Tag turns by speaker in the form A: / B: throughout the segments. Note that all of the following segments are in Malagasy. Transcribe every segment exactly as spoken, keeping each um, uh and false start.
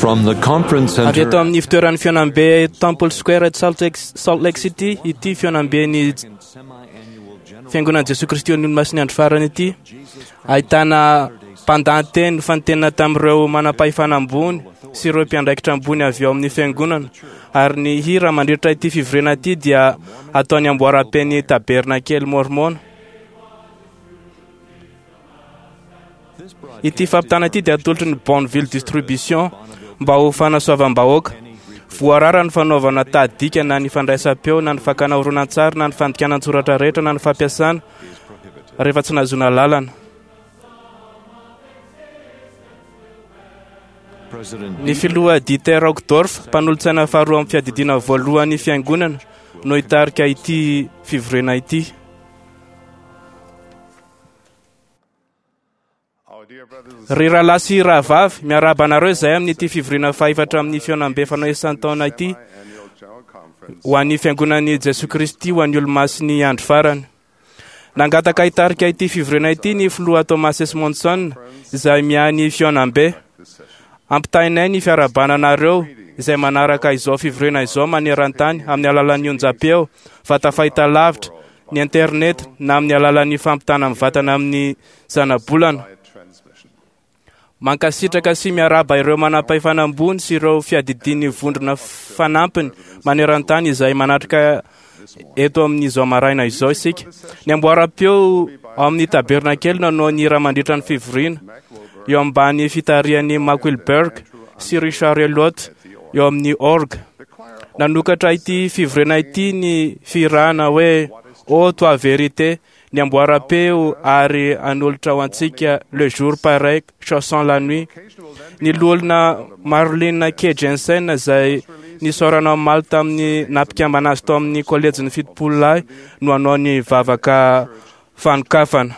A: From the conference
B: Avy
A: center
B: eto amin'ny fitoeran'ny fihaonambe Temple Square at Salt Lake, Salt Lake City ity fihaonambe ny fiangonan'i Jesoa Kristy ny Olomasin'ny andro farany ity. Ahitana mpandahateny fantenina tamin'ireo manam-pahefana ambony sy ireo mpiandraikitra ambony avy ao amin'ny fiangonana. Ary ny hira mandritra ity fivoriana ity dia ataony amboaram-peny tabernakely mormona. Ity fampitana ity dia atolotry ny Bonneville Distribution mba ho fanasoavam-bahoaka. Voarara ny fanaovana tahadika na ny fandraisam-peo na ny fakana horonantsary na ny fandikana an-tsoratra rehetra na ny fampiasana rehefa tsy nahazoana lalana. Ny filoha Dieter Uchtdorf, mpanolotsaina faharoa amin'ny fiadidiana voalohan'ny fiangonana, no hitarika ity fivoriana ity. Ry rahalahy sy rahavavy, miarahaba anareo izay amin'ity fivoriana fahefatra amin'ny fihaonambe fanao isan-taona ity ho an'ny fiangonan'i Jesoa Kristy ho an'ny Olomasin'ny andro farany. Nangataka hitarika ity fivoriana ity ny filoha Thomas S. Monson izay miahy ny fihaonambe. Ampitainay ny fiarahabana anareo izay manaraka izao fivoriana izao maneran-tany amin'ny alalan'ny onjam-peo, vata fahitalavitra, ny internet na amin'ny alalan'ny fampitana mivantana amin'ny zanabolana. Mankasitraka sy miarahaba ireo manam-pahefana ambony sy ireo fiadidian'ny vondrona fanampiny maneran-tany izay manatrika eto amin'izao maraina izao isika. Ny amboaram-peo ao amin'ny tabernakely no hanao ny hira mandritra ny fivoriana eo ambany fitarihan'i Mark Wilberg sy Richard Elliott eo amin'ny orgue. Nanokatra ity fivoriana ity ny fihirana hoe Ô toi vérité, ny amboaram-peo ary hanolotra ho antsika Le jour paraît, chassant la nuit. Ny loholona Marlene K. Jensen izay nisaorana omaly tamin'ny nampikambana azy tao amin'ny kolejin'ny fitopolo lahy no hanao ny vavaka fanokafana.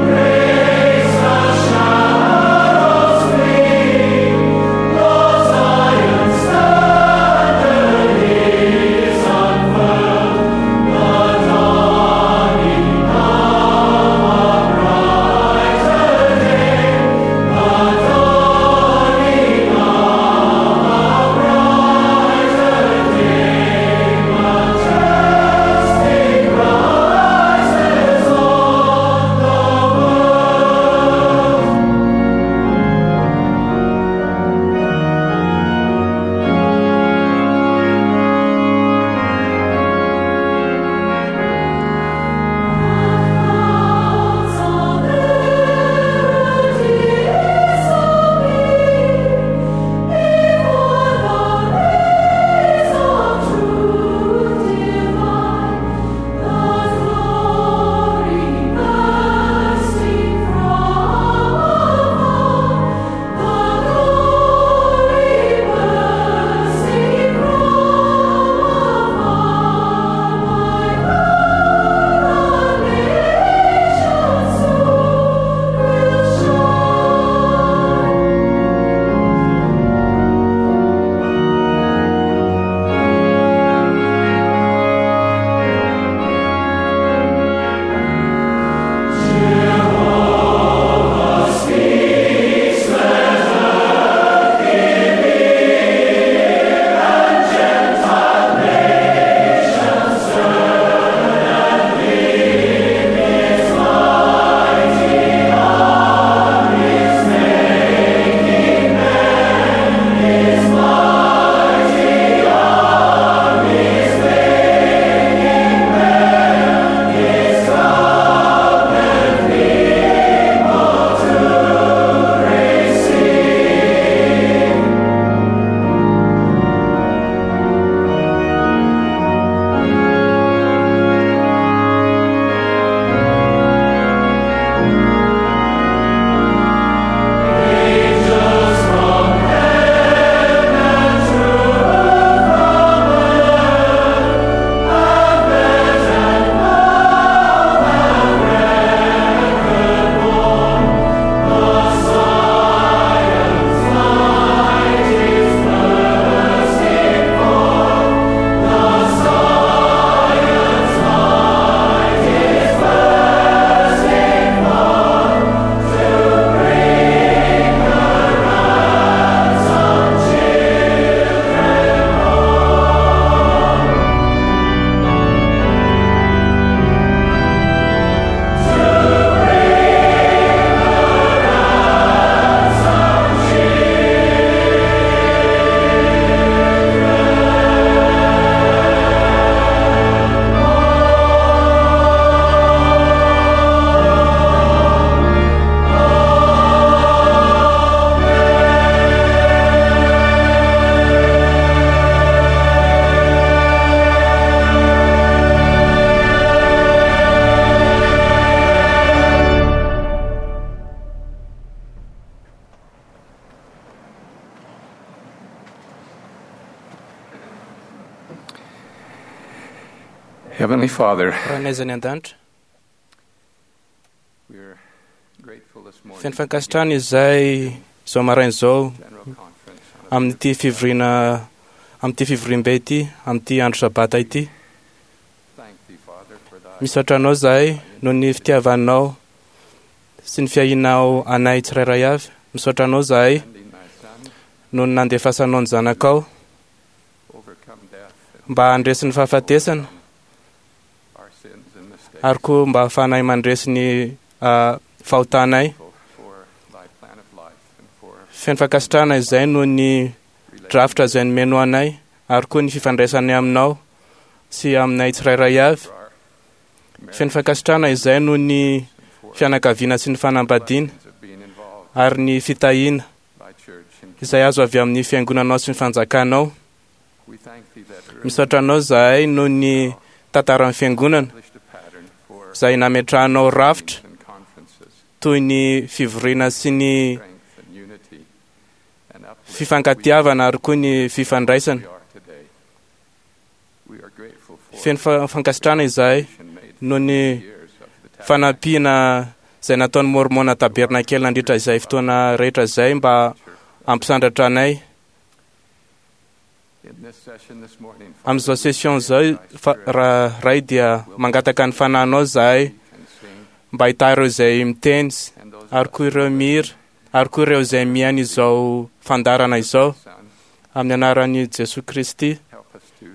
C: Grace, the shadows flee, the Zion's
A: Heavenly Father,
B: Rainay izay any an-danitra,
A: we are grateful this morning
B: feno fankasitrahana izay izao maraina izao
A: General Conference on a
B: amin'ity fivoriana amin'ity fivoriambe ity, amin'ity andro sabata ity.
A: Thank thee, Father, for thy
B: Misaotra anao izahay noho ny fitiavanao sy ny fiahianao anay tsirairay avy. Misaotra anao izahay
A: sending thy Son,
B: noho ny nandefasanao ny zanakao
A: overcome death and
B: mba handresy ny fahafatesana
A: our sins and mistakes.
B: ary koa mba hahafahanay mandresy ny ah, fahotanay.
A: For thy plan of life and for
B: Feno fankasitrahana izay noho ny drafitra izay nomeno anay ary koa ny fifandraisanay aminao sy aminay tsirairay avy.
A: for our
B: Feno fankasitrahana izay noho ny fianakaviana sy ny fanambadiana
A: blessings of being involved
B: ary ny fitahiana
A: in thy church. And
B: izay azo avy amin'ny fiangonanao sy ny fanjakanao.
A: we thank thee that early
B: Misaotra anao izahay noho ny tantaran'ny fiangonana
A: established a pattern for
B: izay nametrahanao rafitra
A: meetings and conferences,
B: toy ny fivoriana sy ny
A: strength and unity and uplift
B: fifankatiavana ary koa ny fifandraisana.
A: we are today. We are grateful for
B: Feno fa- fankasitrahana izahay
A: the made
B: noho ny
A: years of the
B: fanampiana izay nataon'ny Mormona Tabernakely nandritra izay fotoana rehetra izay mba hampisandratra anay.
A: In this session this morning,
B: Amin'izao session izao fa- raha ray dia mangataka ny fanahinao izahay
A: and sing,
B: mba hahita ireo izay miteny sy-
A: and those
B: ary koa ireo mihira ary koa ireo izay mihaino izao fandaharana izao
A: Son,
B: amin'ny anaran'i Jesoa Kristy
A: help us to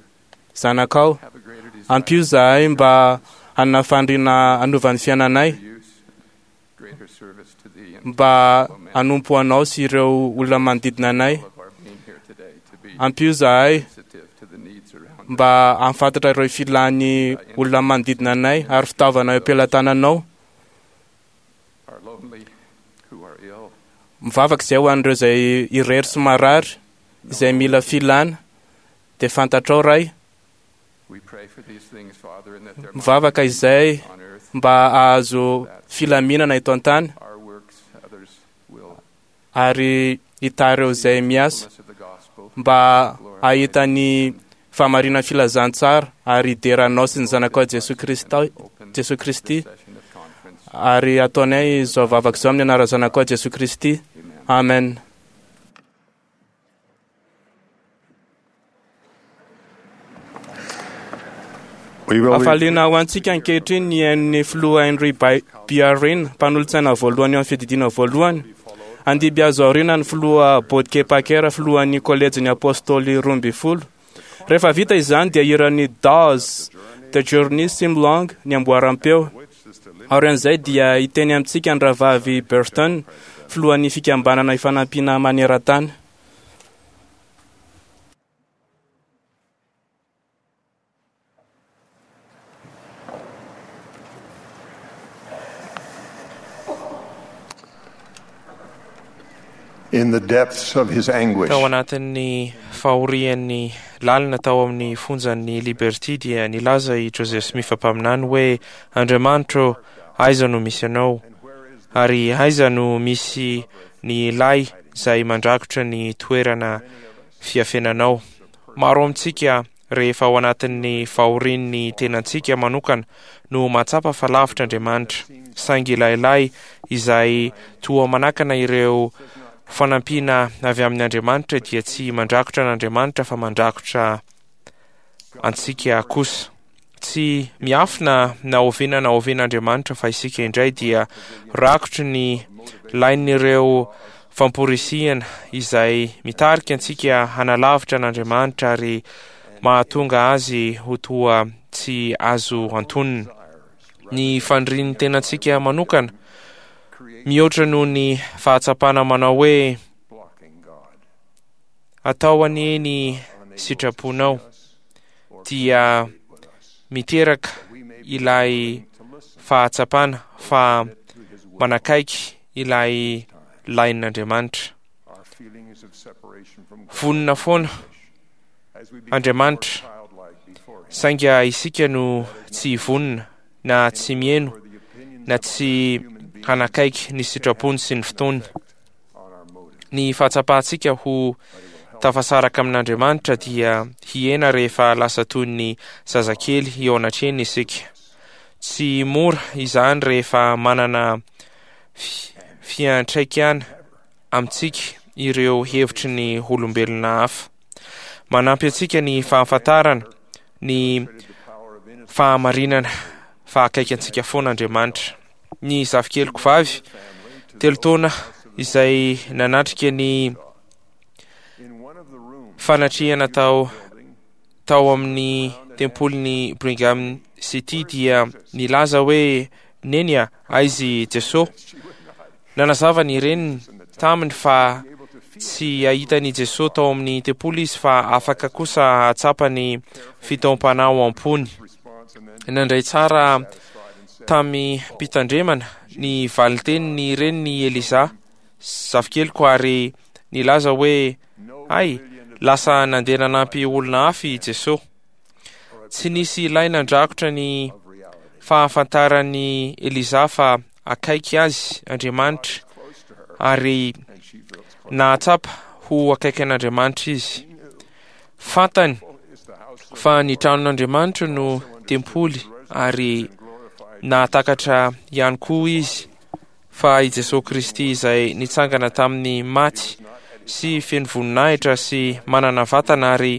B: zanakao.
A: have a greater desire
B: Ampio izahay mba hanana faniriana hanova ny fiainanay
A: for use, greater service to thee and
B: mba hanompo anao sy ireo olona manodidina anay.
A: all of our being here today to be
B: Ampio izahay
A: sensitive to the needs around us.
B: mba hahafantatra ireo filan'ny olona manodidina anay ary fitaovana eo am-pelatananao.
A: Our lonely who are ill,
B: Mivavaka izay ho an'ireo izay irery sy marary izay mila filana dia fantatrao Ray.
A: we pray for these things, Father, and that there might
B: Mivavaka izay
A: be on earth
B: mba hahazo filaminana eto an-tany
A: our works, others will
B: ary hita ireo izay miasa
A: fullness of the gospel,
B: mba hahita ny fahamarinan' filazantsara ary hidera anao sy ny zanakao Jesoa Kristy
A: open
B: Jesoa Kristy
A: this session of conference.
B: ary ataonay izao vavaka izao amin'ny anaran'ny zanakao Jesoa Kristy.
A: Amen.
B: Amen.
C: We will be
B: Hafaliana ho antsika ankehitriny ny hain'ny filoha Henry Bi- Biarin, mpanolotsaina voalohany eo amin'ny fiadidiana voalohany. Andiby azo aoriana ny filoha Bodke Packer, filohan'ny kolejin'ny apôstôly roa ambin'ny folo. Rehefa vita izany dia hiran'ny Dawes, The Journey Seems Long, ny amboaram-peo. Aorian'izay dia hiteny amintsika ny rahavavy Burton, filohan'ny fikambanana ifanampiana maneran-tany.
C: in the depths of his anguish.
D: Tao anatin'ny fahorian'ny lalina tao amin'ny fonjan'ny Liberty dia nilaza i Joseph Smith mpaminany hoe Andriamanitro, aiza no misy anao? Ary aiza no misy ny lay izay mandrakotra ny toerana fiafenanao? Maro amintsika rehefa ao anatin'ny fahorian'ny tenantsika manokana no mahatsapa fa lavitra Andriamanitra, saingy ilay lay izay toa manakana ireo fanampiana avy amin'ny Andriamanitra dia tsy mandrakotra an'Andriamanitra fa mandrakotra antsika kosa. Tsy miafina na oviana na oviana Andriamanitra fa isika indray dia rakotry ny lain'ireo famporisihana izay mitarika antsika hanalavitra an'Andriamanitra ary mahatonga azy ho toa tsy azo antonina. Ny fanirian'ny tenantsika manokana mihoatra noho ny fahatsapana manao hoe
C: blocking God.
D: atao anie ny sitraponao dia miteraka ilay fahatsapana fa manakaiky ilay lain'Andriamanitra.
C: Our feelings of separation from God
D: Vonona foana
C: as we become
D: Andriamanitra,
C: more childlike before him.
D: saingy isika no tsy vonona na tsy mihaino
C: For the opinions
D: na tsy hanakaiky ny sitrapony sy ny fotoany.
C: on our motives.
D: Ny fahatsapantsika ho tafasaraka amin'Andriamanitra dia hihena rehefa lasa toy ny zazakely eo anatrehany isika. Tsy mora izany rehefa manana fiantraikana amintsika ireo hevitry ny olombelona hafa. Manampy antsika ny fahafantarana ny fahamarinana fa akaiky antsika foana Andriamanitra. Ny zafikeliko vavy telo taona izay nanatrika ny fanatrehana tao tao amin'ny tempolin'ny Brigham City dia nilaza hoe: "Neny a, aiza i Jesosy?" Nanazava ny reniny taminy fa tsy hahita an'i Jesosy tao amin'ny tempoly izy, fa afaka kosa hahatsapa ny fitaom-panahy ao am-pony. Nandray tsara tamim-pitandremana ny valintenin'ny reniny Eliza zafikeliko ary nilaza hoe: "Ay, lasa nandeha nanampy olona hafa i Jesosy." Tsy nisy ilaina nandrakotra ny fahafantaran'i Eliza fa akaiky azy Andriamanitra, ary nahatsapa ho akaiky an'Andriamanitra izy. Fantany fa ny tranon'Andriamanitra no tempoly, ary nahatakatra ihany koa izy fa i Jesosy Kristy izay nitsangana tamin'ny maty sy feno voninahitra sy manana vatana ary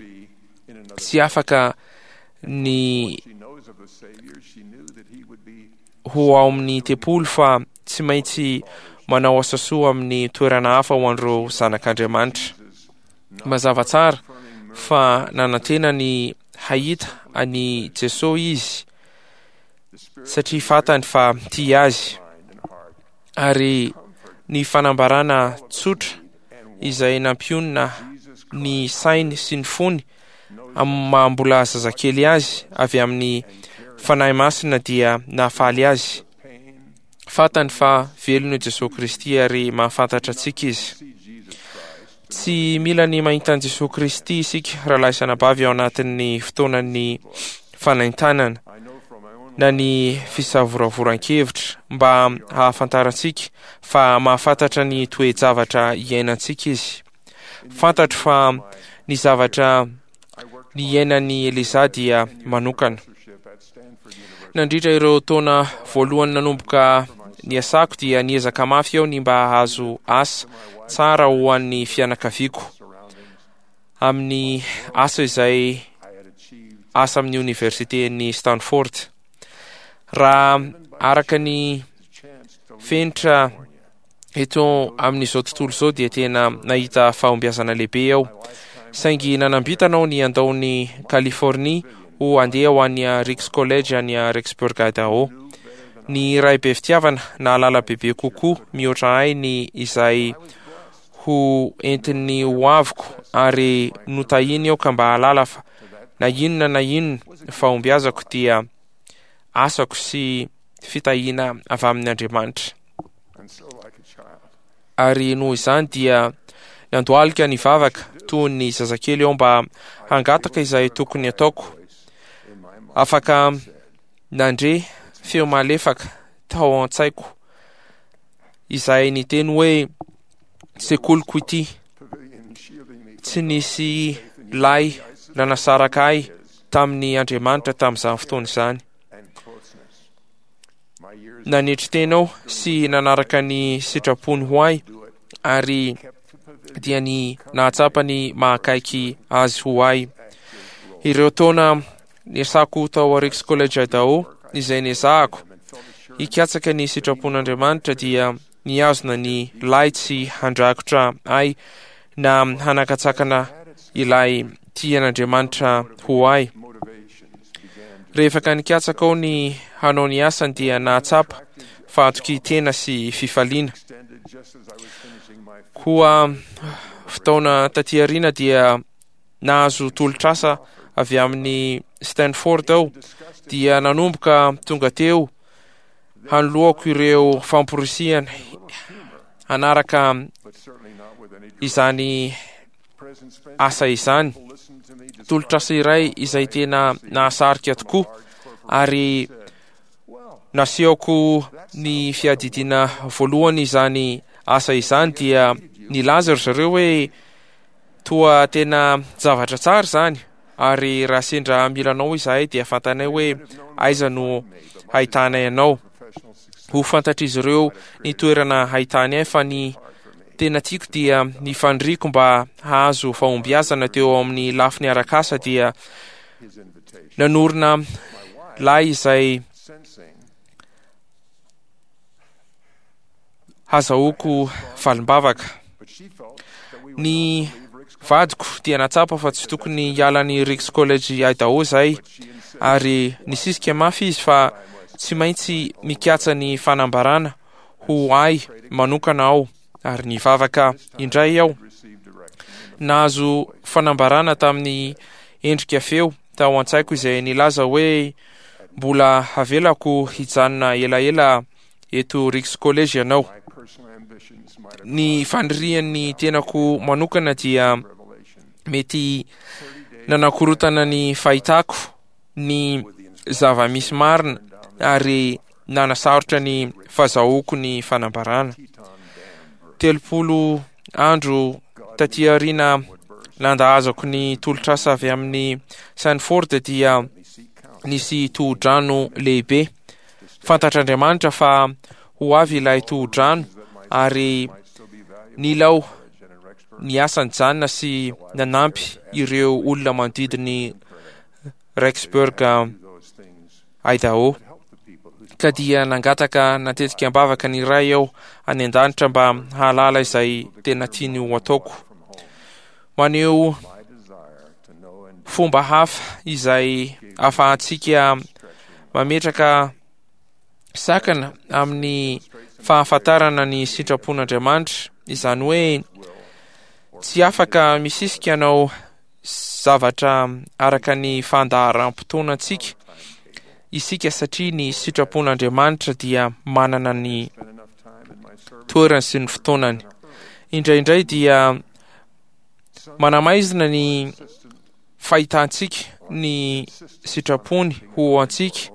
D: tsy afaka ny ho ao amin'ny tempoly, fa tsy maintsy manao asa soa amin'ny toerana hafa ho an'ireo zanak'Andriamanitra. Mazava tsara fa nanantena ny hahita an'i Jesosy izy, satria fantany fa tia azy, ary ny fanambarana tsotra izay nampionona ny sainy sy ny fony amin'ny maha mbola zazakely azy avy amin'ny Fanahy Masina dia nahafaly azy. Fantany fa velona i Jesosy Kristy ary mahafantatra antsika izy. Tsy mila ny mahita an'i Jesosy Kristy isika, rahalahy sy anabavy, ao anatin'ny fotoanan'ny fanaintainana na ny fisavoravoran-kevitra mba hahafantarantsika fa mahafantatra ny toe-javatra iainantsika izy. Fantatro fa ny zavatra niainan'i Eliza dia manokana. Nandritra ireo taona voalohany nanomboka niasako dia niezaka mafy aho ny mba hahazo asa tsara ho an'ny fianakaviako amin'ny asa izay asa amin'ny oniversiten'i Stanford. Raha araka ny fenitra eto amin'izao tontolo izao dia tena nahita fahombiazana lehibe aho, saingy nanambitana aho ny handao ny Californie ho andeha ho any Ricks College any Rexburg, Idaho. Ny ray be fitiavana nahalala bebe kokoa mihoatra ahy ny izay ho entin'ny ho aviko, ary notahiny aho ka mba hahalala fa na inona na inona fahombiazako dia asako sy fitahiana avy amin'ny Andriamanitra. Ary noho izany dia nandohalika ny vavaka toy ny zazakely aho mba hangataka izay tokony ataoko. Afaka nandre feo malefaka tao an-tsaiko izay niteny hoe: "Sekoliko ity." Tsy nisy lay nanasaraka ahy tamin'ny Andriamanitra tamin'izany fotoana izany. Nanetry tena aho sy nanaraka ny sitrapony ho ahy, ary dia ny nahatsapa ny mahakaiky azy ho ahy. Ireo taona niasako tao Ricks College Idaho izay niezahako hikatsaka ny sitrapon'Andriamanitra dia nihazona ny lay tsy handrakotra ahy na hanakatsakana ilay tian'Andriamanitra ho ahy. Rehefa ka nikatsaka aho ny hanao ny asany dia nahatsapa fahatokian-tena sy fifaliana. Koa fotoana taty aoriana dia nahazo tolotr'asa avy amin'ny Stanford aho, dia nanomboka tonga teo hanoloako ireo famporisihana hanaraka izany asa izany. Tolotr'asa iray izay tena nahasarika tokoa, ary nasehoko ny fiadidiana voalohany izany asa izany dia nilaza ry zareo hoe Toa tena zavatra tsara izany, ary raha sendra mila anao izahay dia fantanay hoe aiza no hahitanay anao. Ho fantatr'izy ireo ny toerana hahitany ahy, fa ny tena tiako dia ny faniriako mba hahazo fahombiazana teo amin'ny lafiny arak'asa dia nanorina lay izay hazahoako valim-bavaka. Ny vadiko dia natsapa fa tsy tokony hiala ny Ricks College Idaho izay, ary nisisika mafy izy fa tsy maintsy mikatsa ny fanambarana ho ahy manokana aho, ary nivavaka indray aho. Nahazo fanambarana tamin'ny endrika feo tao an-tsaiko izay nilaza hoe mbola havelako hijanona elaela eto Ricks College ianao. Ny fanirian'ny tenako manokana dia mety nanakorotana ny fahitako ny zava-misy marina ary nanasarotra ny fahazahoako ny fanambarana. Telopolo andro taty aoriana nandahazako ny tolotr'asa avy amin'ny Sanford dia nisy tohodrano lehibe. Fantatr'Andriamanitra fa ho avy ilay tohodrano ary nilao niasa nijanona sy nanampy ireo olona manodidiny Rexburg, Idaho. Ka dia nangataka natetika am-bavaka ny Ray aho any an-danitra mba hahalala izay tena tiany ho ataoko. Maneho fomba hafa izay ahafahantsika mametraka sakana amin'ny fahafantarana ny sitrapon'Andriamanitra, izany hoe tsy afaka misisika anao zavatra araka ny fandaharam-potoanantsika isika, satria ny sitrapon'Andriamanitra dia manana ny toerany sy ny fotoanany. Indraindray dia manamaizina ny fahitantsika ny sitrapony ho antsika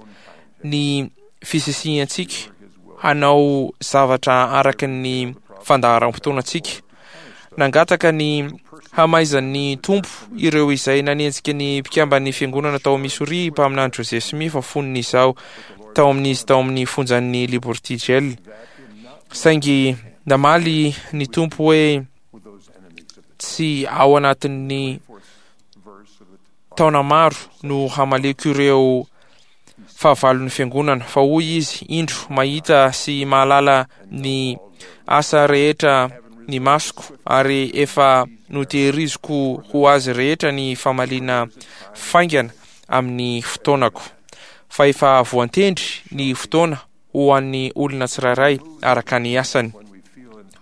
D: ny fisisihantsika hanao zavatra araka ny fandaharam-potoanantsika. Nangataka ny hamaizan'ny Tompo ireo izay nanenjika ny mpikamban'ny fiangonana tao Missouri mpaminany Joseph Smith fony izaho tao amin'izy tao amin'ny fonjan'ny Liberty Jail. Saingy namaly ny Tompo hoe tsy ao anatin'ny taona maro no hamaleko ireo fahavalon'ny fiangonana, fa hoy izy, indro mahita sy mahalala ny asa rehetra ny masoko, ary efa notehiriziko ho azy rehetra ny famaliana faingana amin'ny fotoanako, fa efa voantendry ny fotoana ho an'ny olona tsirairay araka ny asany.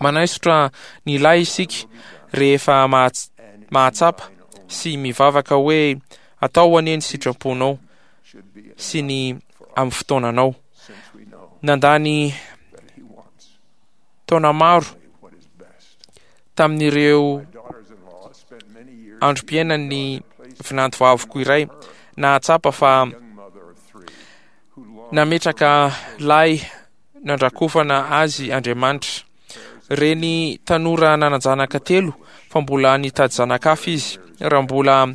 D: Manaisotra ny lahy isika rehefa mahatsapa sy mivavaka hoe atao anie ny sitraponao sy ny amin'ny fotoananao. Nandany taona maro tamin'ireo androm-piainan'ny vinantovaviko iray nahatsapa fa nametraka lahy nandrakofana azy Andriamanitra. Reny tanora nanan-janaka telo fa mbola nitady zanaka hafa izy. Raha mbola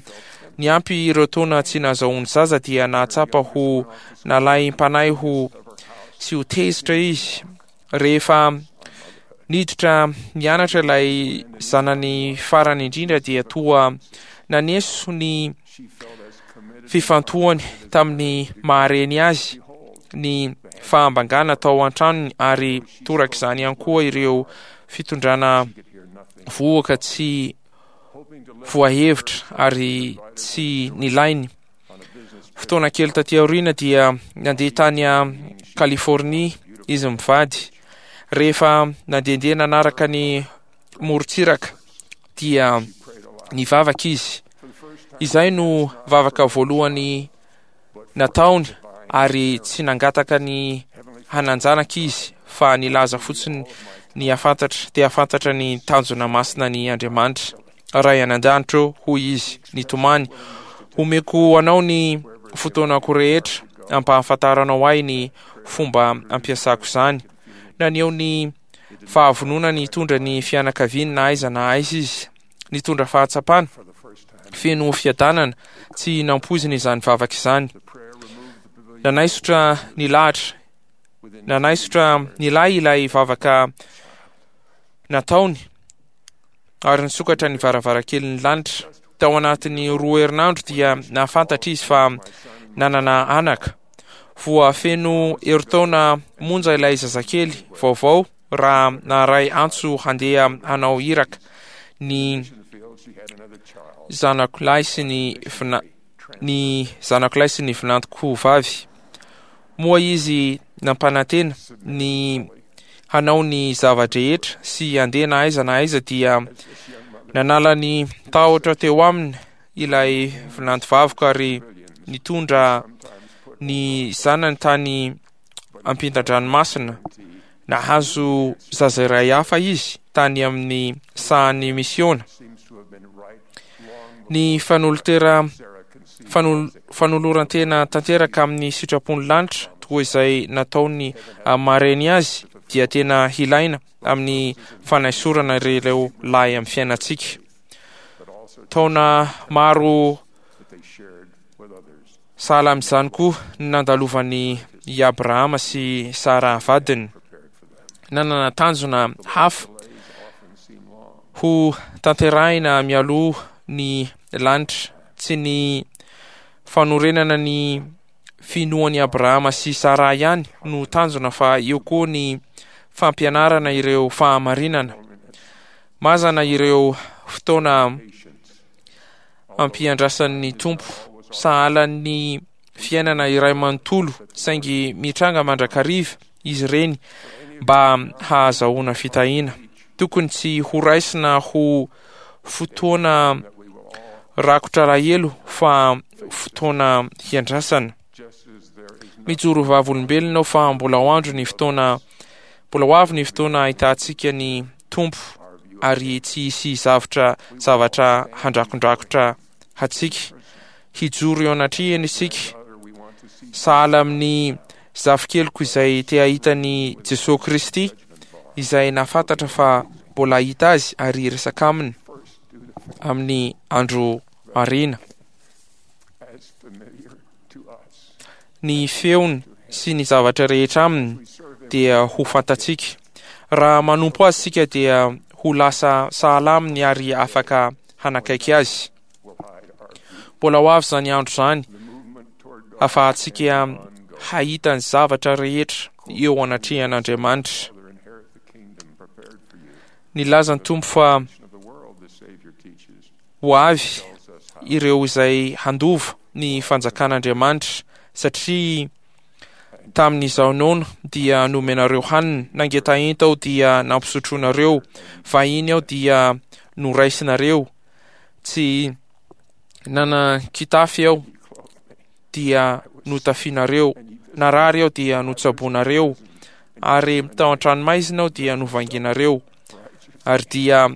D: niampy ireo taona tsy nahazahoany zaza dia nahatsapa ho nalaim-panahy ho sy ho tezitra izy. Rehefa niditra nianatra ilay zanany farany indrindra dia toa naneso ny fifantohany tamin'ny mahareny azy ny fahambangana tao an-tranony, ary torak'izany ihany koa ireo fitondrana vohoka tsy voahevitra ary tsy nilainy. Fotoana kely taty aoriana dia nandeha tany Californie izy mivady. Rehefa nandehandeha nanaraka ny morontsiraka dia nivavaka izy. Izay no vavaka voalohany nataony, ary tsy nangataka ny hanan-janaka izy fa nilaza fotsiny ny hafantatra, te hafantatra ny tanjona masina ny Andriamanitra. Ray any an-danitra, hoy izy nitomany, homeko anao ny fotoanako rehetra ampahafantaranao ahy ny fomba ampiasako izany. Naneho ny fahavononany hitondra ny fianakaviany na aiza na aiza izy. Nitondra fahatsapana feno fiadanana tsy nampoizina izany vavaka izany. Nanaisotra ny lahatra nanaisotra ny lahy ilay vavaka nataony ary nisokatra ny varavarakelin'ny lanitra. Tao anatin'ny roa herinandro dia nahafantatra izy fa nanana anaka. Voafeno herintaona monja ilay zazakely vaovao raha naharay antso handeha hanao iraka ny zanako lahy sy ny vina ny zanako lahy sy ny vinantoko vavy. Moa izy nampanantena ny hanao ny zava-drehetra sy handeha na aiza na aiza dia nanala ny tahotra teo aminy ilay vinantovaviko ary nitondra ny zanany tany ampitan-dranomasina. Nahazo zaza iray hafa izy tany amin'ny sahan'ny misiona. Ny fanolotera fanol, fanoloran-tena tanteraka amin'ny sitrapon'ny lanitra toa izay nataony mareny azy dia tena hilaina amin'ny fanaisorana ireo lahy amin'ny fiainantsika. Taona maro sahala amin'izany koa ny nandalovan'i i Abrahama sy Sara vadiny. Nanana tanjona hafa ho tanterahina mialoha ny lanitra, tsy ny fanorenana ny finoan'i Abrahama sy Sara ihany no tanjona fa eo koa ny fampianarana ireo fahamarinana. Mazana ireo fotoana ampiandrasan'ny Tompo sahalan'ny fiainana iray manontolo, saingy mitranga mandrakariva izy ireny mba hahazahoana fitahiana. Tokony tsy horaisina ho fotoana rakotra alahelo fa fotoana hiandrasana. Mijoro vavolombelona aho fa mbola ho andro ny fotoana mbola ho avy ny fotoana ahitantsika ny Tompo ary tsy hisy zavatra zavatra handrakondrakotra hatsika. Hijoro eo anatrehany isika sahala amin'ny zafikeliko izay te hahita ny Jesosy Kristy izay nahafantatra fa mbola hahita azy ary hiresaka aminy amin'ny andro aoriana. Ny feony sy ny zavatra rehetra aminy dia ho fantatsika. Raha manompo azy isika dia ho lasa sahala aminy ary afaka hanakaiky azy. Mbola ho avy izany andro izany ahafahantsika hahita ny zavatra rehetra eo anatrehan'Andriamanitra. Nilaza ny Tompo fa ho avy ireo izay handova ny fanjakan'Andriamanitra, satria tamin'izaho noana dia nomenareo hanina, nangetaheta aho dia nampisotroinareo, vahiny aho dia noraisinareo, tsy nanan-kitafy aho dia notafianareo, narary aho dia notsaboinareo, ary tao an-tranomaizina aho dia novanginareo. Ary dia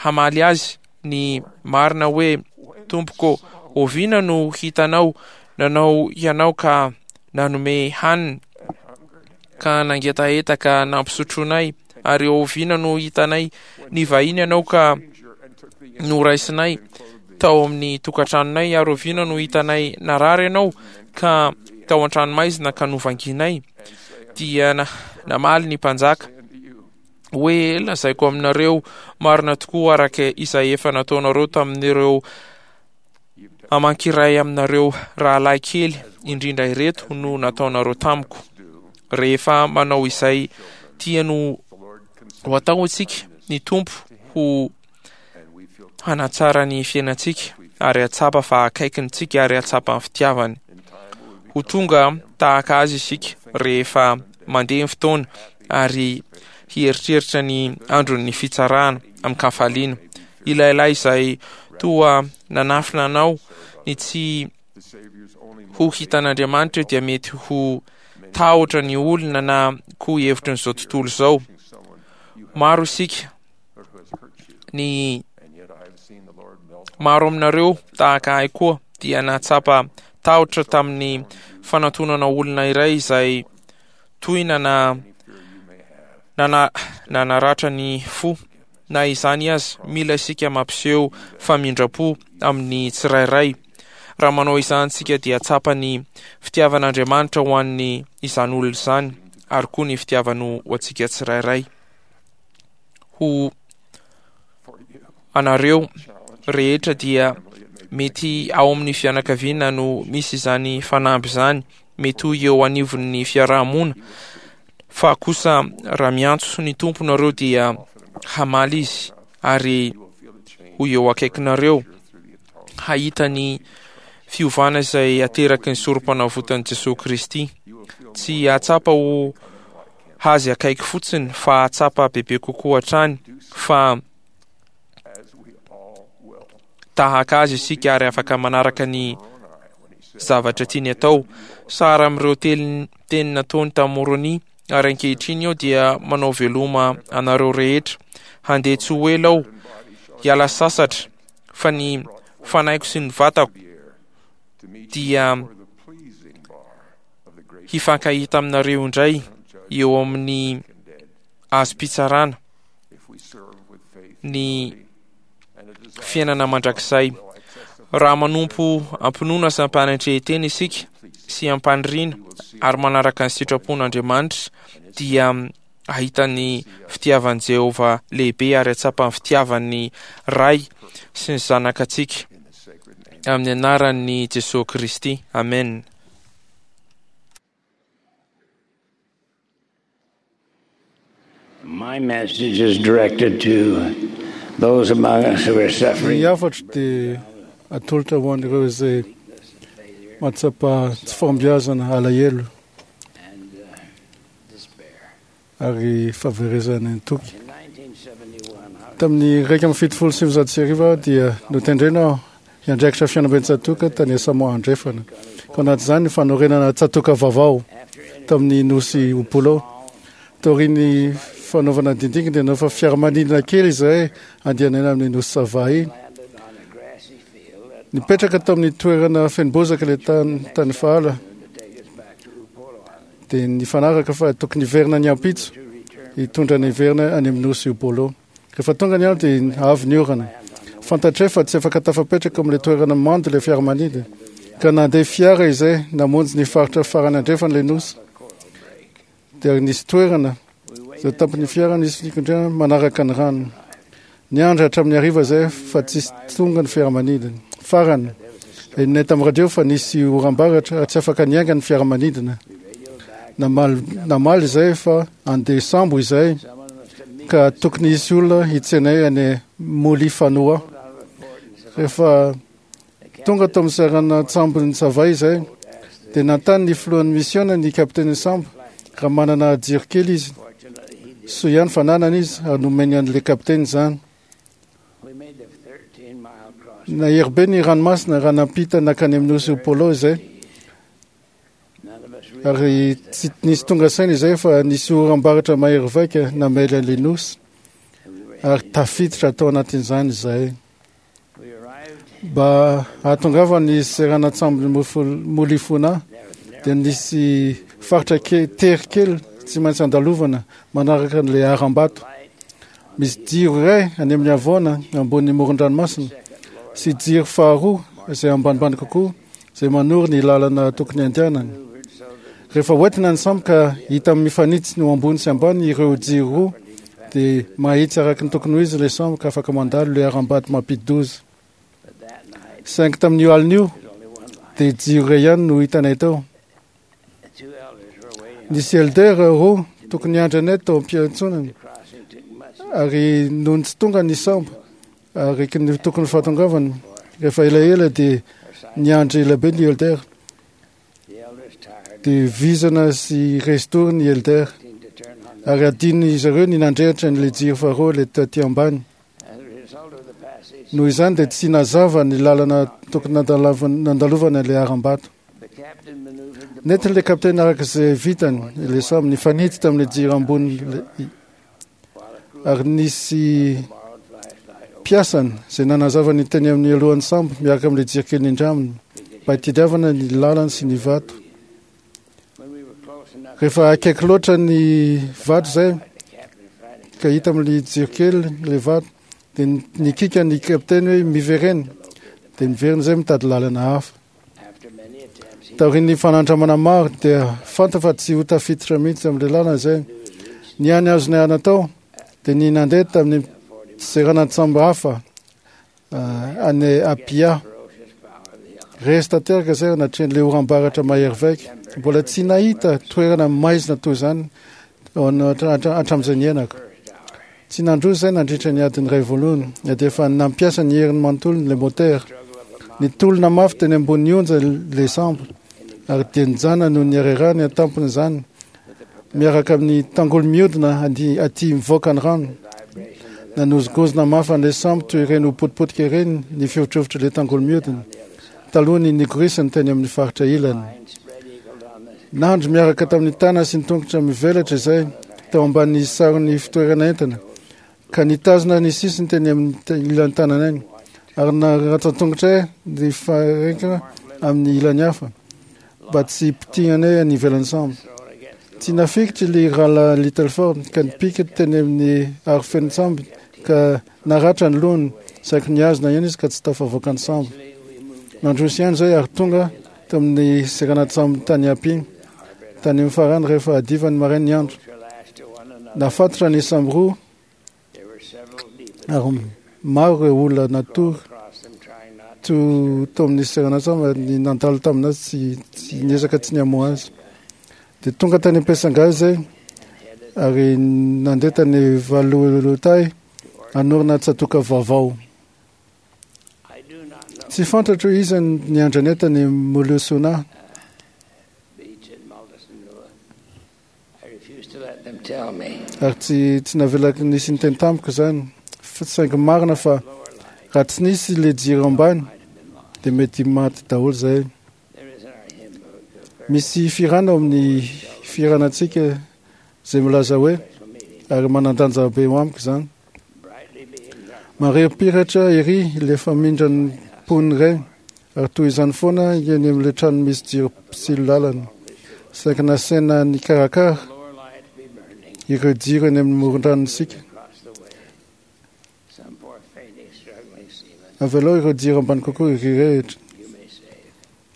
D: hamaly azy ny marina hoe: Tompoko, oviana no hitanao nanao ianao ka nanome hanina, ka nangetaheta ka nampisotroinay, ary oviana no hitanay nivahiny ianao ka noraisinay tao amin'ny tokantranonay, ary oviana no hitanay narary ianao ka tao an-tranomaizina ka novanginay? Dia namaly ny mpanjaka hoe: Lazaiko aminareo marina tokoa, araka izay efa nataonareo tamin'ireo amankiray aminareo rahalahy kely indrindra ireto no nataonareo tamiko. Rehefa manao izay tiany ho atao isika, ny Tompo ho hanatsara ny fiainantsika ary hatsapa fa akaikintsika ary hatsapa ny fitiavany. Ho tonga tahaka azy isika rehefa mandeha ny fotoana ary hieritreritra ny andron'ny fitsarana amin-kafaliana. Ilay lahy izay toa nanafina anao ny tsy ho hitan'Andriamanitra dia mety ho tahotra ny olona na koa hevitrin'izao tontolo izao. Maro isika ny maro aminareo tahaka ahy koa dia nahatsapa tahotra tamin'ny fanantonana olona iray izay tohina na nana nanaratra ny fo. Na izany aza, mila isika mampiseho famindram-po amin'ny tsirairay. Raha manao izany isika dia tsapa ny fitiavan'Andriamanitra ho an'ny izany olona izany, ary koa ny fitiavany ho antsika tsirairay. Ho anareo rehetra dia mety ao amin'ny fianakaviana no misy izany fanamby izany, mety ho eo anivon'ny fiarahamonina, fa kosa raha miantso ny Tompo nareo dia hamaly izy ary ho eo akaikinareo, hahita ny fiovana izay ateraky ny sorom-panavotan'i Jesoa Kristy. Tsy hahatsapa ho azy akaiky fotsiny fa hahatsapa bebe kokoa hatrany fa tahaka azy isika ary afaka manaraka ny zavatra tiany atao. Sara amin'ireo teny teny nataony tamin'i Moroni, ary ankehitriny aho dia manao veloma anareo rehetra. Handeha tsy ho ela aho hiala sasatra, fa ny fanaiko sy ny vatako dia hifankahita aminareo indray eo amin'ny azom-pitsarana ny fiainana mandrakizay. Raha manompo am-pinoana sy am-panetren-tena isika sy am-paniriana ary manaraka ny sitrapon'Andriamanitra dia hahita ny fitiavan'i Jehovah lehibe ary hahatsapa ny fitiavan'ny Ray sy ny Zanaka antsika. Amin'ny anaran'i Jesoa Kristy. Amen.
E: My message is directed to those among us who are suffering.
F: Ny hafatro dia atolotra ho an'ireo izay mahatsapa tsy fahombiazana, alahelo ary fahaverezana ny toky. Tamin'ny iraika amby fitopolo sy sivinjato sy arivo aho dia notendrena aho hiandraikitra fianamben-tsatoka tany Samoa Andrefana. Ka anatin'izany ny fanorenana tsatoka vaovao tamin'ny nosy Upolo. Taorian'ny fanaovana dindingy dia naofa fiaramanidina kely izahay andehanana amin'ny nosy Savaii. Nipetraka tamin'ny toerana feno bozaka ilay tany tany fahala. Dia nifanaraka fa tokony hiverina ny ampitso hitondra ny hiverina any amin'ny nosy Upolo. Rehefa tonga ny andro dia avy ny orana. Fantatray fa tsy afaka tafapetraka amin'ilay toerana mando ilay fiaramanidina. Ka nandeha fiara izay namonjy ny faritra farany andrefana ilay nosy. Dia nisy toerana izay tampon'ny fiara nisy nikondrena manaraka ny rano. Niandry hatramin'ny hariva izay fa tsisy tonga ny fiaramanidina. Farany, henonay tamin'ny radio fa nisy oram-baratra ary tsy afaka niainga ny fiaramanidina. Namaly, namaly izay fa andeha sambo izay ka tokony hisy olona hitsenay any Molifanoa. Rehefa tonga tao amin'ny seranan-tsambon'ny Savaii izay, dia nanontany ny filohan'ny misiona ny kapitenin'ny sambo raha manana jiro kely izy. Soa ihany fa nanana izy ary nomeny an'ilay kapiteny izany. Nahery be ny ranomasina raha nampita nankany amin'ny nosy Upolo izay. Ary tsy nisy tonga saina izay fa nisy oram-baratra mahery vaika namely an'ilay nosy ary tafiditra tao anatin'izany izay. Mba hahatongavany seranan-tsambon'ny Molifona dia nisy faritra ke- tery kely tsy maintsy andalovana manaraka an'ilay harambato. Misy jiro iray any amin'ny havoana ambonin'ny moron-dranomasina sy jiro faharoa izay ambanimbany kokoa izay manoro ny lalana tokony andehanana. Rehefa hoentina ny sambo ka hita mifanitsy ny ambony sy ambany ireo jiro roa dia mahitsy araka ny tokony ho izy ilay sambo ka afaka mandalo ilay harambato mampidi-doza. Saingy tamin'io alina io dia jiro iray ihany no hitanay tao. Nisy elder roa tokony hiandry anay tao am-piantsonana ary nony tsy tonga ny sambo ary ny tokony fahatongavany rehefa elaela dia niandry ela be ny elder. Dia vizana sy restory ny elder ary adinon'izy ireo ny nandrehitra an'ilay jiro faharoa ilay taty ambany. Noho izany dia tsy nazava ny lalana tokony nandalovana ilay harambato. Nentin'ilay kapiteny araka izay vitany ilay sambo nifanitsy tamin'ilay jiro ambony ary nisy mpiasany izay nanazava ny teny amin'ny alohan'ny sambo miaraka amin'ilay jiro kely nindraminy mba hitadiavana ny lalany sy ny vato. Rehefa akaiky loatra ny vato izay ka hita amin'ilay jiro kely ilay vato. Dia nikika ny kapiteny hoe miverena. Dia miverina izay mitady lalana hafa. Taorian'ny fanandramana maro dia fanta fa tsy ho tafiditra mihitsy amin'ilay lalana izay. Ny hany azonay natao dia ny nandeha tamin'ny seranan-tsambo hafa any Apia. Resy tanteraka izay natrehan'ilay oram-baratra mahery vaika. Mbola tsy nahita toerana maizina toy izany hatramin'izay niainako. Tsy nandroso izay nandritra ny adiny iray voalohany, na dia efa nampiasa ny heriny manontolo ilay motera. Nitolona mafy teny ambonin'ny onja ilay sambo, ary dia nijanona noho ny harerahany an-tampony izany, miaraka amin'ny tangolo miodina aty mivoaka ny rano. Nanozongozona mafy an'ilay sambo toy ireny ho potipotika ireny ny fihovitrovitry ilay tangolo miodina, talohan'ny nigorisany teny amin'ny faritra ilany. Nandry miaraka tamin'ny tanana sy ny tongotra mivelatra izay tao ambanin'ny saron'ny fitoerana entana, ka nitazona ny sisiny teny amin'ny ilan'ny tanana iny, ary naratsan-tongotra ny farekana amin'ny ilany hafa mba tsy hipitihana any ivelan'ny sambo. Tsy nafikitra ilay rahalahy Littleford ka nipika teny amin'ny arofenin-tsambo ka naratra ny lohany, saingy nihazona ihany izy ka tsy tafavoaka ny sambo. Nandroso ihany izay ary tonga tamin'ny seranan-tsambo tany Apia, tany amin'ny farany rehefa hadiva ny maraina ny andro. Nafatotra ny sambo roa ary maro ireo olona natory tao amin'ny seranan-tsambo ary nandalo taminazy tsy tsy niezaka tsy nihamoha azy. Dia tonga tany Ampesangazy izay ary nandeha tany Valolotay hanorina tsatoka vaovao. Tsy fantatro iza ny andranay tany Molosona. Ary tsy tsy navelako nisy niteny tamiko izany. Saingy marina fa raha tsy nisy ilay jiro ambany dia mety maty daholo izay. Misy firana ao amin'ny firanantsika izay milaza hoe, ary manan-danja be ho amiko izany. Marempiratra ery ilay famindran'ny mponina iray, ary toy izany foana eny amin'ilay trano misy jiro mpitsilo lalana. Saingy nasaina nikarakara ireo jiro eny amin'ny moron-dranontsika. Avelao ireo jiro ambany kokoa hirehitra,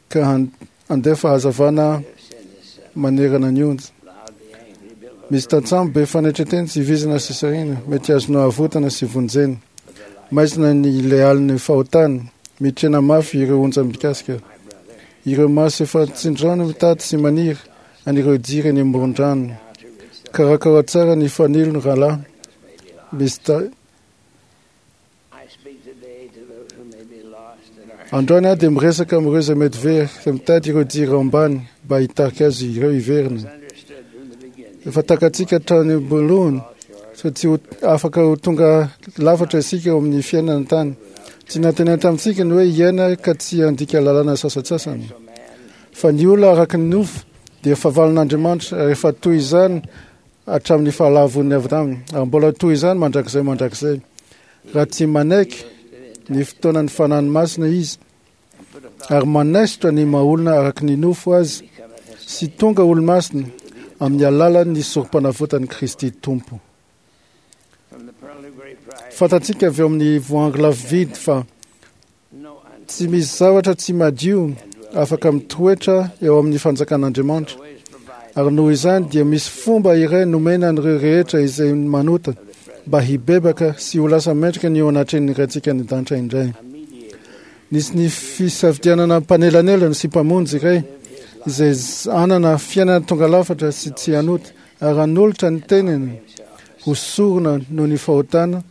F: ka handefa hazavana manerana ny onja. Misy tantsambo be fanetren-tena sy vizana sy sarina, mety azonao avotana sy vonjena. Maizina ny ilay alin'ny fahotana, mitrena mafy ireo onja mikasika. Ireo maso efa tsindrano mitady sy maniry an'ireo jiro eny amoron-drano. Karakara tsara ny fanilo rahalahy. Misy ta Androany aho dia miresaka amin'ireo izay mety very, izay mitady ireo jiro ambany mba hitarika azy ireo hiverina. Efa takatsika hatrany am-boalohany fa tsy ho afaka ho tonga lafatra isika eo amin'ny fiainana tany. Tsy nantenaina tamintsika ny hoe hiaina ka tsy handika lalàna sasantsasany. Fa ny olona araka ny nofo dia fahavalon'Andriamanitra, ary efa toy izany hatramin'ny fahalavon'ny avy taminy, ary mbola toy izany mandrakizay mandrakizay. Raha tsy manaiky ny fotoanan'ny Fanahy Masina izy, ary manaisotra ny maha-olona araka ny nofo azy sy tonga olo-masina amin'ny alalan'ny sorom-panavotan'i Kristy Tompo. Fantatsika avy eo amin'ny voahangy lafo vidy fa tsy misy zavatra tsy madio afaka mitoetra eo amin'ny fanjakan'Andriamanitra, ary noho izany dia misy fomba iray nomena an'ireo rehetra izay manota mba hibebaka sy ho lasa mendrika ny eo anatrehan'ny Raintsika any an-danitra indray. Nisy ny fisafidianana mpanelanelana sy mpamonjy iray izay hanana fiainana tonga lafatra sy tsy hanota ary hanolotra ny tenany ho sorona noho ny fahotana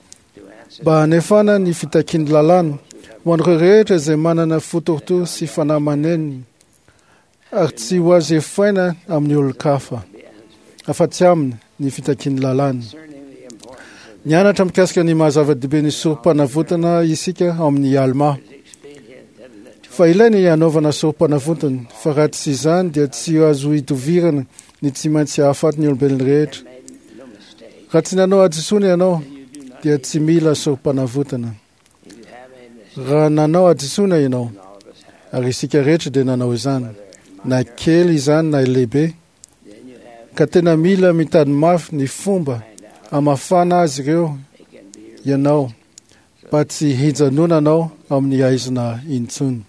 F: mba hanefana ny fitakian'ny lalàna ho an'ireo rehetra izay manana fo torotoro sy fanahy manenina ary tsy ho azo efaina amin'ny olon-kafa afa-tsy aminy ny fitakian'ny lalàna. Nianatra mikasika ny maha-zava-dehibe ny sorom-panavotana isika ao amin'ny Alma. Fa ilaina ny hanaovana sorom-panavotana, fa raha tsy izany dia tsy azo idovirana ny tsy maintsy hahafaty ny olombelona rehetra. Raha tsy nanao hadisoana ianao dia tsy mila sorom-panavotana. Raha nanao hadisoana ianao, ary isika rehetra dia nanao izany, na kely izany na lehibe, ka tena mila mitady mafy ny fomba Hamafana azy ireo ianao mba tsy hijanonanao amin'ny aizina intsony.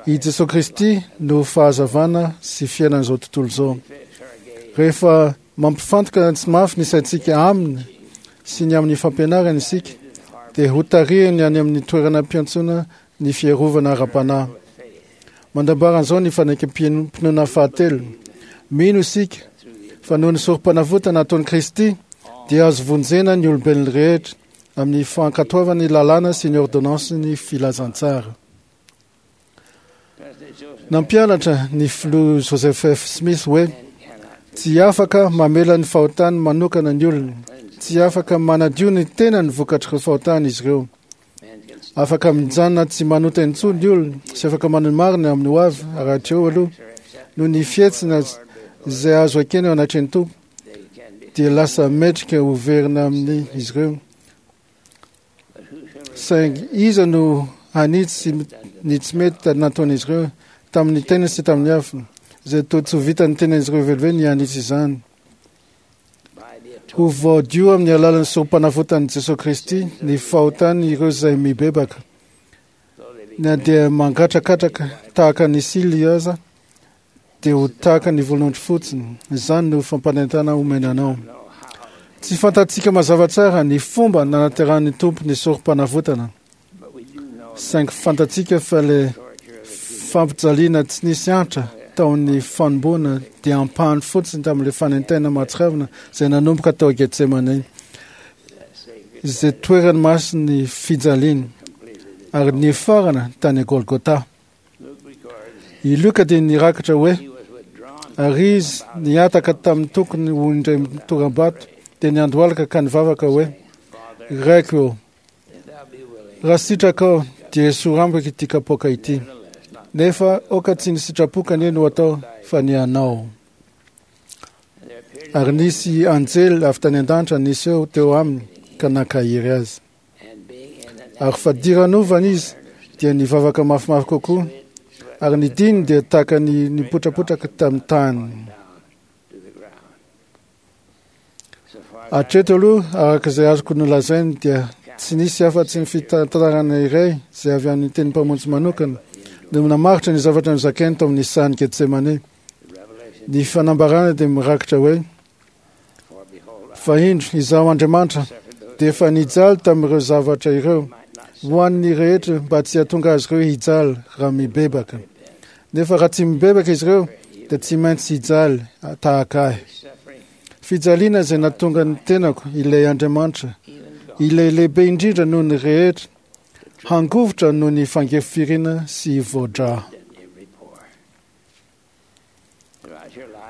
F: I Jesosy Kristy no fahazavana sy fiainan'izao tontolo izao. Rehefa mampifantoka tsy mafy ny saintsika aminy sy ny amin'ny fampianarany isika, dia hotarihiny any amin'ny toerana mpiantsoana ny fiarovana ara-panahy. Mandambaran'izao ny fanekem-pinoana fahatelo. Mino isika fa noho ny sorom-panavotana ataon'i Kristy dia azo vonjena ny olombelona rehetra amin'ny fankatoavany lalàna sy ny ordonnansin'ny filazantsara. Nampianatra ny filoha Joseph F. Smith hoe tsy afaka mamela ny fahotany manokana ny olona, tsy afaka manadio ny tenany vokatr'ireo fahotany izy ireo. Afaka mijanona tsy manota intsony ny olona sy afaka manao ny marina amin'ny ho avy, ary hatreo aloha noho ny fihetsina izay azo ekena eo anatrehan'ny Tompo dia lasa metrika ho verina amin'ny izy ireo. Saingy iza no hanitsy ny tsy mety nataon'izy ireo tamin'ny tena sy tamin'ny hafa, izay toa tsy ho vitan'ny tenan'izy ireo velively ny hanitsy izany. Ho voadio amin'ny alalan'ny sorom-panavotan'i Jesosy Kristy ny fahotany ireo izay mibebaka. Na dia mangatrakatraka tahaka ny sily aza, dia ho tahaka ny volonondry fotsiny. Izany no fampanentana omena anao. Tsy fantatsika mazava tsara ny fomba nanaterahan'ny Tompo ny sorom-panavotana, saingy fantatsika fa le fampijaliana tsy nisy antra tao amin'ny fanomboana dia ampahany fotsiny tamin'ilay fanentaina mahatsiravina izay nanomboka tao Getsemane, izay toerany masin'ny fijaliana, ary nifarana tany Golgotha. I Luka dia nirakitra hoe ary izy nihataka tamin'ny tokony ho indray toram-bato dia niandohalika ka nivavaka hoe: Raiko eo, raha sitrakao dia esory amiko ity kapoaka ity, nefa aoka tsy ny sitrapoka anie no atao fa ny anao. Ary nisy anjely avy tany an-danitra niseho teo aminy ka nankahery azy. Ary fadiranovana izy dia nivavaka mafimafy kokoa, ary ny diny dia tahaka ny nipotrapotraka tamin'ny tany. Hatreto aloha, araka izay azoko nolazainy, dia tsy nisy afa-tsy ny fitantarana iray izay avy amin'ny tenin'ny Mpamonjy manokana no namaritra ny zavatra nozakainy tao amin'ny sahan'i Getsemane. Ny fanambarana dia mirakitra hoe: Fa indro, izaho Andriamanitra dia efa nijaly tamin'ireo zavatra ireo ho an'ny rehetra mba tsy hahatonga azy ireo hijaly raha mibebaka. Nefa raha tsy mibebaka izy ireo dia tsy maintsy hijaly tahaka ahy. Fijaliana izay nahatonga ny tenako ilay Andriamanitra, ilay lehibe indrindra noho ny rehetra, hangovitra noho ny fangefirina sy voadra.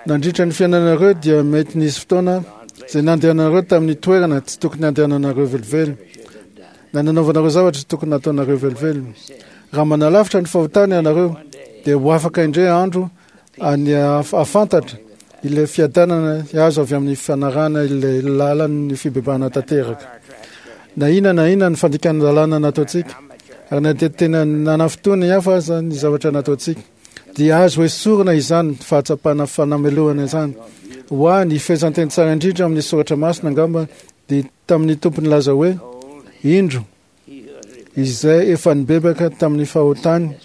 F: Nandritra ny fiainanareo dia mety nisy fotoana izay nandehananareo tamin'ny toerana tsy tokony handehananareo velively, na nanaovanareo zavatra tsy tokony nataonareo velively. Raha manalavitra ny fahotana ianareo dia ho afaka indray andro any hahafantatra ilay fiadanana azo avy amin'ny fanarahana ilay lalan'ny fibebahana tanteraka. Na inona na inona ny fandikana lalàna nataontsika, ary na dia tena nanafintohina ny hafa aza ny zavatra nataontsika, dia azo esorina izany fahatsapana fanamelohana izany. Ho ahy, ny fehezanteny tsara indrindra amin'ny soratra masina angamba dia tamin'ny Tompo nilaza hoe: Indro, izay efa nibebaka tamin'ny fahotany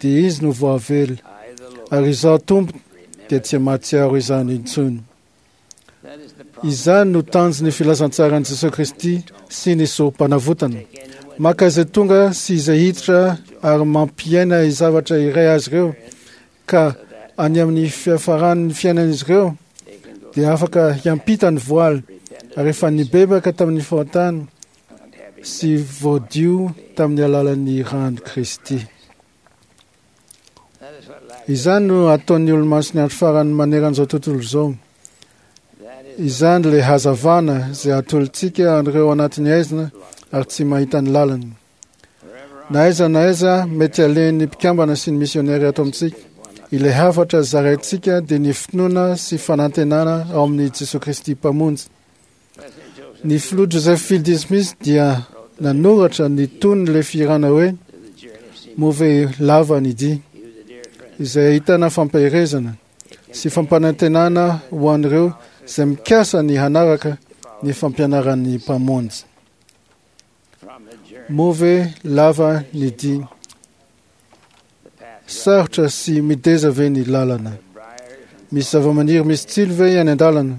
F: dia izy no voavela, ary izaho Tompo dia tsy mahatsiaro izany intsony. Izany no tanjon'ny filazantsaran'i Jesosy Kristy sy ny sorom-panavotana. Maka izay tonga sy izay hiditra ary mampiaina zavatra iray azy ireo, ka any amin'ny fiafaran'ny fiainan'izy ireo dia afaka hiampita ny voaly, ary efa nibebaka tamin'ny fahotany sy voadio tamin'ny alalan'ny ran'i Kristy. Izany no ataon'ny olomasin'ny andro farany maneran'izao tontolo izao. Izany ilay hazavana izay atolotsika an'ireo anatin'ny aizina ary tsy mahita ny lalany. Na aiza na aiza mety alehan'ny mpikambana sy ny misionera ato amintsika, ilay hafatra zaraintsika dia ny finoana sy fanantenana ao amin'i Jesosy Kristy Mpamonjy. Ny filoha Joseph Fielding Smith dia nanoratra ny tonon'ilay fihirana hoe Moa ve lava ny dia, izay ahitana fampaherezana sy fampanantenana ho an'ireo izay mikasa ny hanaraka ny fampianaran'ny Mpamonjy. Moa ve lava ny dia? Sarotra sy mideza ve ny lalana? Misy zava-maniry misy tsilo ve any an-dalana?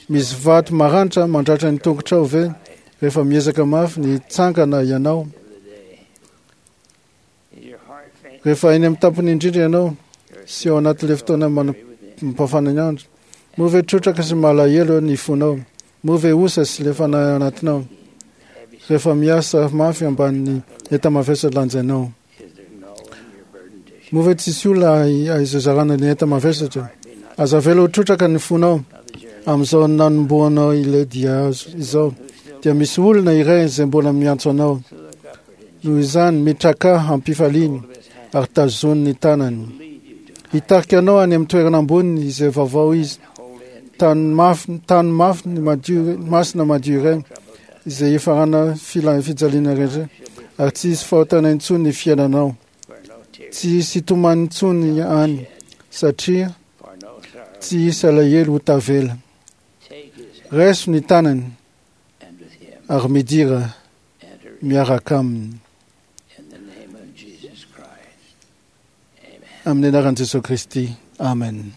F: Misy vato maranitra mandratra ny tongotrao ve rehefa miezaka mafy ny hitsangana ianao? Rehefa eny amin'ny tampony indrindra ianao sy ao anatin'ilay fotoana mampafana ny andro, moa ve trotraka sy malahelo ny fonao? Moa ve osa sy lefana ao anatinao rehefa miasa mafy ambanin'ny enta-mavesatra lanjainao? Moa ve tsisy olona izazarana ny enta-mavesatra? Aza avela ho trotraka ny fonao amin'izao nanombohanao ilay dia azo izao, dia misy olona iray izay mbola miantso anao. Noho izany, mitraka ampifaliana ary tazony ny tanany. Hitarika anao any amin'ny toerana amboniny izay vaovao izy, tany mafy, tany mafy ny madio, masina madio iray izay hifarana fila fijaliana rehetra, ary tsy hisy fahotana intsony ny fiainanao. Tsy hisy hitomany intsony any, satria tsy hisy alahelo ho tavela. Raiso ny tanany ary midira miaraka aminy. Amin'ny anaran'i Jesosy Kristy. Amen.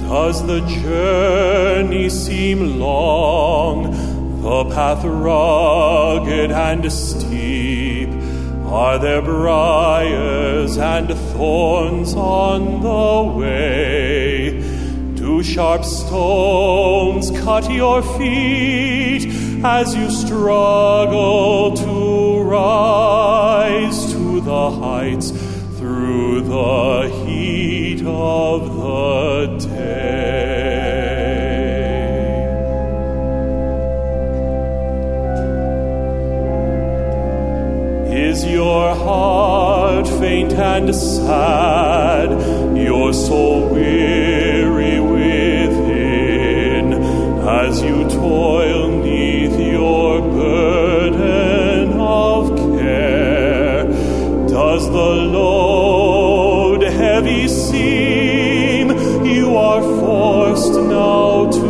G: Does the journey seem long, the path rugged and steep? Are there briars and thorns on the way? Do sharp stones cut your feet as you struggle to rise to the heights through the heat of the day? Is your heart faint and sad, your soul weary within, as you toil neath your burden of care? Does the load heavy seem you are forced now to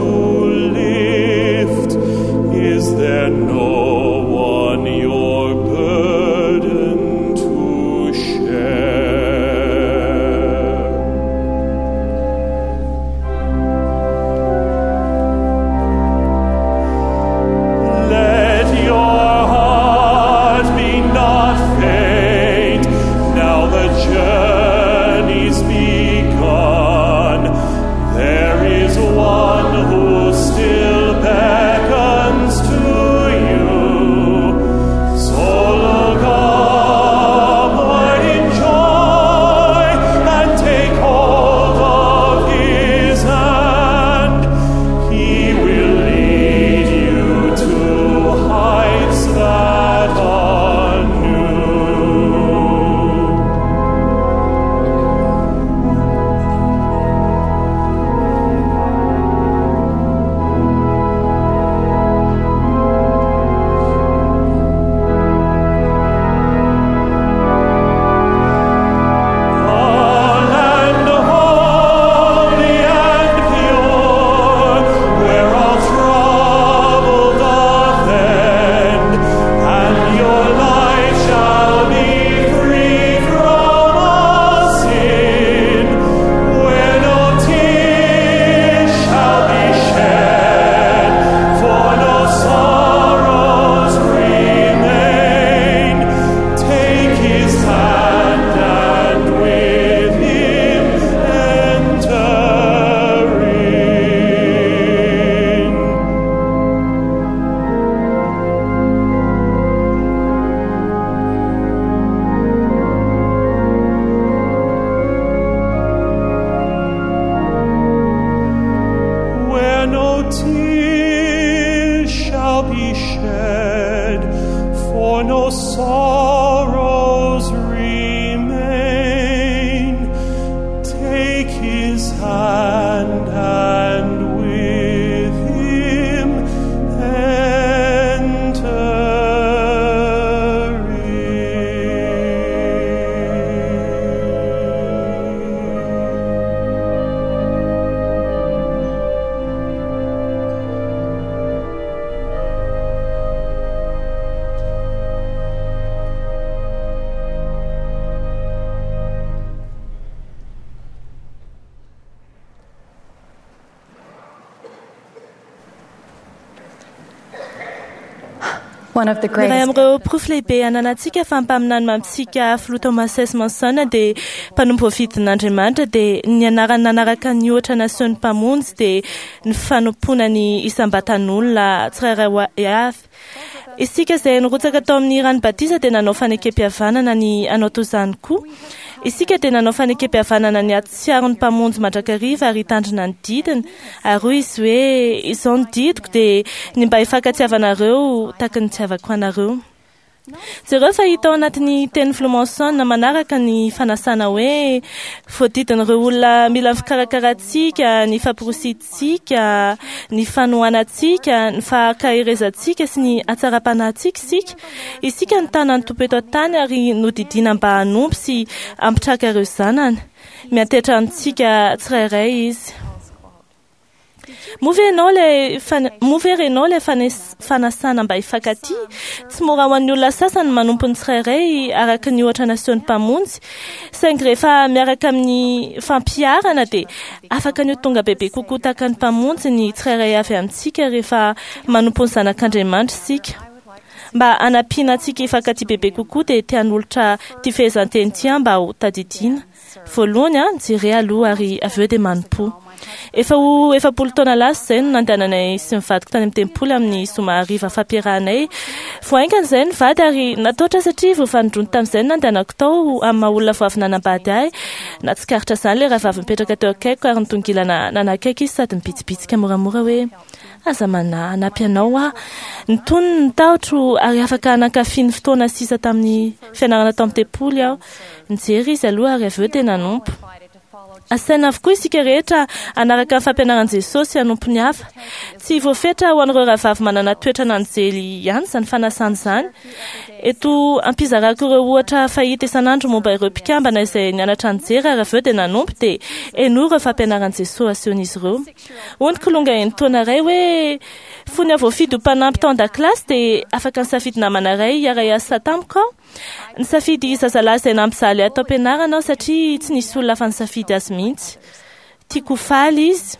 G: lift? Is there no one your burden to share? Let your heart be not faint, now the journey's begun. There is one who still beckons to you. So look upward in joy and take hold of his hand. He will lead you to heights that are new. A land holy and pure, where all trouble doth end, and your life shall be free from all sin, where no tears shall be shed, for no sorrows remain. Take his hand and with him enter in. Where no tears shall be shed, for no sorrows remain.
H: One of the
I: Ny iray
H: greatest
I: amin'ireo porofo lehibe ananantsika fa mpaminany mamintsika filoha Thomas S. Monson dia mpanompo voafidin'Andriamanitra dia ny anarany nanaraka ny ohatra nasehon'ny mpamonjy dia ny fanompoana ny isam-batan'olona tsirairay avy. Isika izay nirotsaka tao amin'ny rano batisa dia nanao fanekem-pihavanana ny hanao toy izany koa. Isika dia nanao fanekem-pihavanana ny hatsiaro ny mpamonjy mandrakariva ary hitandrina ny didiny. Ary hoy izy hoe izao ny didiko dia ny mba hifankatiavanareo tahaka ny nitiavako anareo. Jereo fa hita ao anatin'ny teny filoha Monson manaraka ny fanasana hoe voadidin'ireo olona mila ny fikarakarantsika, ny famporisihantsika, ny fanohanantsika, ny fahakarezantsika sy ny hatsaram-panahintsika isika. Isika no tanan'ny Tompo eto an-tany ary nodidiana mba hanompo sy hampitraka ireo zanany. Miantehitra amintsika tsirairay izy. Moa ve ianao ilay fan- moa ve renao ilay fanes- fanasana mba hifankatia? Tsy mora ho an'ny olona sasany manompo ny tsirairay araka ny ohatra nasehon'ny mpamonjy. Saingy rehefa miaraka amin'ny fampiharana dia afaka ny ho tonga bebe kokoa tahaka ny mpamonjy ny tsirairay avy amintsika rehefa manompo ny zanak'Andriamanitra isika. Mba hanampiana antsika hifankatia bebe kokoa dia te hanolotra ity fehezanteny ity aho mba ho tadidiana. Voalohany a, jere aloha ary avy eo dia manompo. Efa ho efapolo taona lasa izay no nandehananay sy ny vadiko tany amin'ny tempoly amin'ny zoma hariva fampiarahanay. Vao haingana izay ny vady ary natahotra satria vao fanindroany tamin'izay no nandehanako tao amin'ny maha olona vao avy nanambady ahy. Nahatsikaritra izany ilay rahavavy mipetraka teo akaikiko ary nitongilana nanakaiky izy sady nibitsibitsika moramora hoe aza manahy hanampy anao aho. Nitony ny tahotro ary afaka nankafy ny fotoana sisa tamin'ny fianarana tao amin'ny tempoly aho. Nijery izy aloha ary avy eo dia nanompo. Asaina avokoa isika rehetra hanaraka ny fampianaran'i Jesosy hanompo ny hafa. Tsy voafetra ho an'ireo rahavavy manana toetra n'anjely ihany izany fanasana izany. Eto ampizarako ireo ohatra fahita isan'andro momba ireo mpikambana izay nianatra nijery ary avy eo dia nanompo dia henoy ireo fampianaran'i Jesosy asehon'izy ireo. Hoy ny kilonga enin-taona iray hoe fony aho voafidy ho mpanampy tao an-dakilasy dia afaka nisafidy namana iray hiara-hiasa tamiko aho. Nisafidy zazalahy izay nampijaly ahy tao am-pianarana aho satria tsy nisy olona hafa nisafidy azy mihitsy. Tiako ho faly izy.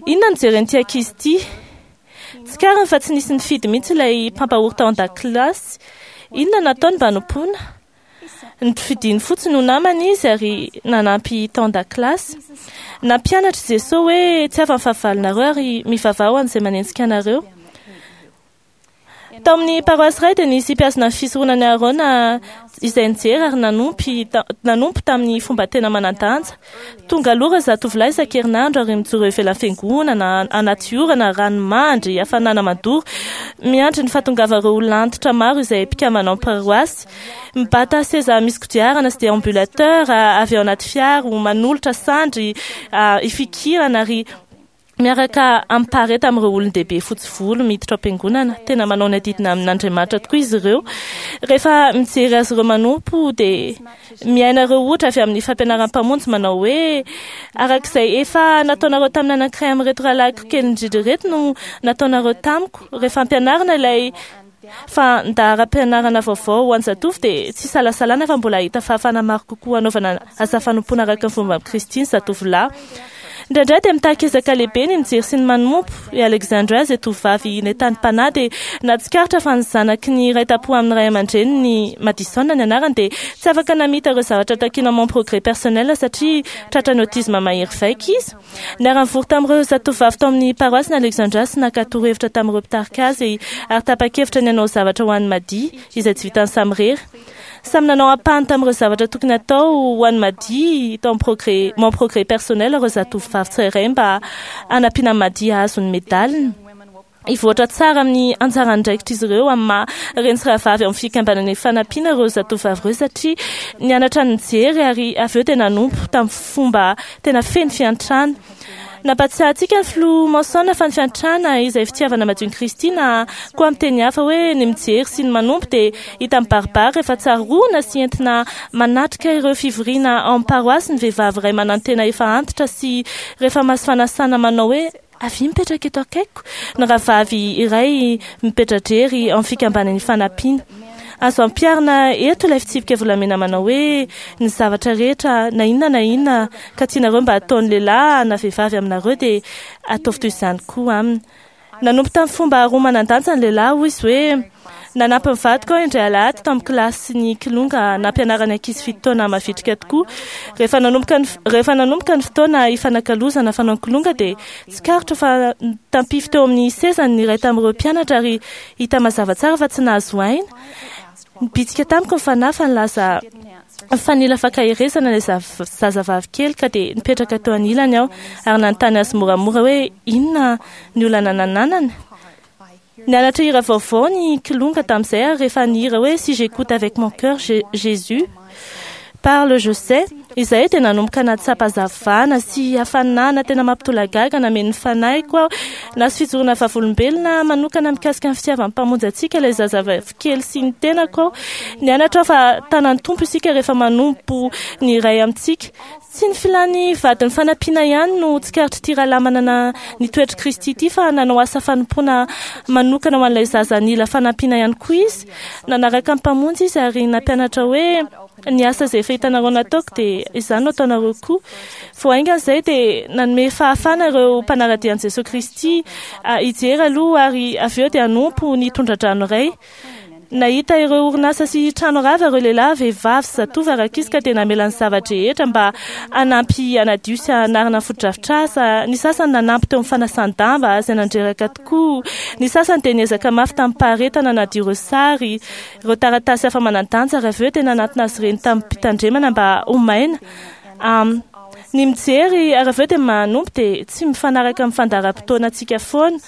I: Inona no jeren'ity ankizy ity? Tsikariny fa tsy nisy nifidy mihitsy ilay mpampahory tao an-dakilasy. Inona no nataony mba hanompoana? Nofidiny fotsiny ho namana izy ary nanampy tao an-dakilasy. Nampianatra i Jesosy hoe tsy hafa ny fahavalonareo ary mivavaha ho an'izay manenjika anareo. Tao amin'ny paroasy iray dia nisy mpihazona ny fisoronan'i Aarona izay nijery ary nanompo nanompo tamin'ny fomba tena manan-danja. Tonga aloha ireo zatovolahy isan-kerinandro ary mijoro eo ivelan'ny fiangonana, anaty orana, ranomandry, hafanana mandoro, miandry ny fahatongavan'ireo olona antitra maro izay mpikambana ao amin'ny paroasy. Mibata seza misy kodiarana sy déambulateur avy ao anaty fiara, manolotra sandry ifikirana ary miaraka amin'ny pareta amin'ireo olon-dehibe fotsy volo miditra ao am-piangonana. Tena manao ny adidina amin'Andriamanitra tokoa izy ireo. Rehefa mijery azy ireo manompo dia miaina ireo ohatra avy amin'ny fampianaran'ny mpamonjy manao hoe arak'izay efa nataonareo tamin'ny anankiray amin'ireto rahalahiko kely indrindra ireto no nataonareo tamiko. Rehefa ampianarina ilay fandaharam-pianarana vaovao ho an'ny zatovo dia tsy isalasalana fa mbola hahita fahafahana maro kokoa hanaovana asa fanompoana araka ny fomba amin'i Kristy ny zatovolahy. Indraindray dia mitaky ezaka lehibe ny mijery sy ny manompo. I Alexandra izay tovovavy nentanim-panahy dia nahatsikaritra fa ny zanaky ny iray tampo amin'ny ray aman-dreniny, Madison ny anarany, dia tsy afaka namita ireo zavatra takiana Mon Progrès Personnel satria tratran'ny autisme mahery vaika izy. Niara-nivory tamin'ireo zatovovavy tao amin'ny paroasy Alexandra sy naka torohevitra tamin'ireo mpitarika azy ary tapa-kevitra ny hanao zavatra ho an'i Madi izay tsy vitany samirery. Samy nanao ampahany tamin'ireo zavatra tokony hatao ho an'i Madi tao amin'ny progrès, Mon Progrès Personnel ireo zatovovavy tsirairay mba hanampiana an'i Madi hahazo ny medaliny. Hivoatra tsara amin'ny anjara andraikitr'izy ireo amin'ny maha reny sy rahavavy ao amin'ny fikambanana Ifanampiana ireo zatovovavy ireo satria nianatra nijery ary avy eo dia nanompo tamin'ny fomba tena feno fiantrana. Nampatsiahy antsika ny filoha Monson fa ny fiantrana izay fitiavana madion'i Kristy na koa amin'ny teny hafa hoe ny mijery sy ny manompo dia hita mibaribary rehefa tsaroana sy entina manatrika ireo fivoriana ao amin'ny paroasy ny vehivavy iray manantena efa antitra sy rehefa mahazo fanasana manao hoe avia mipetraka eto akaikiko ny rahavavy iray mipetra-drery ao amin'ny fikambanan'ny Ifanampiana. Azo ampiharina eto ilay fitsipika volamena manao hoe ny zavatra rehetra na inona na inona ka tianareo mba hataon'ny lehilahy na vehivavy aminareo dia ataovy toy izany koa aminy. Nanompo tamin'ny fomba roa manan-danja ny lehilahy, hoy izy hoe nanampy ny vadiko aho indray alahady tamin'ny kilasin'ny kilonga nampianarana ankizy fito taona mavitrika tokoa. Rehefa nanomboka ny rehefa nanomboka ny fotoana ifanakalozana fanao ny kilonga dia tsikaritra fa nitampify teo amin'ny sezany ny iray tamin'ireo mpianatra ary hita mazava tsara fa tsy nahazo aina. Nibitsika tamiko ny fanahy fa nilaza fa nila fankaherezana ilay zazavavy kely ka dia nipetraka teo anilany aho ary nanontany azy moramora hoe inona ny olana nananany. Nianatra hira vaovao ny kilonga tamin'izay ary rehefa nihira hoe si j'écoute avec mon cœur Jésus parle je sais izay dia nanomboka nahatsapa hazavana sy hafanana tena mampitolagaga nameno ny fanahiko aho. Nahazo fijoroana vavolombelona manokana mikasika ny fitiavan'ny mpamonjy antsika ilay zazavavy kely sy ny tenako aho. Nianatra aho fa tanan'ny Tompo isika rehefa manompo ny iray amintsika. Tsy ny filan'ny vadin'ny fanampiana ihany no tsikaritr'ity rahalahy manana ny toetr'i Kristy ity fa nanao asa fanompoana manokana ho an'ilay zaza nila fanampiana ihany koa izy. Nanaraka ny mpamonjy izy ary nampianatra hoe ny asa izay efa hitanareo nataoko dia izany no ataonareo koa. Vao haingana izay dia nanome fahafahana ireo mpanara-dia an'i Jesosy Kristy hijery aloha ary avy eo dia hanompo ny tondra-drano iray. Nahita ireo orinasa sy trano rava ireo lehilahy, vehivavy sy zatovo ary ankizy ka dia namela ny zava-drehetra mba hanampy hanadio sy hanarina ny fotodrafitrasa. Ny sasany nanampy teo amin'ny fanasan-damba izay nandreraka tokoa. Ny sasany dia niezaka mafy tamim-paharetana hanadio ireo sary, ireo taratasy hafa manan-danja ary avy eo dia nanatona azy ireny tamim-pitandremana mba ho maina. Ny mijery ary avy eo dia manompo dia tsy mifanaraka amin'ny fandaharam-potoanantsika foana.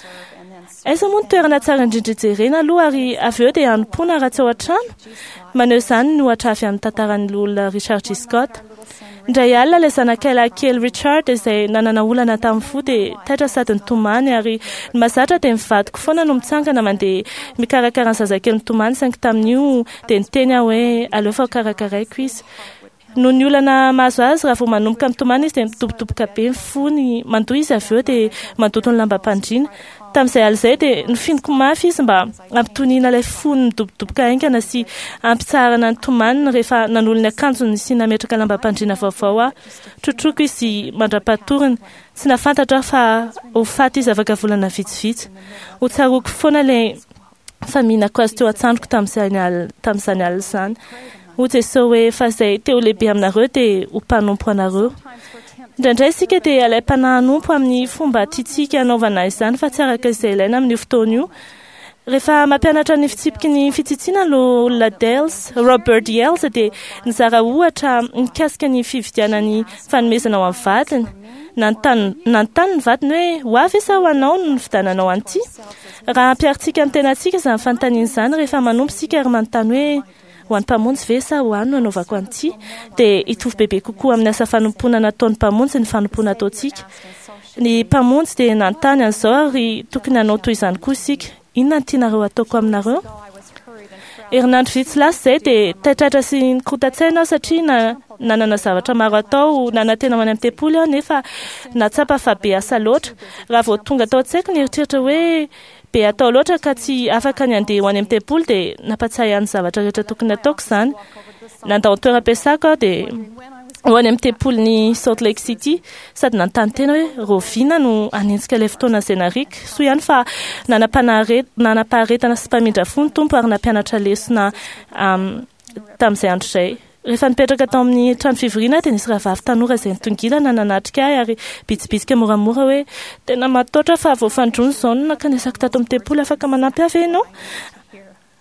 I: Aiza moa ny toerana tsara indrindra hijerena aloha ary avy eo dia hanompoana raha tsy ao an-trano? Maneho izany ny ohatra avy amin'ny tantaran'ny loholona Richard G. Scott. Indray alina ilay zanakay lahy kely Richard izay nanana olana tamin'ny fo dia taitra sady nitomany ary ny mahazatra dia ny vadiko foana no mitsangana mandeha mikarakara ny zazakely mitomany saingy tamin'io dia niteny aho hoe aleo fa hokarakaraiko izy. Noho ny olana mahazo azy, raha vao manomboka mitomany izy dia midobodoboka be ny fony, mandoa izy avy eo dia mandoto ny lambam-pandriana. Tamin'izay alina izay dia nofiniko mafy izy mba hampitoniana ilay fony midobodoboka haingana sy hampitsaharana ny tomaniny rehefa nanolo ny akanjony sy nametraka lambam-pandriana vaovao aho. Trotroiko izy mandra-patoriny. Tsy nahafantatra aho fa ho faty izy afaka volana vitsivitsy. Ho tsaroako foana ilay faminako azy teo an-tsandriko tamin'izany alina izany. Hoy Jesosy hoe fa izay te ho lehibe aminareo dia ho mpanompo anareo. Indraindray isika dia alaim-panahy hanompo amin'ny fomba tiantsika hanaovana izany fa tsy araka izay ilaina amin'io fotoana io. Rehefa mampianatra ny fitsipiky ny fitsitsiana loholona Dales, Robert Yales dia nizara ohatra mikasika ny fividianany fanomezana ho an'ny vadiny. Nanontany nanontany ny vadiny hoe ho avy sa ho anao no nividiananao an'ity? Raha ampiharintsika amin'ny tenantsika izany fanontaniana izany rehefa manompo isika ary manontany hoe ho an'ny mpamonjy ve sa ho ahy no anaovako an'ity dia hitovy bebe kokoa amin'ny asa fanompoana nataon'ny mpamonjy ny fanompoana ataontsika. Ny mpamonjy dia nanontany an'izao ary tokony hanao toy izany koa isika. Inona no tianareo ataoko aminareo? Herinandro vitsy lasa izay dia taitraitra sy nikorontan-tsaina aho satria na nanana zavatra maro atao, nanantena ho any amin'ny tempoly aho nefa nahatsapa fa be asa loatra. Raha vao tonga tao an-tsaiko ny eritreritra hoe be atao loatra ka tsy afaka ny handeha ho any amin'ny tempoly dia nampatsiahy ahy ny zavatra rehetra tokony hataoko izany. Nandao ny toeram-piasako aho dia ho any amin'ny tempolin'i Salt Lake City sady nanontany tena hoe rahoviana no hanenjika ilay fotoana izay nariako. Soa ihany fa nanam-paharetana sy mpamindra fo ny Tompo ary nampianatra lesona tamin'izay andro izay. Rehefa nipetraka tao amin'ny trano fivoriana aho dia nisy rahavavy tanora izay nitongilana nanatrika ahy ary bitsibitsika moramora hoe tena matahotra fa vao fanindroany izao no nankanesako tato amin'ny tempoly, afaka manampy ahy ve ianao?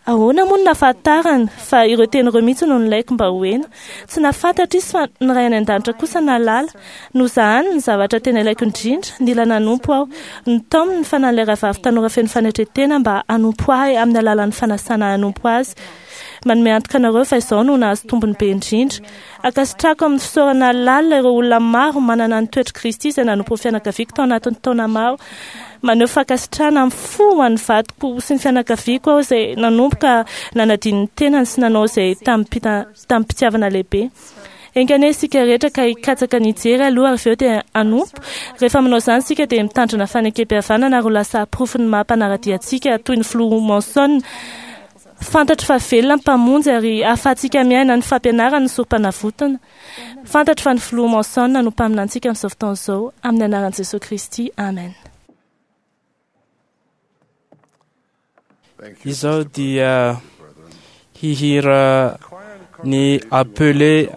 I: Ahoana moa no nahafantarany fa ireo teny ireo mihitsy no nilaiko mba ho heno? Tsy nahafantatra izy fa ny Ray any An-danitra kosa nahalala. Nozahany ny zavatra tena ilaiko indrindra, nila nanompo aho. Notaominy ny fanahin'ilay rahavavy tanora feno fanetren-tena mba hanompo ahy amin'ny alalan'ny fanasana hanompo azy. Manome antoka anareo fa izao no nahazo tombony be indrindra. Ankasitrahako amin'ny fisaorana lalina ireo olona maro manana ny toetr'i Kristy izay nanompo ny fianakaviako tao anatin'ny taona maro. Maneho fankasitrahana amin'ny fo ho an'ny vadiko sy ny fianakaviako aho izay nanomboka nanadino ny tenany sy nanao izay tamim-pitiavana lehibe. Enga anie isika rehetra ka hikatsaka ny hijery aloha ary avy eo dia hanompo. Rehefa manao izany isika dia mitandrina fanekempihavanana ary ho lasa porofon'ny maha mpanara-dia antsika toy ny filoha Monson. Fantatro fa velona ny Mpamonjy ary ahafahantsika miaina ny fampianarany ny sorompanavotana. Fantatro fa ny filoha Monson no mpaminantsika amin'izao fotoana izao. Amin'ny anaran'i Jesoa Kristy, amen.
B: Izao dia hihira ny Appelé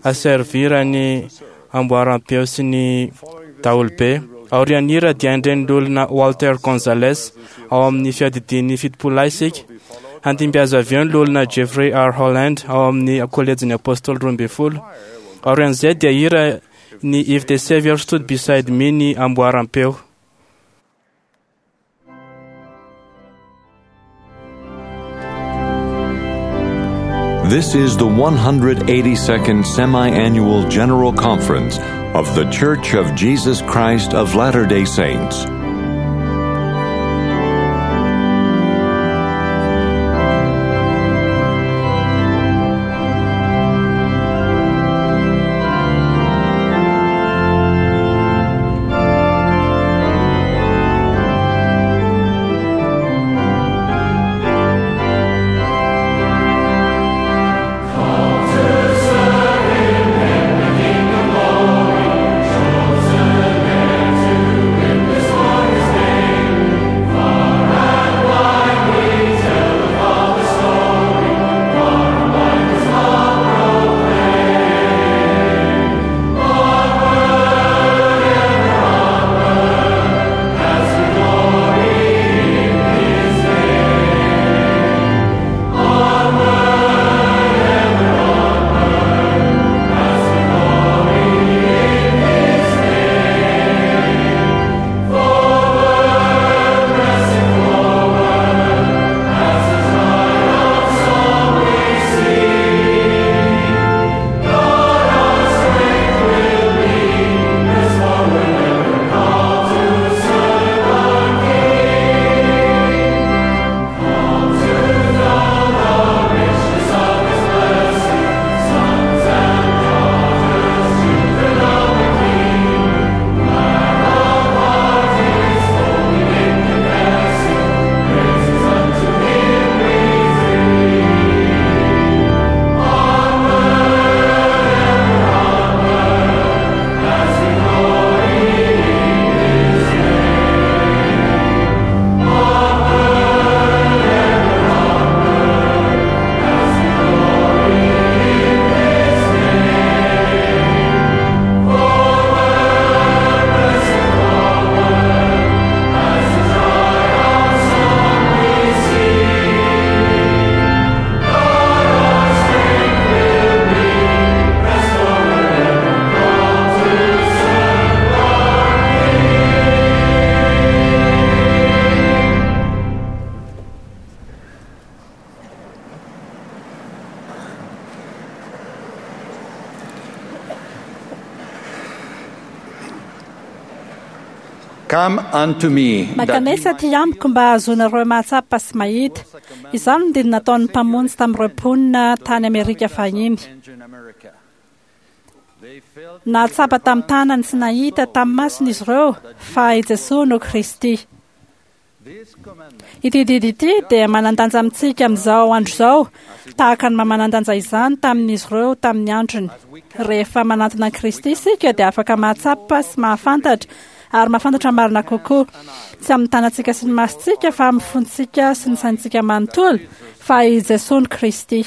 B: à servir ny amboaram-peo sy ny daholobe. Aorian'ny hira dia handre ny loholona Walter Gonzales ao amin'ny fiadidian'ny fitopololahy isika. Handimby azy avy eo ny loholona Jeffrey R. Holland ao amin'ny kolejin'ny Apôstôly roa ambin'ny folo. Aorian'izay dia hira ny If the Savior Stood Beside Me ny amboaram-peo.
H: This is the one hundred eighty-second Semi-Annual General Conference of The Church of Jesus Christ of Latter-day Saints.
A: Come unto me.
J: Mankanesa aty amiko mba hahazoanareo mahatsapa sy mahita. Izany no didy nataon'ny Mpamonjy tamin'ireo mponina tany Amerika fahiny. Nahatsapa tamin'ny tanany sy nahita tamin'ny masony izy ireo fa i Jesoa no Kristy. Ity didy ity dia manan-danja amintsika amin'izao andro izao, tahaka ny maha-manan-danja izany tamin'izy ireo tamin'ny androny. Rehefa manantona an'i Kristy isika dia afaka mahatsapa sy mahafantatra ary mahafantatra marina kokoa, tsy amin'ny tanantsika sy ny masontsika fa amin'ny fontsika sy ny saintsika manontolo, fa i Jesoa no Kristy.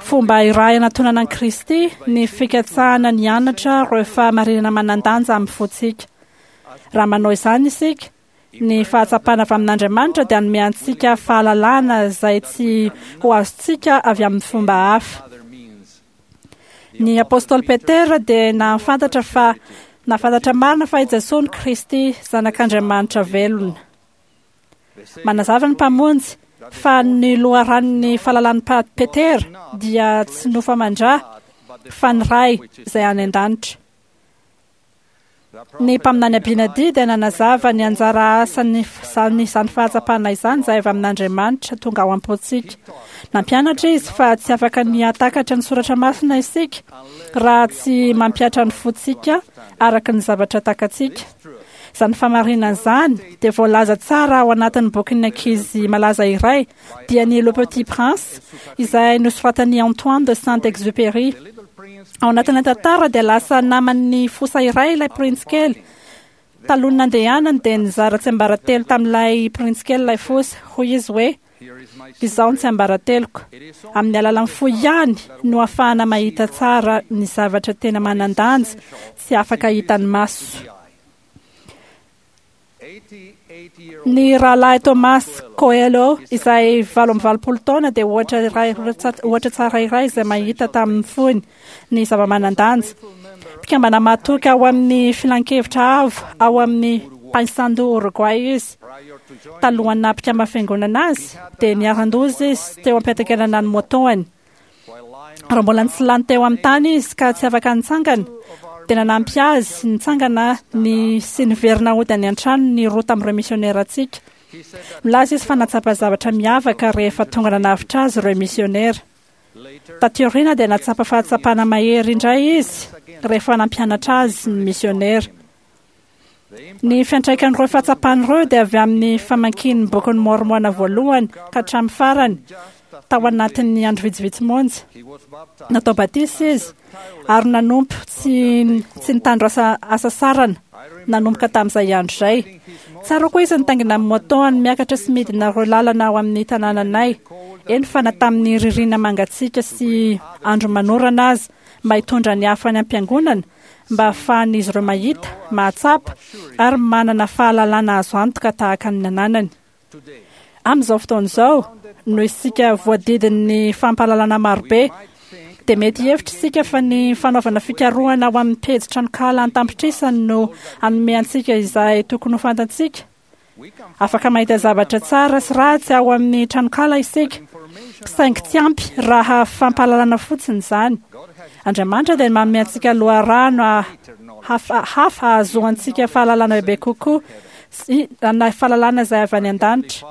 J: Fomba iray anatonana an'i Kristy ny fikatsahana ny anatra ireo fahamarinana manan-danja amin'ny fontsika. Raha manao izany isika, ny fahatsapana avy amin'Andriamanitra dia hanome antsika fahalalana izay tsy ho azontsika avy amin'ny fomba hafa. Ny Apôstôly Petera dia nahafantatra fa nahafantatra marina fa i Jesoa no Kristy, Zanak'Andriamanitra velona. Manazava ny Mpamonjy fa ny loharanon'ny fahalalan'i Petera dia tsy nofo aman-dra fa ny Ray izay any an-danitra. Ny mpaminany Abinadi dia nanazava ny anjara asan'ny izany fahatsapana izany izay avy amin'Andriamanitra tonga ao am-pontsika. Nampianatra izy fa tsy afaka ny hahatakatra ny soratra masina isika raha tsy mampihatra ny fontsika araka ny zavatra takatsika. Izany fahamarinana izany dia voalaza tsara ao anatin'ny bokin'ny ankizy malaza iray, dia ny Le Petit Prince, izay nosoratan'i Antoine de Saint-Exupéry. Ao anatin'ny tantara dia lasa naman'ny fosa iray ilay printsy kely. Talohan'ny nandehanany dia nizara tsiambaratelo tamin'ilay printsy kely ilay fosa. Hoy izy hoe: "Izao ny tsiambarateloko. Amin'ny alalan'ny fo ihany no ahafahana mahita tsara ny zavatra tena manan-danja tsy afaka hitan'ny maso." Ny rahalahy Thomas Coelho izay valo amby valopolo taona dia ohatra iray ohatra tsara iray izay mahita tamin'ny fony ny zava-manan-danja. Mpikambana mahatoky ao amin'ny filankevitra avo ao amin'ny Paysandu Uruguay izy. Talohan'ny naha mpikambana fiangonana azy dia niharan-doza izy teo am-piantekerana ny motoany. Raha mbola nitsilany teo amin'ny tany izy ka tsy afaka nitsangana, dia nanampy azy nitsangana ny sy niverina hody any an-trano ny roa tamin'ireo misionerantsika. Milaza izy fa nahatsapa zavatra miavaka rehefa tonga nanavotra azy ireo misionera. Taty aoriana dia nahatsapa fahatsapana mahery indray izy rehefa nampianatra azy ny misionera. Ny fiantraikan'ireo fahatsapana ireo dia avy amin'ny famakian'ny bokin'ny Môrmôna voalohany ka hatramin'ny farany tao anatin'ny andro vitsivitsy monja. Natao batisa izy ary nanompo tsy tsy nitandro asa asasarana nanomboka tamin'izay andro izay. Tsara koa izy nitaingina amin'ny motoany miakatra sy midina ireo lalana ao amin'ny tanànanay, eny fa na tamin'ny ririnina mangatsiaka sy andro manorana aza, mba hitondra ny hafa any am-piangonana mba ahafahan'izy ireo mahita, mahatsapa ary manana fahalalana azo antoka tahaka ny nananany. Amin'izao fotoana izao, noho isika voadidin'ny fampahalalana marobe, dia mety hihevitra isika fa ny fanaovana fikarohana ao amin'ny pejy tranonkala an-tapitrisany no hanome antsika izay tokony ho fantatsika. Afaka mahita zavatra tsara sy ratsy ao amin'ny tranonkala isika, saingy tsy ampy raha fampahalalana fotsiny izany. Andriamanitra dia manome antsika loharano hafa hafa ahazoantsika fahalalana bebe kokoa sy na fahalalana izay avy any an-danitra.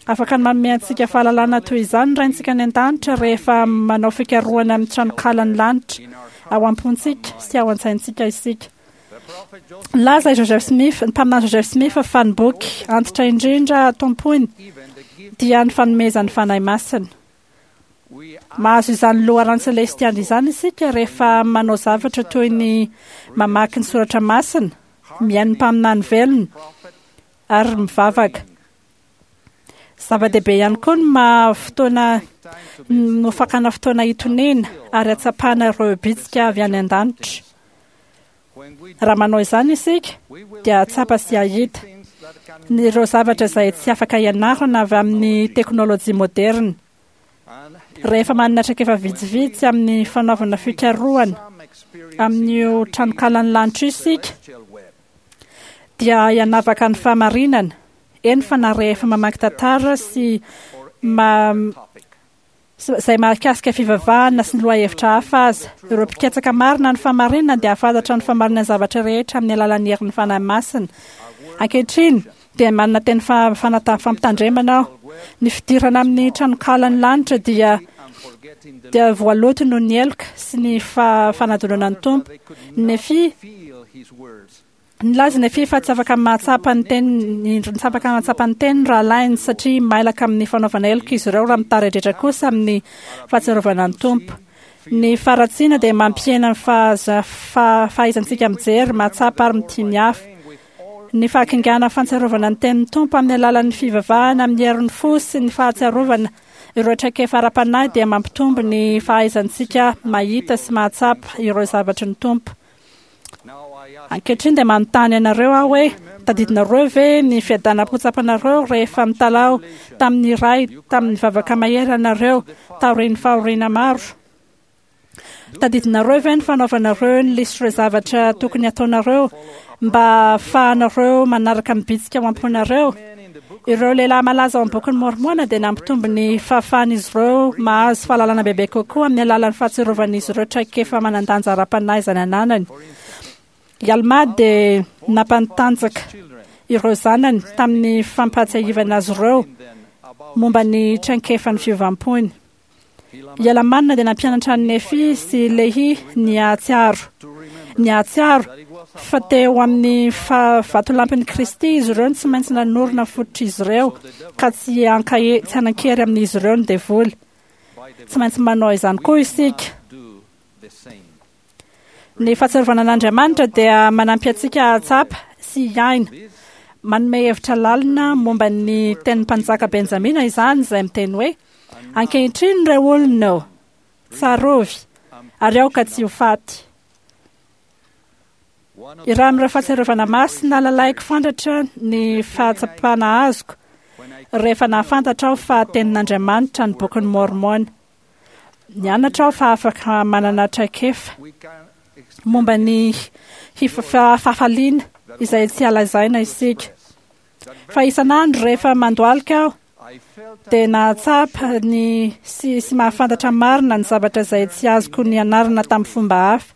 J: Afaka ny manome antsika fahalalana toy izany ny Raintsika any an-danitra rehefa manao fikarohana amin'ny tranonkalan'ny lanitra ao am-pontsika sy ao an-tsaintsika isika. Nilaza i Joseph Smith, ny mpaminany Joseph Smith, fa ny boky antitra indrindra tompoiny dia ny fanomezan'ny Fanahy Masina. Mahazo izany loharano selestialy izany isika rehefa manao zavatra toy ny mamaky ny soratra masina, mihaino ny mpaminany velona ary mivavaka. Zava-dehibe ihany koa ny maha fotoana no fakana fotoana hitoniana ary hatsapana ireo bitsika avy any an-danitra. Raha manao izany isika dia hahatsapa sy hahita ireo zavatra izay tsy afaka ianarana avy amin'ny teknôlôjia moderina. Rehefa manana traikefa vitsivitsy amin'ny fanaovana fikarohana amin'io tranonkalan'ny lanitra io isika dia hianavaka ny fahamarinana, eny fa na rehefa mamaky tantara sy ma izay mahakasika fivavahana sy ny lohahevitra hafa aza. Ireo mpikatsaka marina ny fahamarinana dia hahafantatra ny fahamarinan'ny zavatra rehetra amin'ny alalan'ny herin'ny Fanahy Masina. Ankehitriny dia manana teny fanata fampitandremana aho. Ny fidirana amin'ny tranonkalan'ny lanitra dia dia voaloto noho ny heloka sy ny fanadinoana ny Tompo. Nefia nilaza Nefia fa tsy afaka mahatsapa ny teniny, tsy afaka mahatsapa ny teniny rahalahiny satria mailaka amin'ny fanaovana heloka izy ireo raha mitaredretra kosa amin'ny fahatsiarovana ny Tompo. Ny faharatsiana dia mampihena ny fahaizantsika mijery, mahatsapa ary mitia ny hafa. Ny fahakingana fahatsiarovana ny tenin'ny Tompo amin'ny alalan'ny fivavahana amin'ny herin'ny fo sy ny fahatsiarovana ireo traikefa ara-panahy dia mampitombo ny fahaizantsika mahita sy mahatsapa ireo zavatry ny Tompo. Ankehitriny dia manontany anareo aho hoe: tadidinareo ve ny fiadanam-po tsapanareo rehefa mitalaho tamin'ny Ray tamin'ny vavaka mahery ianareo taorian'ny fahoriana maro? Tadidinareo ve ny fanaovanareo ny lisitr'ireo zavatra tokony hataonareo mba hahafahanareo manaraka ny bitsika ao am-ponareo? Ireo lehilahy malaza ao amin'ny bokin'i Môrmôna dia nampitombo ny fahafahan'izy ireo mahazo fahalalana bebe kokoa amin'ny alalan'ny fahatsiarovan'izy ireo traikefa manan-danja ara-panahy izay nananany. I Almà dia nampantanjaka ireo zanany tamin'ny fampahatsiahivana azy ireo momba ny traikefan'ny fiovam-pony. I Alamana dia nampianatra an'i Nefy sy Lehi ny hahatsiaro ny hahatsiaro fa teo amin'ny vatolampin'i Kristy izy ireo no tsy maintsy nanorina ny fototr'izy ireo ka tsy hankahe tsy hanan-kery amin'izy ireo ny devoly. Tsy maintsy manao izany koa isika. Ny fahatsiarovana an'Andriamanitra dia manampy antsika hahatsapa sy hiaina. Manome hevitra lalina momba ny tenin'ny mpanjaka Benjamina izany, izay miteny hoe: "Ankehitriny ireo olona ô, tsarovy, ary aoka tsy ho faty." Iray amin'ireo fahatsiarovana masina lalaiko fantatra ny fahatsapana azoko rehefa nahafantatra aho fa tenin'Andriamanitra ny bokin'i Môrmôna. Nianatra aho fa afaka manana traikefa momba ny fahafaliana izay tsy halazaina isika. Fa isan'andro rehefa mandohalika aho dia nahatsapa ny sy sy mahafantatra marina ny zavatra izay tsy azoko nianarana tamin'ny fomba hafa.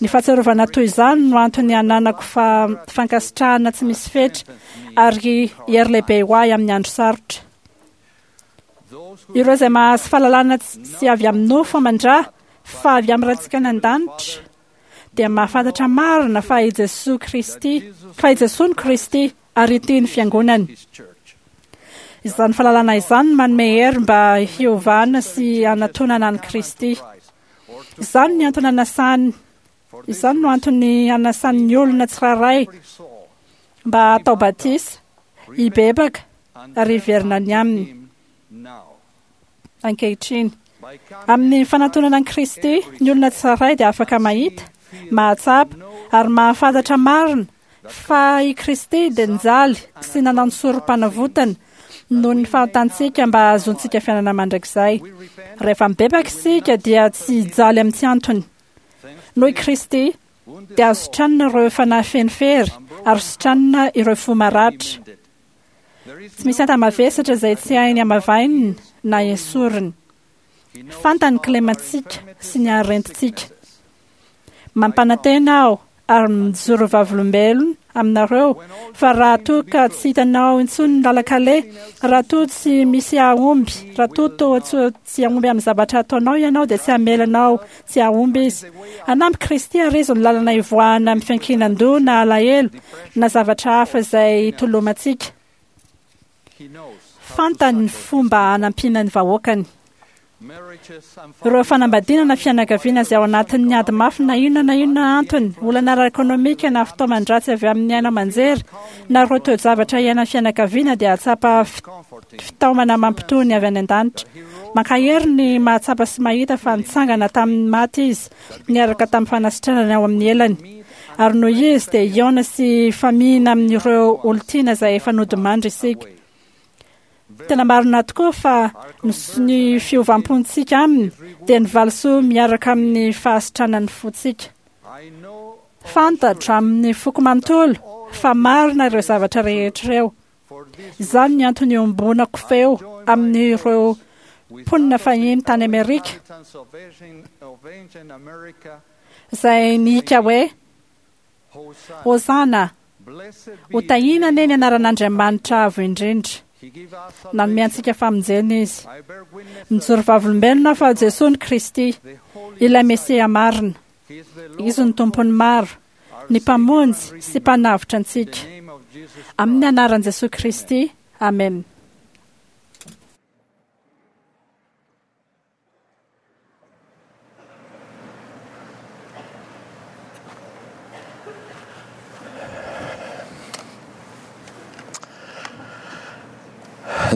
J: Ny fahatsiarovana toy izany no antony ananako fa fankasitrahana tsy misy fetra ary hery lehibe ho ahy amin'ny andro sarotra. Ireo izay mahazo fahalalana tsy avy amin'ny nofo aman-dra fa avy amin'ny Raintsika any an-danitra dia mahafantatra marina fa i Jesoa Kristy, fa i Jesoa no Kristy ary ity ny Fiangonany. Izany fahalalana izany no manome hery mba hiovana sy hanatonana an'i Kristy. Izany ny antony anasany, izany no antony anasan'ny olona tsirairay mba hatao batisa, hibebaka ary hiverina any aminy ankehitriny. Amin'ny fanatonana an'i Kristy, ny olona tsirairay dia afaka mahita, mahatsapa ary mahafantatra marina fa i Kristy dia nijaly sy nanao ny sorom-panavotana noho ny fahotantsika mba hahazoantsika fiainana mandrakizay. Rehefa mibebaka isika dia tsy hijaly amin'ny tsy antony. Noho i Kristy, dia azo sitranina ireo fanahy feno fery ary sitranina ireo fo maratra. Tsy misy enta-mavesatra izay tsy hainy hamavainina na esoriny. Fantany ny kilemantsika sy ny harentintsika. Mampanantena aho ary mijoro vavolombelona aminareo fa raha toa ka tsy hitanao intsony ny lalan-kaleha, raha toa tsy misy hahomby, raha toa toa tsy hahomby amin'ny zavatra ataonao ianao dia tsy hamela anao tsy hahomby Izy. Hanampy Kristy ary Izy ny lalana hivoahana amin'ny fiankinan-doha na alahelo na zavatra hafa izay itolomantsika. Fantany ny fomba hanampiana ny vahoakany. Ireo fanambadiana na fianakaviana izay ao anatin'ny ady mafy na inona na inona antony, olana ara-ekonomika na fitaoman-dratsy avy amin'ny haino aman-jery, na ireo toe-javatra iainan'ny fianakaviana dia hahatsapa fitaomana mampitony avy any an-danitra. Mankahery ny mahatsapa sy mahita fa nitsangana tamin'ny maty Izy niaraka tamin'ny fanasitranany ao amin'ny elany. Ary noho Izy dia hihaona sy hifamihina amin'ireo olon-tiana izay efa nodimandry isika. Tena marina tokoa fa ny fiovam-pontsika aminy dia ny valisoa miaraka amin'ny fahasitranan'ny fontsika. Fantatro amin'ny foko manontolo fa marina ireo zavatra rehetra ireo. Izany ny antony iombonako feo amin'ireo mponina fahiny tany Amerika izay nihika hoe, Hosana! Ho tahiana anie ny anaran'Andriamanitra Avo Indrindra. Nanome antsika famonjena Izy. Mijoro vavolombelona aho fa Jesoa no Kristy, ilay Mesia marina. Izy no Tompon'ny maro, ny Mpamonjy sy Mpanavotra antsika. Amin'ny anaran'i Jesoa Kristy, amena.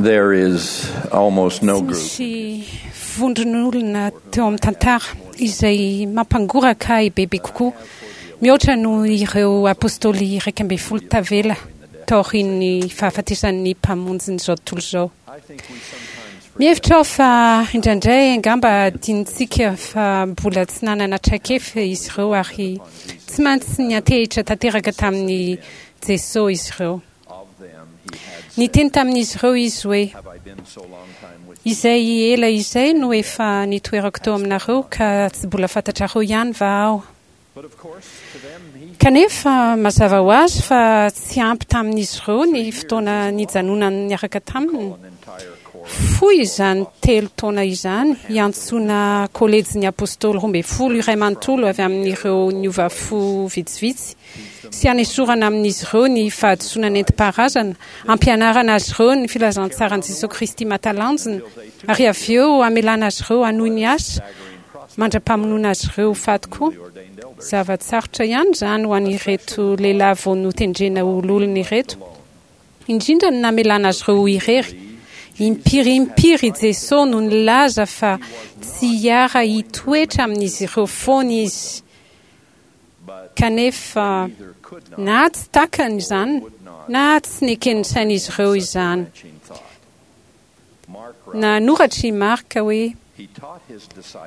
A: There is almost no
K: Tsy
A: group
K: misy vondron'olona teo amin'ny tantara izay mampangoraka ahy bebe kokoa mihoatra noho ireo apostoly iraika ambin'ny folo tavela taorian'ny fahafatesan'ny Mpamonjin'izao tontolo izao. Mihevitra aho fa indraindray angamba adinontsika fa mbola tsy nanana traikefa izy ireo ary tsy maintsy niantehitra tanteraka tamin'i Jesoa izy ireo. Niteny tamin'izy ireo Izy hoe, Izay ela izay no efa nitoerako teo aminareo ka tsy mbola fantatrareo ihany va Aho? Kanefa, mazava ho azy fa tsy ampy tamin'izy ireo ny fotoana nijanonany niaraka taminy. Fohy izany telo taona izany hiantsoana Kolejin'ny Apostoly Roa Ambin'ny Folo iray manontolo avy amin'ireo niova fo vitsivitsy sy hanesorana amin'izy ireo ny fahadisoana nentim-paharazana, hampianarana azy ireo ny filazantsaran'i Jesoa Kristy mahatalanjona, ary avy eo hamelana azy ireo hanohy ny asa mandra-pamonoana azy ireo ho faty koa. Zava-tsarotra ihany izany ho an'ireto lehilahy vao notendrena ho loholona ireto, indrindra ny namelana azy ireo ho irery. Impiry impiry i Jesosy no nilaza fa tsy hiara-hitoetra amin'izy ireo foana izy. Kanefa na tsy takany izany na tsy neken'ny sain'izy ireo izany. Nanoratra i Marka hoe,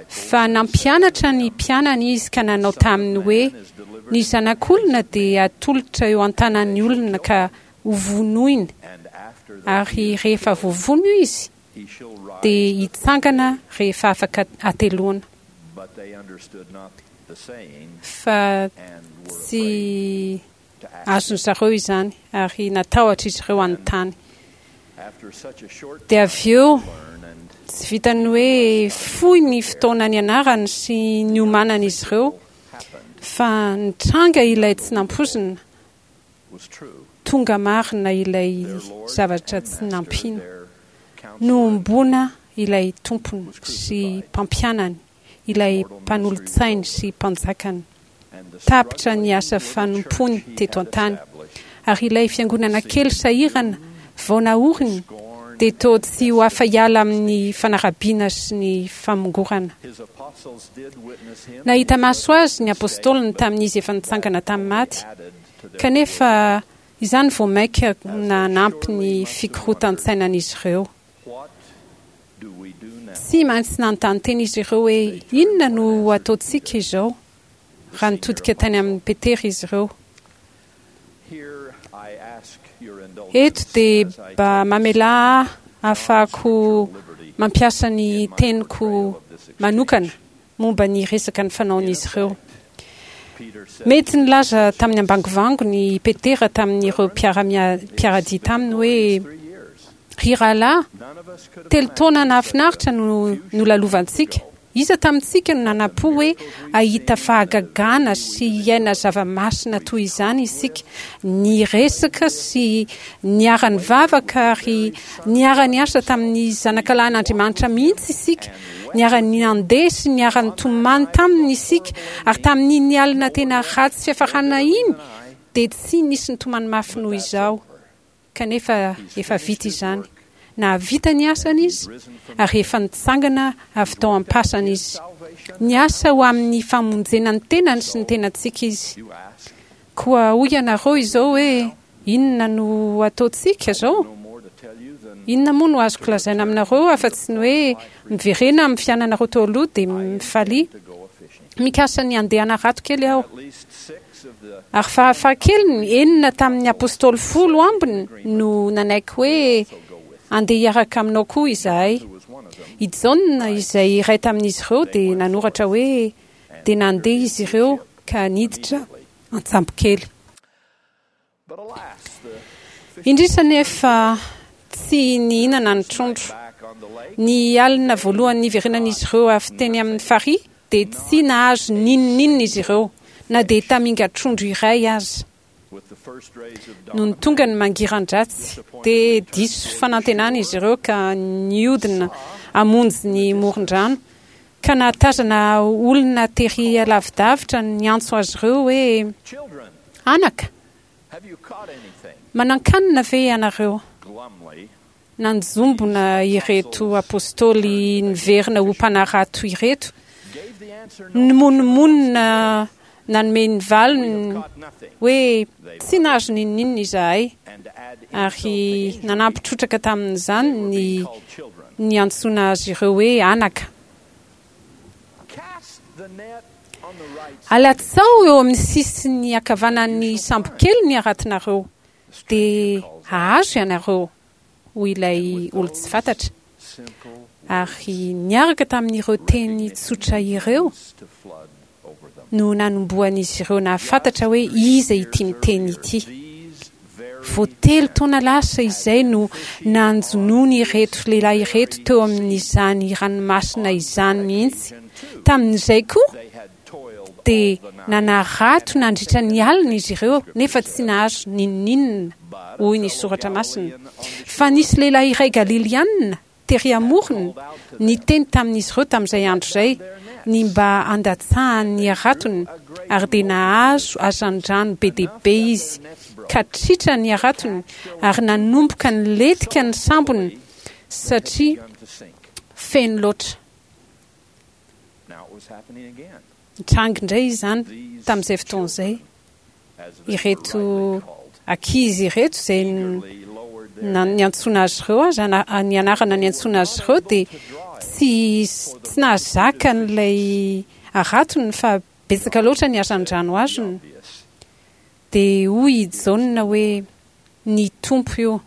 K: Fa nampianatra ny mpianany izy ka nanao taminy hoe, Ny Zanak'olona dia hatolotra eo an-tanan'ny olona ka hovonoiny, ary rehefa voavono izy, dia hitsangana rehefa afaka hateloana. Fa tsy azon-dry zareo izany, ary natahotra izy ireo hanontany. Dia avy eo, tsy vitan'ny hoe fohy ny fotoana nianarany sy niomanan'izy ireo, fa nitranga ilay tsy nampoizina, tonga marina ilay zavatra tsy nampino. Nohomboana ilay Tompony sy Mpampianany, ilay Mpanolotsainy sy Mpanjakany. Tapitra ny asa fanompoany teto an-tany, ary ilay fiangonana kely sahirana vao naoriny dia toa tsy ho afa-hiala amin'ny fanarabiana sy ny famongorana. Nahita maso azy ny apostoliny tamin'izy efa nitsangana tamin'ny maty, Kanefa izany vao mainka nanampy ny fikorotan-tsainan'izy ireo. Tsy maintsy nanontany tena izy ireo hoe, 'Inona no ho ataontsika izao? raha nitodika tany amin'i Petera izy ireo. Eto dia mba mamelà ahy hahafahako mampiasa ny teniko manokana momba ny resaka nifanaon'izy ireo. Mety nilaza tamin'ny ambangovangony i Petera tamin'ireo mpiara-dia taminy hoe, Ry rahalahy, telo taona nahafinaritra no nolalovantsika. Iza tamintsika no nanam-po hoe hahita fahagagana sy hiaina zava-masina toy izany isika? Niresaka sy niara-nivavaka ary niara-niasa tamin'ny Zanakalahin'Andriamanitra mihitsy isika. Niara-nandeha sy niara-nitomany taminy isika, ary tamin'iny alina tena ratsy fiafarana iny, dia tsy nisy nitomany mafy noho izaho. Kanefa efa vita izany. Nahavita ny asany izy, ary efa nitsangana avy tao am-pasana izy. Niasa ho amin'ny famonjena ny tenany sy ny tenantsika izy. Koa hoy ianareo izao hoe, Inona no hataontsika izao? Inona moa no azoko lazaina aminareo afa-tsy ny hoe miverena amin'ny fiainanareo teo aloha dia mifalia. Mikasa ny handeha hanarato kely aho. Ary farafahakeliny, enina tamin'ny apostoly folo ambiny no nanaiky hoe handeha hiaraka aminao koa izahay. I Jaona, izay iray tamin'izy ireo, dia nanoratra hoe, Dia nandeha izy ireo ka niditra an-tsambokely. Indrisy anefa, tsy nihinana ny trondro. Ny alina voalohany niverenan'izy ireo avy teny amin'ny farihy dia tsy nahazo n'inon'inona izy ireo, na dia tamingan-trondro iray aza. Nony tonga ny mangiran-dratsy, dia diso fanantenana izy ireo ka nihodina hamonjy ny moron-drano, ka nahatazana olona tery lavidavitra niantso azy ireo hoe, Anaka, manan-kanina ve ianareo? Nanjombona ireto apostoly niverina ho mpanarato ireto, nimonomonona nanome ny valiny hoe, Tsy nahazo n'inon'inona izahay, ary nanampy trotraka tamin'izany ny niantsoana azy ireo hoe anaka. Alatsao eo amin'ny sisiny ankavanan'ny sambokely ny haratonareo, dia hahazo ianareo, hoy ilay olon-tsy fantatra. Ary niaraka tamin'ireo teny tsotra ireo no nanombohan'izy ireo nahafantatra hoe iza ity miteny ity. Vao telo taona lasa izay no nanjonoany ireto lehilahy ireto teo amin'izany ranomasina izany mihitsy. Tamin'izay koa dia nanarato nandritra ny alina izy ireo nefa tsy nahazo n'inon'inona, hoy ny Soratra Masina. Fa nisy lehilahy iray Galilianina tery amorony niteny tamin'izy ireo tamin'izay andro izay, ny mba handatsahany ny haratony, ary dia nahazo hazandrano be dia be izy, ka tritra ny haratony, ary nanomboka nilentika ny sambony, satria feno loatra. Nitranga indray izany tamin'izay fotoana izay. Ireto ankizy ireto izay niantsoana azy ireo aza, ny anarana niantsoana azy ireo dia tsy tsy nahazaka an'ilay haratony fa betsaka loatra ny hazandrano azony. Dia hoy i Jaona hoe, Ny Tompo io.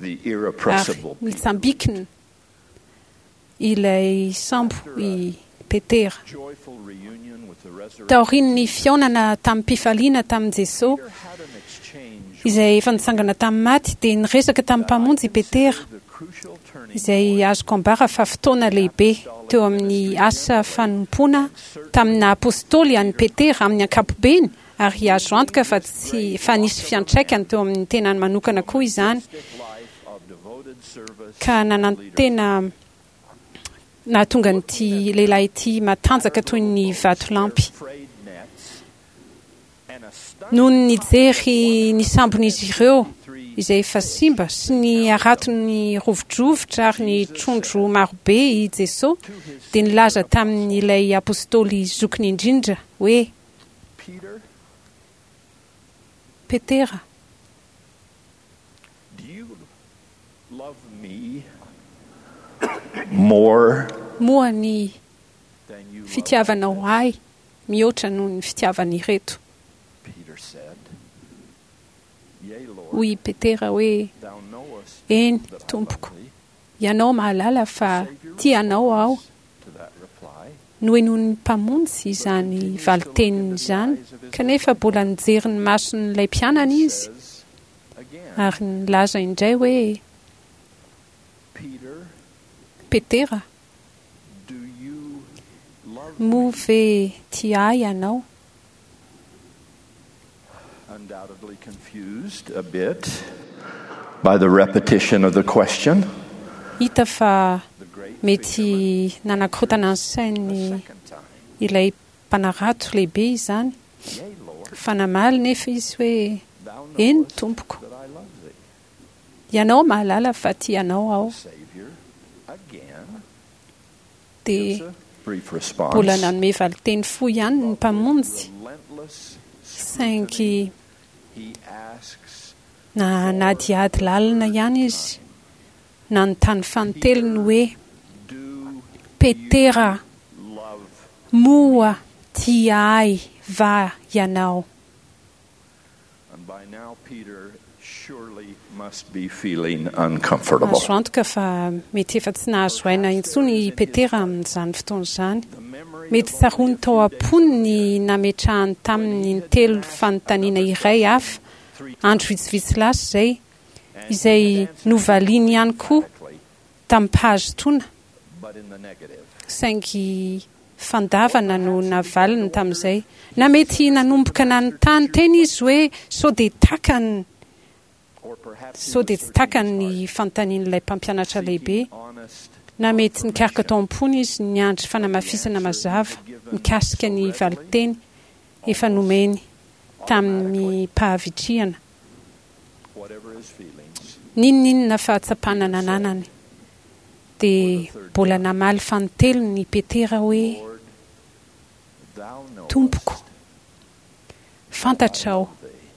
K: Ary nitsambikina ilay sambo i Petera. Taorian'ny fihaonana tamim-pifaliana tamin'i Jesoa, izay efa nitsangana tamin'ny maty, dia niresaka tamin'ny Mpamonjy i Petera, izay azoko ambara fa fotoana lehibe teo amin'ny asa fanompoana tamin'ny naha-apostoly an'i Petera amin'ny ankapobeny, ary azo antoka fa tsy fa nisy fiantraikany teo amin'ny tenany manokana koa izany, ka nanantena nahatonga an'ity lehilahy ity matanjaka toy ny vatolampy. Nony nijery ny sambon'izy ireo izay efa simba sy ny haratony rovidrovitra ary ny trondro marobe i Jesoa, dia nilaza tamin'ilay apostoly zokiny indrindra hoe, Petera. Moa ny fitiavanao ahy mihoatra noho ny fitiavan'ireto? Hoy i Petera hoe, Eny, Tompoko, Ianao mahalala fa tia Anao aho. Nohenoin'ny Mpamonjy izany valin-teniny izany, kanefa mbola nijery ny mason'ilay mpianany Izy ary nilaza indray hoe, Petera, moa ve tia Ahy ianao?
A: Undoubtedly confused a bit by the repetition of the question.
K: Hita fa mety nanakorontana ny sainy ilay mpanarato lehibe izany, fa namaly nefa izy hoe, Eny, Tompoko. Ianao mahalala fa tia Anao aho. Dia mbola nanome valinteny fohy ihany ny Mpamonjy, saingy nanadihady lalina ihany izy, nanontany fanintelony hoe, Petera, moa tia Ahy va ianao?
A: And by now Peter surely must be feeling uncomfortable.
K: Azo antoka fa mety efa tsy nahazo aina intsony i Petera amin'izany fotoana izany. Mety tsaroany tao am-pony ny nametrahany taminy intelo fanontaniana iray hafa, andro vitsivitsy lasa izay, izay novaliany ihany koa tamim-pahazotoana, saingy fandavana no navaliny tamin'izay. Na mety nanomboka nanontany tena izy hoe sao dia takany sao dia tsy takany ny fanontanian'ilay Mpampianatra Lehibe. Na mety nikaroka tao am-pony izy niandry fanamafisana mazava mikasika ny valinteny efa nomeny tamim-pahavitrihana. N'inon'inona fahatsapana nananany, dia mbola namaly fanintelony i Petera hoe, Tompoko, fantatrao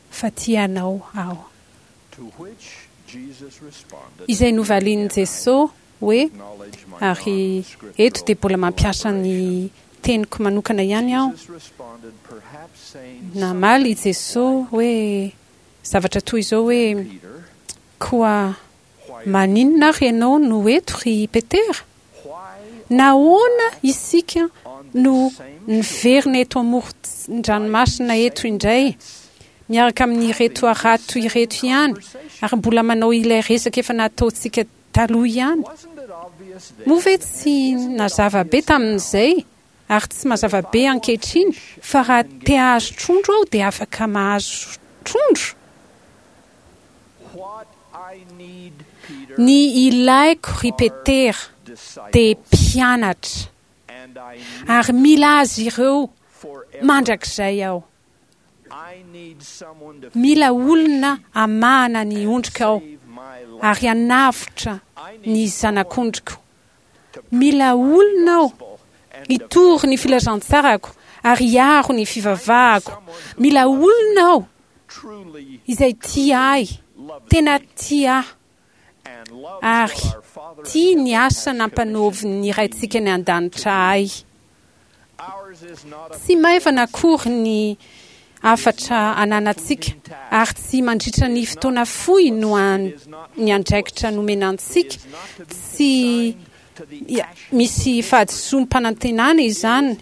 K: fa tia Anao aho. Izay novalian'i Jesoa hoe, ary eto dia mbola mampiasa ny teniko manokana ihany aho, namaly i Jesoa hoe, Zavatra toy izao hoe, Koa maninona ary ianao no eto ry Petera? Nahoana isika no niverina eto amoron-dranomasina eto indray, miaraka amin'ireto harato ireto ihany, ary mbola manao ilay resaka efa nataontsika taloha ihany? Moa ve tsy nazava be tamin'izay Ary tsy mazava be ankehitriny fa raha te hahazo trondro aho dia afaka mahazo trondro? Ny ilaiko, ry Petera, dia mpianatra, ary mila azy ireo mandrakizay aho. Mila olona hamahana ny ondriko aho, ary hanavotra ny zanak'ondriko. Mila olona aho hitory ny filazantsarako ary hiaro ny fivavahako. Mila olona aho izay tia ahy, tena tia ahy, ary tia ny asa nampanaovin'ny Raintsika any An-danitra ahy. Tsy maivana akory ny hafatra ananantsika, ary tsy mandritra ny fotoana fohy no ny andraikitra nomena antsika. Tsy misy fahadisoam-panantenana izany.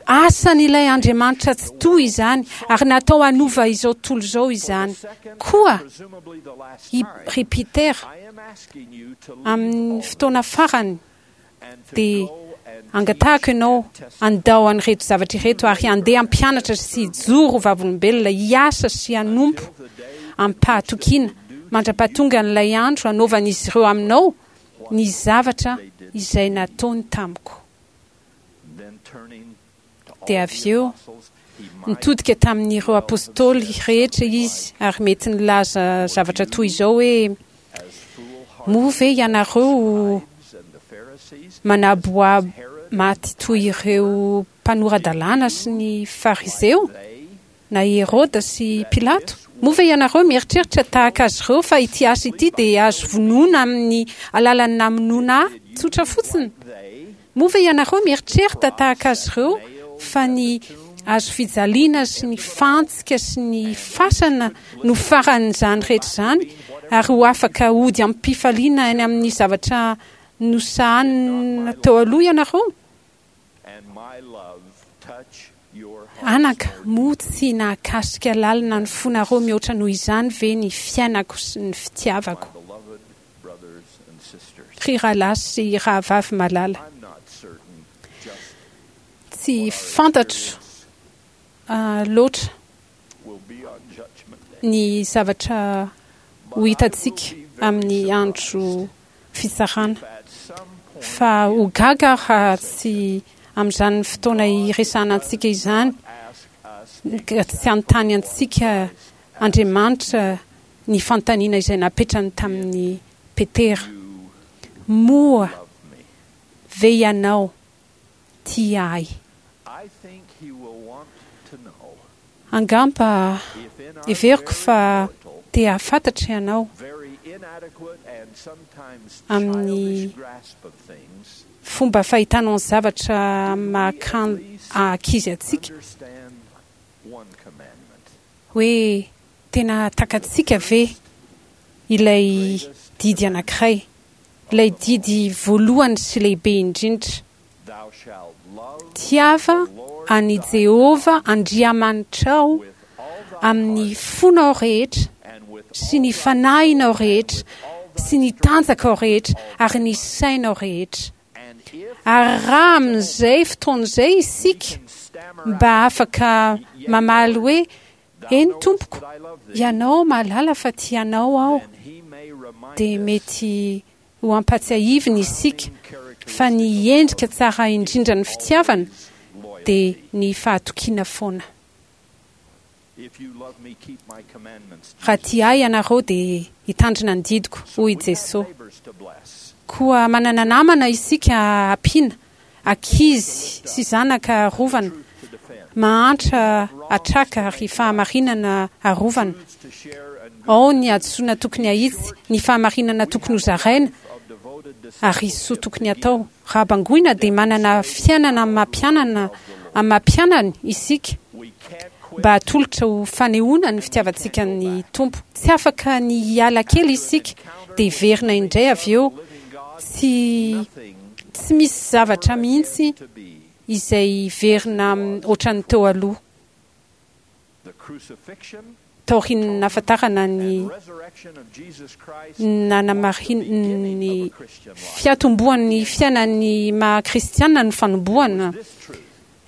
K: Asan'ilay Andriamanitra Tsitoha izany, ary natao hanova izao tontolo izao izany. Koa, i ry Peter, amin'ny fotoana farany, dia angatahako ianao handao an'ireto zavatra ireto ary handeha hampianatra sy hijoro ho vavolombelona, hiasa sy hanompo amim-pahatokiana mandra-pahatongan'ilay andro hanaovan'izy ireo aminao ny zavatra izay nataony tamiko. Dia avy eo, nitodika tamin'ireo apostoly rehetra izy ary mety nilaza zavatra toy izao hoe, Moa ve ianareo manaboabo maty toy ireo mpanora-dalàna sy ny Fariseo, na i Heroda sy Pilato? Moa ve ianareo mieritreritra tahaka azy ireo fa ity asa ity dia azo vonoina amin'ny alalan'ny namonoana ahy tsotra fotsiny? Moa ve ianareo mieritrerita tahaka azy ireo fa ny hazofijaliana sy ny fantsika sy ny fasana no faran'izany rehetra izany ary ho afaka hody amim-pifaliana any amin'ny zavatra nosahanina teo aloha ianareo? Anaka, moa tsy nahakasika lalina ny fonareo mihoatra noho izany ve ny fiainako sy ny fitiavako? Ry rahalahy sy rahavavy malala, tsy fantatro loatra ny zavatra ho hitantsika amin'ny andro fitsarana, fa ho gaga aho raha tsy amin'izany fotoana hiresahana antsika izany, ka tsy hanontany antsika Andriamanitra ny fanontaniana izay napetrany tamin'i Petera, Moa ve ianao tia ahy? Angamba heveriko fa te hahafantatra ianao amin'ny fomba fahitanao ny zavatra maha ankizy antsika hoe tena takatsika ve ilay didy anankiray, ilay didy voalohany sy lehibe indrindra, Tiava an'i Jehovah Andriamanitrao amin'ny fonao rehetra sy ny fanahinao rehetra sy ny tanjakao rehetra ary ny sainao rehetra. Ary raha amin'izay fotoana izay isika mba afaka mamaly hoe, Eny, Tompoko, Ianao mahalala fa tia Anao aho, dia mety ho ampatsiahivina isika fa ny endrika tsara indrindran'ny fitiavana dia ny fahatokiana foana. Raha tia Ahy ianareo dia hitandrina ny didiko, hoy i Jesoa. Koa manana namana isika ampiana, ankizy sy zanaka arovana, mahantra atraka ary fahamarinana arovana. Ao ny hadisoana tokony hahitsy, ny fahamarinana tokony hozaraina ary soa tokony hatao. Raha bangoina dia manana fiainana amin'ny maha mpianana amin'ny maha mpianany isika mba hatolotra ho fanehoana ny fitiavantsika ny Tompo. Tsy afaka ny hiala kely isika dia hiverina indray avy eo. Tsy tsy misy zavatra mihitsy izay hiverina ohatran'ny teo aloha. Taorian'ny nahafantarana ny nanamarin'ny fiatombohan'ny fiainan'ny maha kristiana ny fanombohana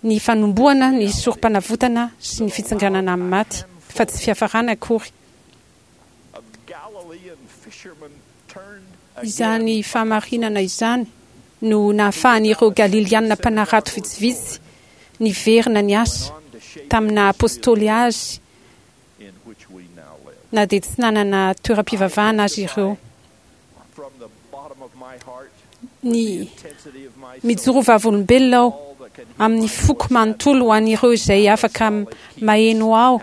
K: ny fanombohana ny sorompanavotana sy ny fitsanganana amin'ny maty, fa tsy fiafarana akory. Izany fahamarinana izany no nahafahan'ireo Galilianina mpanarato vitsivitsy niverina niasa tamin'ny naha apôstôly azy na dia tsy nanana toeram-pivavahana aza ireo. Ny mijoro vavolombelona aho amin'ny foko manontolo ho an'ireo izay afaka maheno aho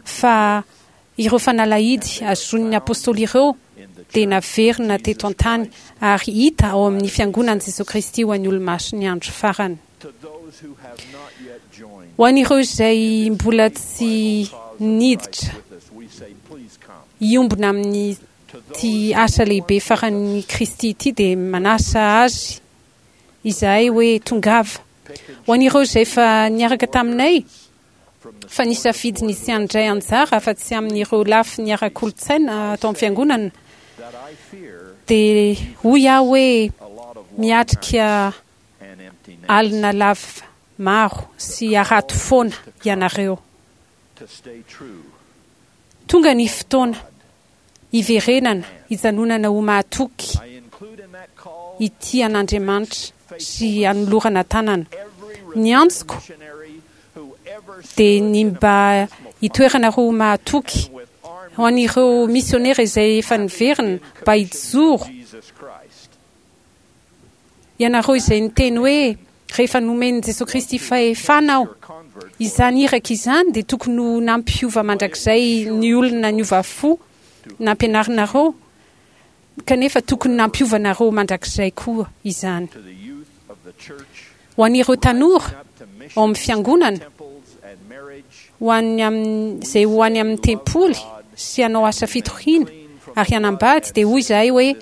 K: fa ireo fanalahidy azon'ny apôstôly ireo dia naverina teto an-tany ary hita ao amin'ny Fiangonan'i Jesoa Kristy ho an'ny Olomasin'ny Andro Farany. Ho an'ireo izay mbola tsy niditra hiombona amin'ity asa lehibe faran'i Kristy ity dia manasa azy izahay hoe tongava. Ho an'ireo izay efa niaraka taminay fa nisafidy ny tsy handray anjara afa-tsy amin'ireo lafiny ara-kolontsaina ato amin'ny Fiangonana dia hoy aho hoe miatrika alina lava maro sy harato foana ianareo. Tonga ny fotoana hiverenana hijanonana ho mahatoky hitia an'Andriamanitra sy hanolorana tanana. Ny antsoko dia ny mba hitoeranareo ho mahatoky ho an'ireo misionera izay efa niverina mba hijoro. Ianareo izay niteny hoe, Rehefa nomen'i Jesoa Kristy fahefana aho. Izany iraka izany dia tokony ho nampiova mandrakizay ny olona niova fo nampianarinareo, kanefa tokony nampiova anareo mandrakizay koa izany. Ho an'ireo tanora ao amin'ny Fiangonana, ho an'ny amin'izay ho any amin'ny tempoly sy hanao asa fitoriana ary hanambady, dia hoy izahay hoe,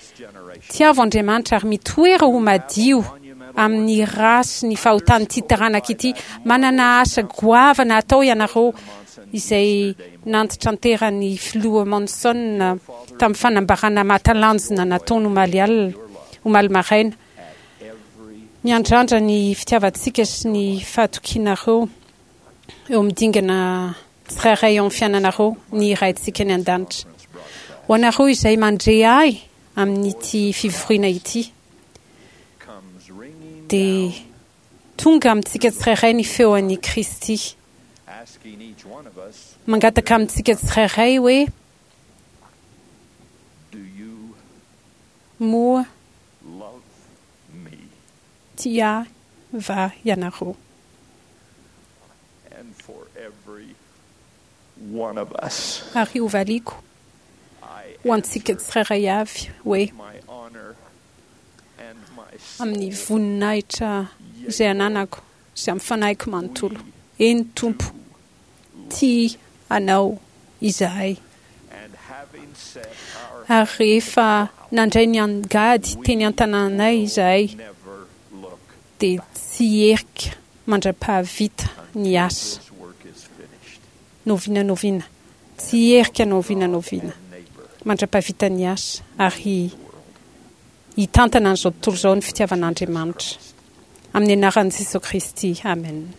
K: Tiavo Andriamanitra ary mitoera ho madio amin'ny ra sy ny fahotan'ity taranaka ity. Manana asa goavana hatao ianareo, izay nantitranteran'ny Filoha Monson tamin'ny fanambarana mahatalanjona nataony omaly alina, omaly maraina. Miandrandra ny fitiavantsika sy ny fahatokianareo eo amin'ny dingana tsirairay eo amin'ny fiainanareo ny Raintsika any An-danitra. Ho anareo izay mandre ahy amin'ity fivoriana ity, dia tonga amintsika tsirairay ny feo an'i Kristy, mangataka amintsika tsirairay hoe, Moa tia ahy va ianareo? Ary hovaliako ho antsika tsirairay avy hoe, Amin'ny voninahitra izay ananako sy amin'ny fanahiko manontolo, eny Tompo, tia Anao izahay. Ary rehefa nandray ny angady teny an-tanànay izahay, dia tsy hierika mandra-pahavita ny asa. N'oviana n'oviana. Tsy hierika n'oviana n'oviana mandra-pahavita ny asa, ary hitantana an'izao tontolo izao ny fitiavan'Andriamanitra. Amin'ny anaran'i Jesoa Kristy, amena.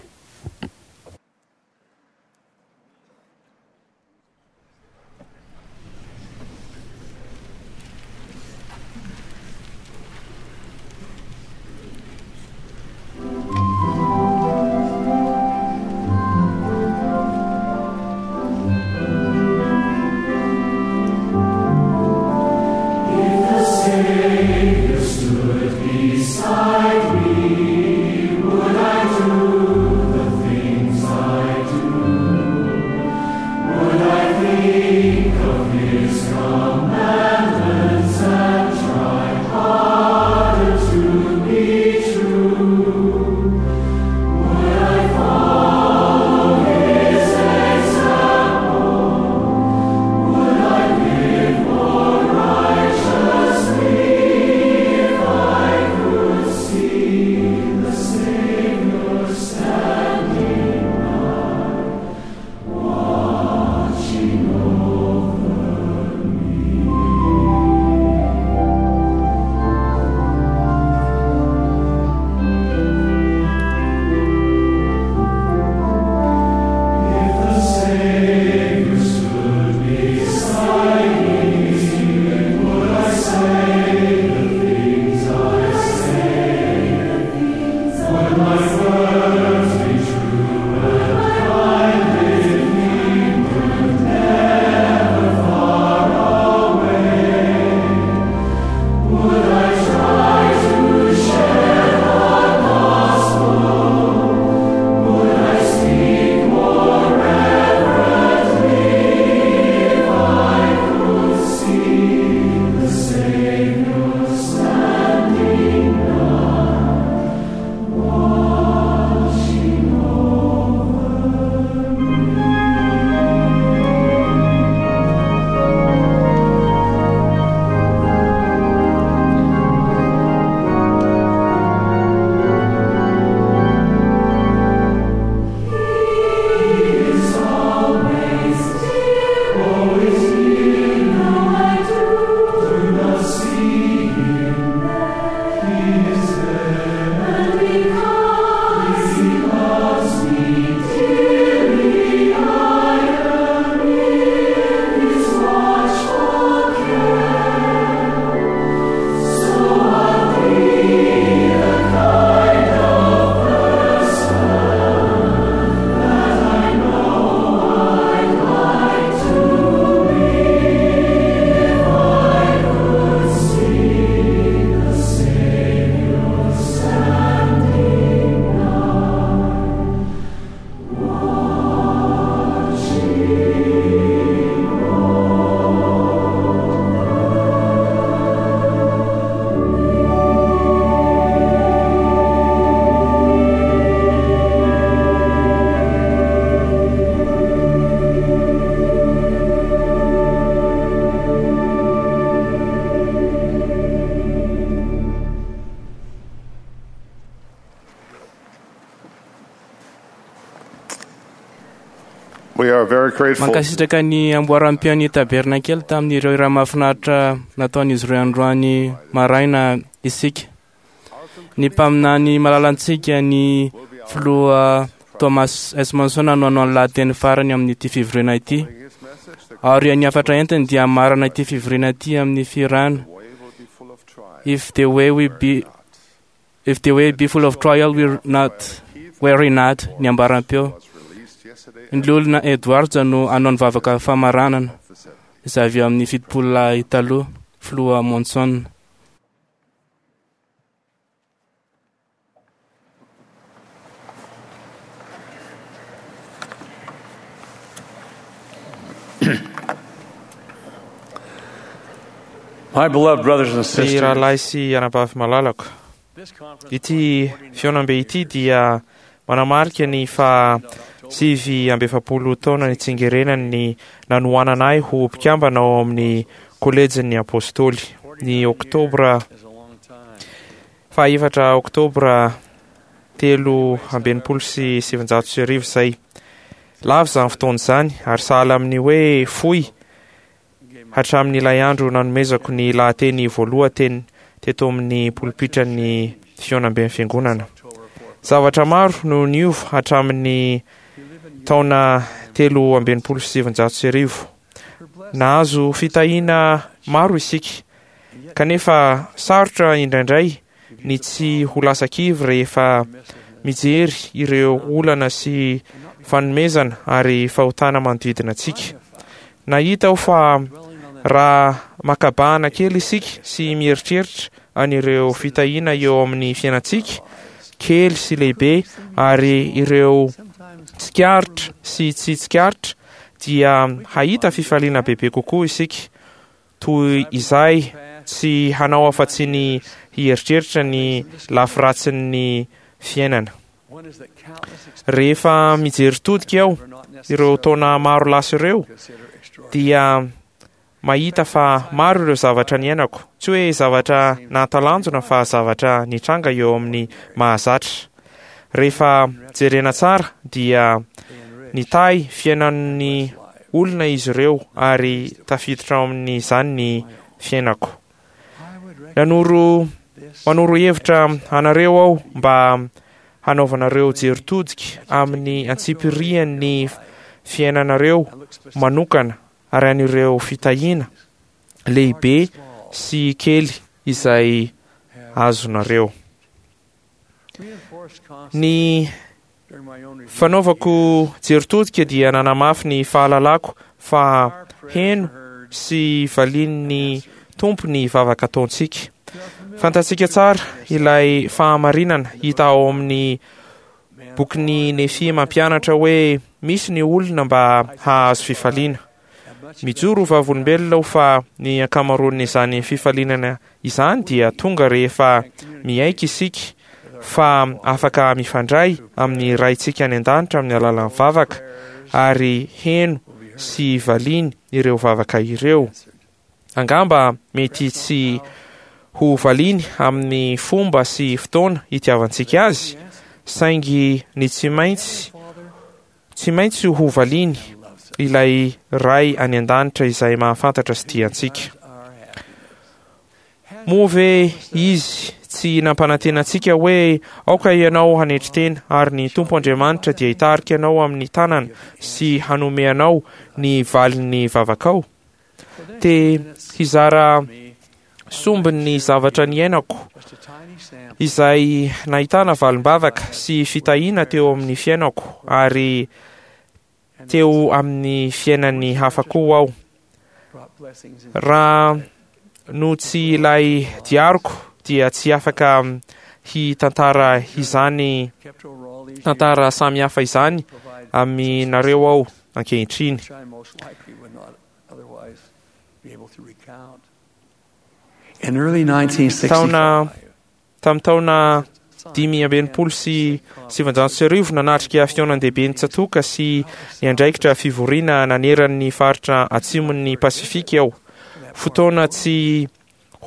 C: are very grateful.
B: Mankasitraka ny amboaram-peon'ny tabernakely tamin'ireo raha mahafinaritra nataon'izy ireo androany maraina isika. Ny mpaminany malalantsika ny filoha Thomas S. Monson no hanao ny lahateny farany amin'ity fivoriana ity. Ary ny hafatra entiny dia hamarana ity fivoriana ity amin'ny fihirana. If the way we be If the way be full of trial we're not weary not ny ambaram-peo. Ny loholona Edwards no hanao ny vavaka famaranana izay avy amin'ny fitopolo lahy taloha filoha Monson.
L: My beloved brothers and
D: Ry
L: sisters,
D: rahalahy sy anabavy malalako, ity fihaonambe ity dia manamarika ny fa sivy amby efapolo taona nitsingerenany nanohanana ahy ho mpikambana ao amin'ny kolejin'ny apôstôly ny oktobra fahaefatra oktobra telo amby enimpolo sy sivinjato sy arivo izay. Lava izany fotoana izany ary sahala amin'ny hoe fohy hatramin'ilay andro nanomezako ny lahateny voalohany teto amin'ny polipitran'ny fihaonamben'ny fiangonana. Zavatra maro no niova hatramin'ny taona telo amby enimpolo sy sivinjato sy arivo. Nahazo fitahiana maro isika, kanefa sarotra indraindray ny tsy ho lasa kivy rehefa mijery ireo olana sy fanomezana ary fahotana manodidina antsika. Nahita aho fa raha makabahana kely isika sy mieritreritra an'ireo fitahiana eo amin'ny fiainantsika, kely sy lehibe, ary ireo tsikaritra sy tsy tsikaritra, dia hahita fifaliana bebe kokoa isika, toy izay tsy hanao afa-tsy ny hieritreritra ny lafiratsin'ny fiainana. Rehefa mijery todika aho ireo taona maro lasa ireo, dia mahita fa maro ireo zavatra niainako, tsy hoe zavatra nahatalanjona fa zavatra nitranga eo amin'ny mahazatra. Rehefa jerena tsara dia nitahy fiainan'ny olona izy ireo ary tafiditra ao amin'izany ny fiainako. Nanoro manoro hevitra anareo aho mba hanaovanareo jery todika amin'ny antsipirian'ny fiainanareo manokana ary an'ireo fitahiana lehibe sy kely izay azonareo. Ny fanaovako jery todika dia nanamafy ny fahalalako fa heno sy valian'ny Tompo ny vavaka ataontsika. Fantatsika tsara ilay fahamarinana hita ao amin'ny bokin'ny Nefia mampianatra hoe misy ny olona mba hahazo fifaliana. Mijoro ho vavolombelona aho fa ny ankamaroan'izany fifalinana izany dia tonga rehefa miaiky isika fa afaka mifandray amin'ny Raintsika any an-danitra amin'ny alalan'ny vavaka ary heno sy valiany ireo vavaka ireo. Angamba mety tsy ho valiany amin'ny fomba sy fotoana itiavantsika azy, saingy ny tsy maintsy tsy maintsy ho valiany ilay Ray any an-danitra izay mahafantatra sy tia antsika. Moa ve izy tsy nampanantena antsika hoe aoka ianao hanetry tena ary ny Tompo Andriamanitra dia hitarika anao amin'ny tanana sy hanome anao ny valin'ny vavakao? Te hizara sombin'ny zavatra niainako izay nahitana valim-bavaka sy fitahiana teo amin'ny fiainako ary teo amin'ny fiainan'ny hafa koa aho. Raha no tsy ilay diariko dia tsy afaka hitantara izany tantara samihafa izany aminareo aho ankehitriny.
L: In early nineteen
D: Taona
L: sixty-five,
D: tamin'ny taona dimy amby enimpolo sy sivinjato sy arivo nanatrika fihaonan-dehibe ny tsatoka sy niandraikitra fivoriana naneran'ny faritra atsimon'ny Pasifika aho. Fotoana tsy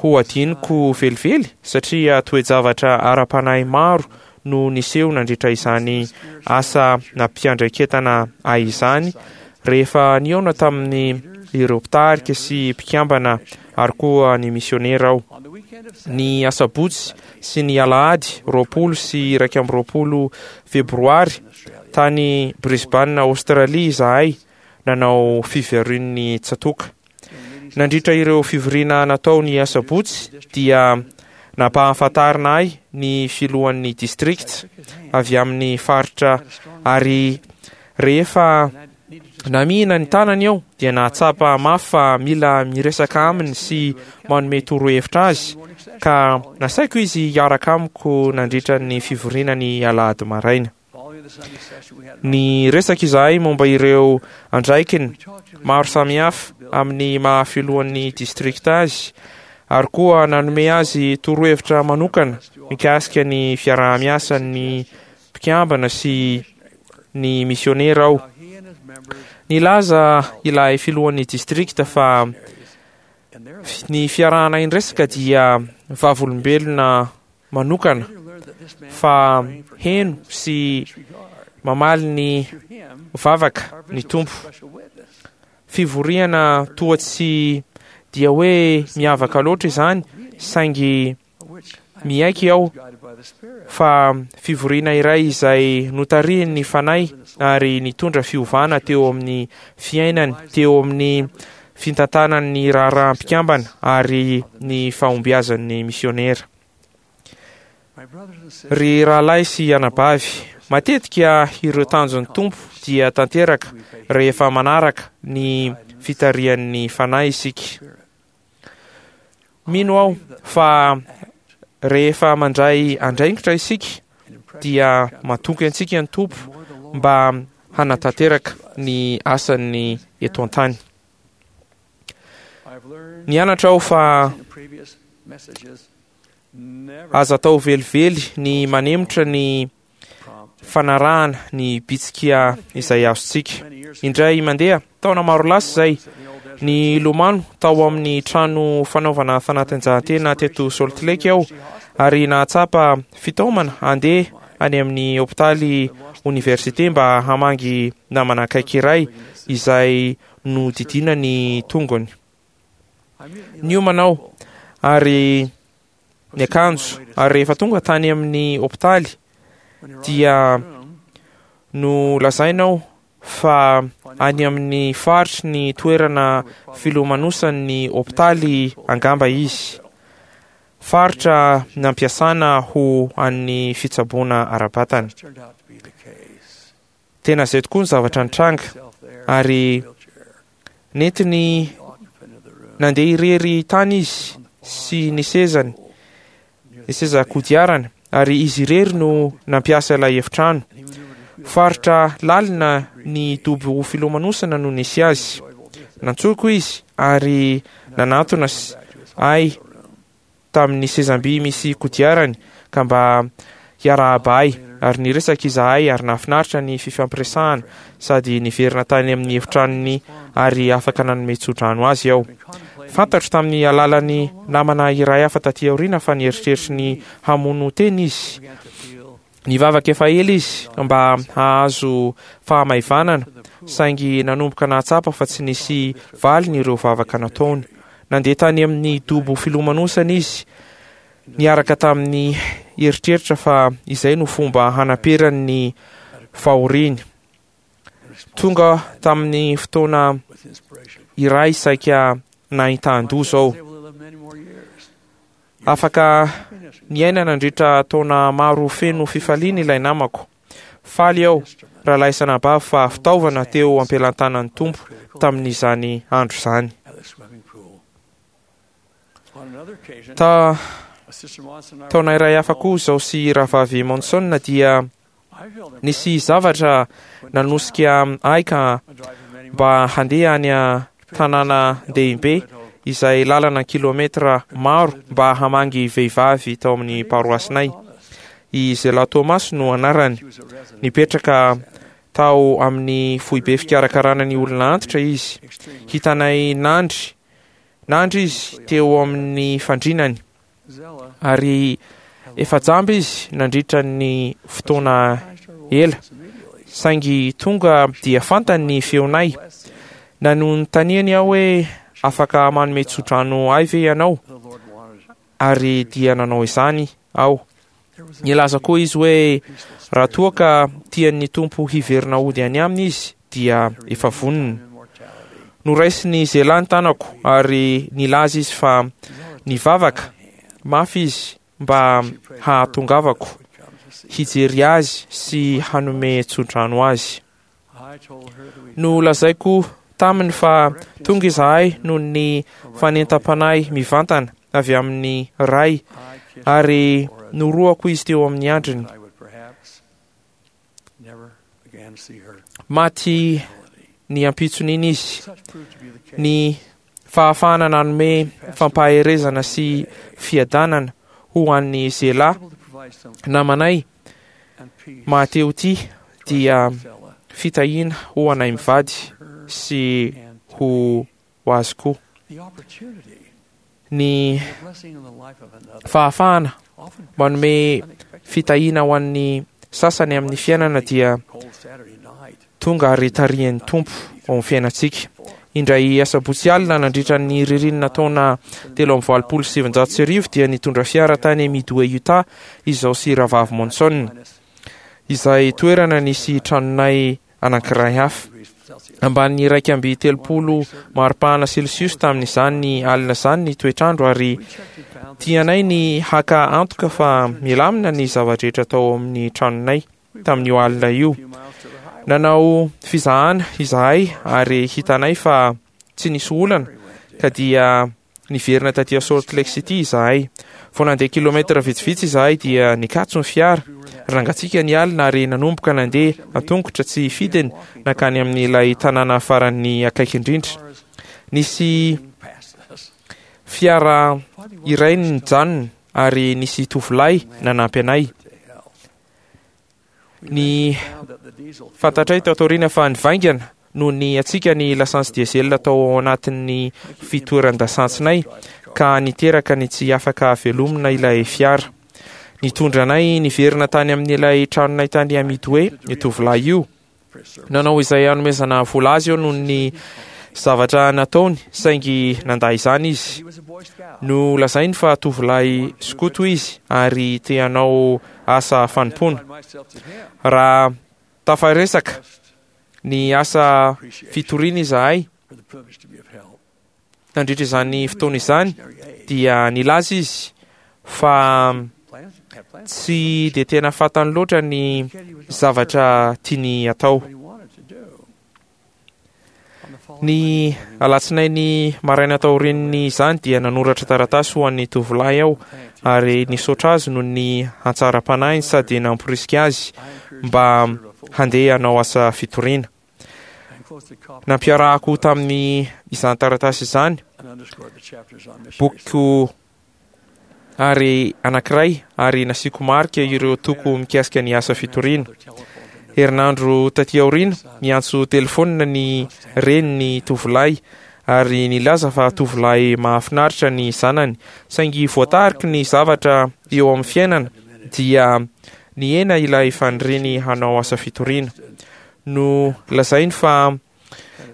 D: ho adinoko velively satria toe-javatra ara-panahy maro no niseho nandritra izany asa nampiandraiketana ahy izany Rehefa nihaona tamin'ny ireo mpitarika sy mpikambana ary koa ny misionera aho. Ny asabotsy sy ny alahady roapolo sy iraika amby roapolo febroary tany Brisbane, Aostralia izahay nanao fivorian'ny tsatòka. Nandritra ireo fivoriana natao ny asabotsy dia nampahafantarina ahy ny filohan'ny district avy amin'ny faritra, ary rehefa namihina ny tanany aho dia nahatsapa mafy fa mila miresaka aminy sy manome torohevitra azy, ka nasaiko izy hiaraka amiko nandritra ny fivoriana ny alahady maraina. Niresaka izahay momba ireo andraikiny maro samihafa amin'ny maha filohan'ny district azy, ary koa nanome azy torohevitra manokana mikasika ny fiaraha-miasan'ny mpikambana sy ny misionera aho. Nilaza ilay filohan'ny district fa ny fiarahana indresaka dia vavolombelona manokana fa heno sy mamaly ny vavaka ny Tompo. Fivoriana toa tsy dia hoe miavaka loatra izany, saingy miaiky aho fa fivoriana iray izay notarihin'ny Fanahy ary nitondra fiovana teo amin'ny fiainany, teo amin'ny fitantanan'ny raharaham-pikambana ary ny fahombiazan'ny misionera. Ry rahalahy sy anabavy, matetika ireo tanjon'ny Tompo dia tanteraka rehefa manaraka ny fitarihan'ny Fanahy isika. Mino aho fa rehefa mandray andraikitra isika dia matoky antsika ny Tompo mba hanatanteraka ny asany eto an-tany. Nianatra aho fa aza atao velively ny manemotra ny fanarahana ny bitsika izay azontsika. Indray mandeha, taona maro lasa izay, ny lomano tao amin'ny trano fanaovana fanatanjahantena teto Salt Lake aho, ary nahatsapa fitaomana handeha any amin'ny hopitaly oniversite mba hamangy namana akaiky iray izay nodidiana ny tongony. Niomana aho ary niakanjo, ary rehefa tonga tany amin'ny hopitaly dia nolazaina aho fa any amin'ny faritry ny toerana filomanosan'ny hopitaly angamba izy, faritra nampiasana ho an'ny fitsaboana ara-batana. Tena izay tokoa ny zavatra nitranga, ary nentiny nandeha irery tany izy sy ny sezany, ny seza kodiarany, ary izy irery no nampiasa ilay efitrano. Faritra lalina ny dobo filomanosana no nisy azy. Nantsoiko izy ary nanatona ahy tamin'ny sezam-by misy kodiarany ka mba hiarahaba ahy, ary niresaka izahay ary nahafinaritra ny fifampiresahana sady niverina tany amin'ny efitranony ary afaka nanome tsodrano azy aho. Fantatro tamin'ny alalan'ny namana iray hafa taty aoriana fa nieritreritry ny hamono tena izy. Nivavaka efa ela izy mba hahazo fahamaivanana, saingy nanomboka nahatsapa fa tsy nisy valiny ireo vavaka nataony. Nandeha tany amin'ny dobo filomanosana izy niaraka tamin'ny eritreritra fa izay no fomba hanaperany ny fahoriany. Tonga tamin'ny fotoana iray saika nahitan-doza aho. Afaka niaina nandritra taona maro feno fifaliana ilay namako. Faly aho, rahalahy sy anabavy, fa fitaovana teo am-pelantanan'ny Tompo tamin'izany andro izany. Ta taona iray hafa koa izaho sy rahavavy Monson dia nisy zavatra nanosika ahy ka mba handeha any an-tanàna dehibe izay lalana kilometra maro mba hamangy vehivavy tao amin'ny paroasinay. I Zela Thomas no anarany. Nipetraka tao amin'ny foibe fikarakarana ny olona antitra izy. Hitanay nandry nandry izy teo amin'ny fandrinany, ary efa jamba izy nandritra ny fotoana ela, Saingy tonga dia fantany ny feonay. Nanontaniany aho hoe afaka manome tsodrano ahy ve ianao? Ary dia nanao izany aho. Nilaza koa izy hoe raha toa ka tian'ny Tompo hiverina hody any aminy izy dia efa vonona. Noraisiny Zela ny tanako ary nilaza izy fa nivavaka mafy izy mba hahatongavako hijery azy sy hanome tsodrano azy. Nolazaiko taminy fa tonga izahay noho ny fanentam-panahy mivantana avy amin'ny Ray ary norohako izy teo amin'ny andriny. Maty ny ampitson'iny izy. Ny fahafahana nanome fampaherezana sy fiadanana ho an'ny Zela namanay mahatehoty dia fitahiana ho anay mivady sy ho azy koa. Ny fahafahana manome fitahiana ho an'ny sasany amin'ny fiainana dia tonga ary tarihan'ny Tompo ao amin'ny fiainantsika. Indray asabotsy alina nandritra ny ririnina taona telo amby valopolo sy sivinjato sy arivo dia nitondra fiara tany Midway, Utah izaho sy Rahavavy Monson, izay toerana nisy tranonay anankiray hafa. Ambany iraika amby telopolo maripana celsius tamin'izany alina izany ny toetrandro ary tianay ny haka antoka fa milamina ny zava-drehetra tao amin'ny tranonay tamin'io alina io. Nanao fizahana izahay ary hitanay fa tsy nisy olana ka dia niverina taty Salt Lake City izahay. Vao nandeha kilometra vitsivitsy izahay dia nikatso ny fiara. Nangatsiaka ny alina ary nanomboka nandeha an-tongotra tsy fidiny nankany amin'ilay tanàna farany akaiky indrindra. Nisy fiara iray nijanona ary nisy tovolahy nanampy anay. Ny fantatray tato aoriana fa nivaingana noho ny hatsiaka ny lasantsy diesel tao anatin'ny fitoeran-dasantsinay ka niteraka ny tsy afaka velomina ilay fiara. Nitondra anay niverina tany amin'ilay tranonay tany Midway io tovolahy io. Nanao izay hanomezana vola azy eo noho ny zavatra nataony saingy nandà izany izy. Nolazainy fa tovolahy skoto izy ary te hanao asa fanompoana. Raha tafaresaka ny asa fitoriana izahay nandritra izany fotoana izany dia nilaza izy fa tsy dia tena fantany loatra ny zavatra tiany atao. Ny alatsinainy maraina taorian'izany dia nanoratra taratasy ho an'ny tovolahy aho ary nisaotra azy noho ny hatsaram-panahiny sady namporisika azy mba handeha hanao asa fitoriana. Nampiarahako tamin'ny izany taratasy izany bokiko ary anankiray ary nasiako marika ireo toko mikasika ny asa fitoriana. Herinandro taty aoriana niantso telefonina ny reniny tovolahy ary nilaza fa tovolahy mahafinaritra ny zanany saingy voatariky ny zavatra eo amin'ny fiainana dia nihena ilay faniriany hanao asa fitoriana. No lazainy fa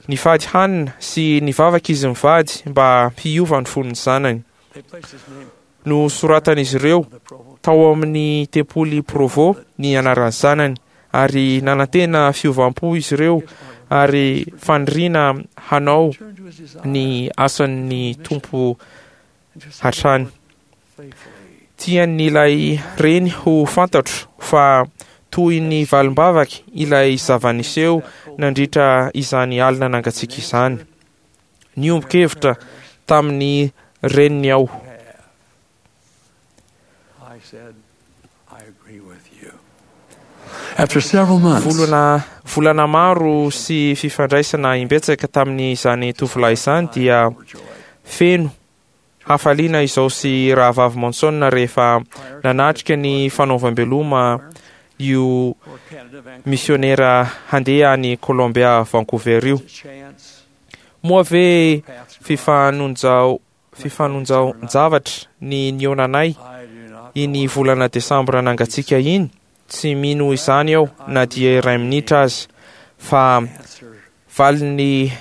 D: nifady hanina sy nivavaka izy mivady mba hiova ny fon'ny zanany. No soratan'izy ireo tao amin'ny tempoly Provo ny anaran'ny zanany ary nanantena fiovam-po izy ireo ary faniriana hanao ny asan'ny Tompo hatrany. Tian'ilay reny ho fantatro fa toy ny valim-bavaky ilay zava-niseho nandritra izany alina nangatsiaka izany. Niombon-kevitra tamin'ny reniny aho.
L: After several months,
D: Volana volana maro sy fifandraisana imbetsaka tamin'izany tovolahy izany dia feno hafaliana izao sy Rahavavy Monson rehefa nanatrika ny fanaovam-beloma io misionera handeha any Colombia Vancouver io. Moa ve fifanonjao fifanonjaon-javatra ny nihaonanay iny volana desambra nangatsiaka iny Tsy mino izany aho na dia iray minitra aza, fa valin'ny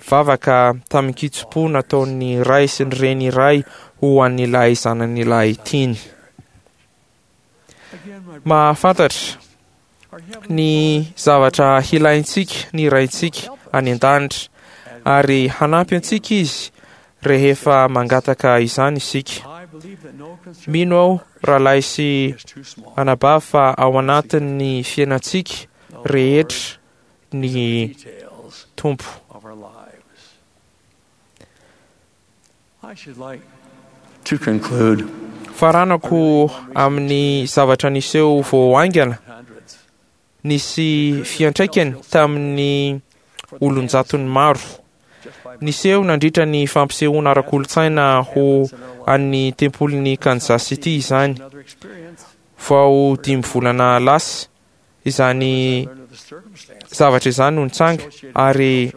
D: vavaka tamin-kitsim-po nataon'ny ray sy ny reny iray ho an'ilay zanany lahy tiany. Mahafantatra ny zavatra hilaintsika ny Raintsika any an-danitra, ary hanampy antsika Izy rehefa mangataka izany isika. Mino aho, rahalahy sy anabavy, fa ao anatin'ny fiainantsika rehetra ny Tompo. Faranako amin'ny zavatra niseho vao haingana nisy fiantraikany tamin'ny olon-jatony maro. Niseho nandritra ny fampisehoana ara-kolontsaina ho an'ny tempolin'i Kansas City izany. Vao dimy volana lasa izany zavatra izany no nitranga, ary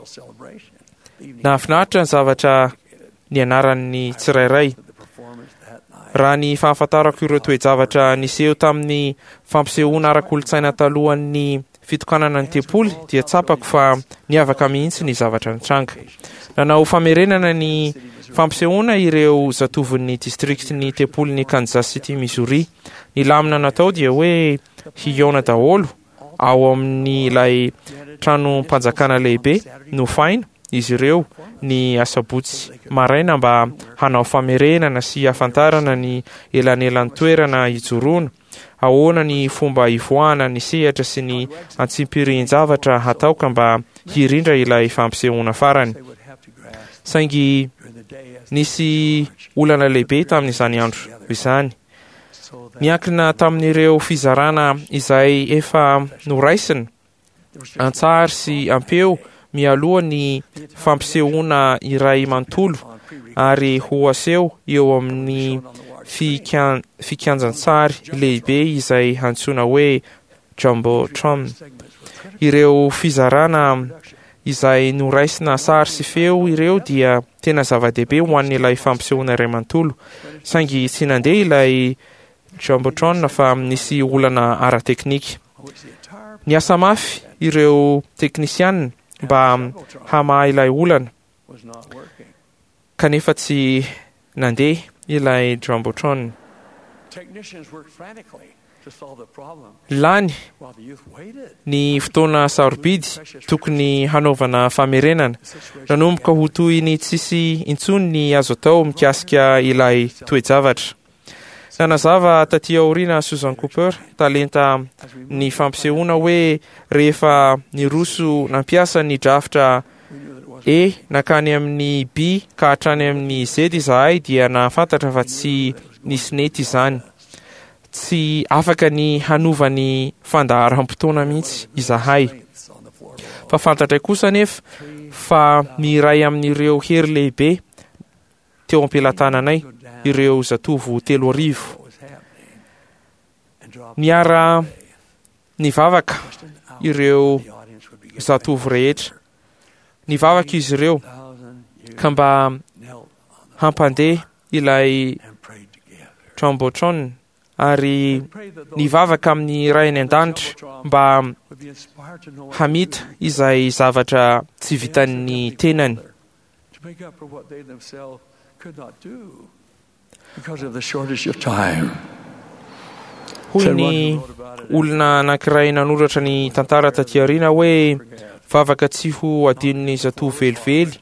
D: nahafinaritra ny zavatra nianaran'ny tsirairay. Raha ny fahafantarako ireo toe-javatra niseho tamin'ny fampisehoana ara-kolontsaina talohan'ny fitokanana ny tempoly, dia tsapako fa niavaka mihitsy ny zavatra nitranga. Nanao famerenana ny fampisehoana ireo zatovon'ny distrikt'ny tempolin'i Kansas City, Missouri. Ny lamina natao dia hoe hihaona daholo ao amin'ilay tranom-panjakana lehibe nofaina izy ireo ny asabotsy maraina mba hanao famerenana sy hahafantarana ny elanelan-toerana hijoroana, ahoana ny fomba hivoahana ny sehatra sy ny antsipirihin-javatra hatao ka mba hirindra ilay fampisehoana farany. Saingy nisy olana lehibe tamin'izany andro izany. Niankina tamin'ireo fizarana izay efa noraisina an-tsary sy am-peo mialoha ny fampisehoana iray manontolo ary ho aseho eo amin'ny fikianjan-tsary lehibe izay antsoina hoe Jumbotron. Ireo fizarana izay noraisina sary sy feo ireo dia tena zava-dehibe ho an'ilay fampisehoana iray manontolo, saingy tsy nandeha ilay Jumbotron fa nisy olana ara-teknika. Niasa mafy ireo teknisianina mba hamaha ilay olana, kanefa tsy nandeha ilay Jumbotron. Lany ny fotoana sarobidy tokony hanaovana famerenana. Nanomboka ho toy ny tsisy intsony ny azo atao mikasika ilay toe-javatra. Nanazava taty aoriana Susan Cooper, talenta ny fampisehoana hoe rehefa niroso nampiasa ny drafitra E nankany amin'ny B ka hatrany amin'ny Z izahay dia nahafantatra fa tsy nisy nety izany. Tsy afaka ny hanova ny fandaharam-potoana mihitsy izahay. Fa fantatray kosa anefa fa ny iray amin'ireo hery lehibe teo am-pelatananay, ireo zatovo telo arivo. Niara nivavaka ireo zatovo rehetra. Nivavaka izy ireo ka mba hampandeha ilay Jumbotron ary nivavaka amin'ny Ray any an-danitra mba hamita izay zavatra tsy vitan'ny tenany. Hoy ny olona anankiray nanoratra ny tantara taty aoriana hoe vavaka tsy ho adinon'ny zatovo velively,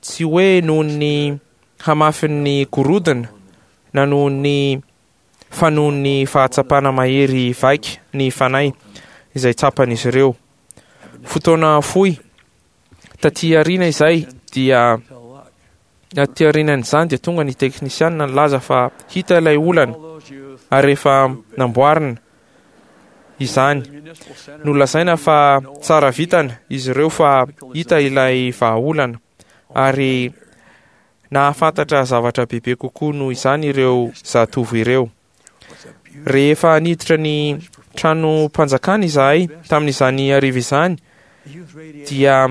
D: tsy hoe noho ny hamafin'ny gorodona na noho ny fa noho ny fahatsapana mahery vaika ny fanahy izay tsapan'izy ireo. Fotoana fohy taty aoriana izay dia taty aorianan'izany dia tonga ny teknisianina nilaza fa hita ilay olana ary efa namboarina izany. Nolazaina fa tsara vitana izy ireo fa hita ilay vahaolana ary nahafantatra zavatra bebe kokoa noho izany ireo zatovo ireo. Rehefa niditra ny tranom-panjakana izahay tamin'izany hariva izany dia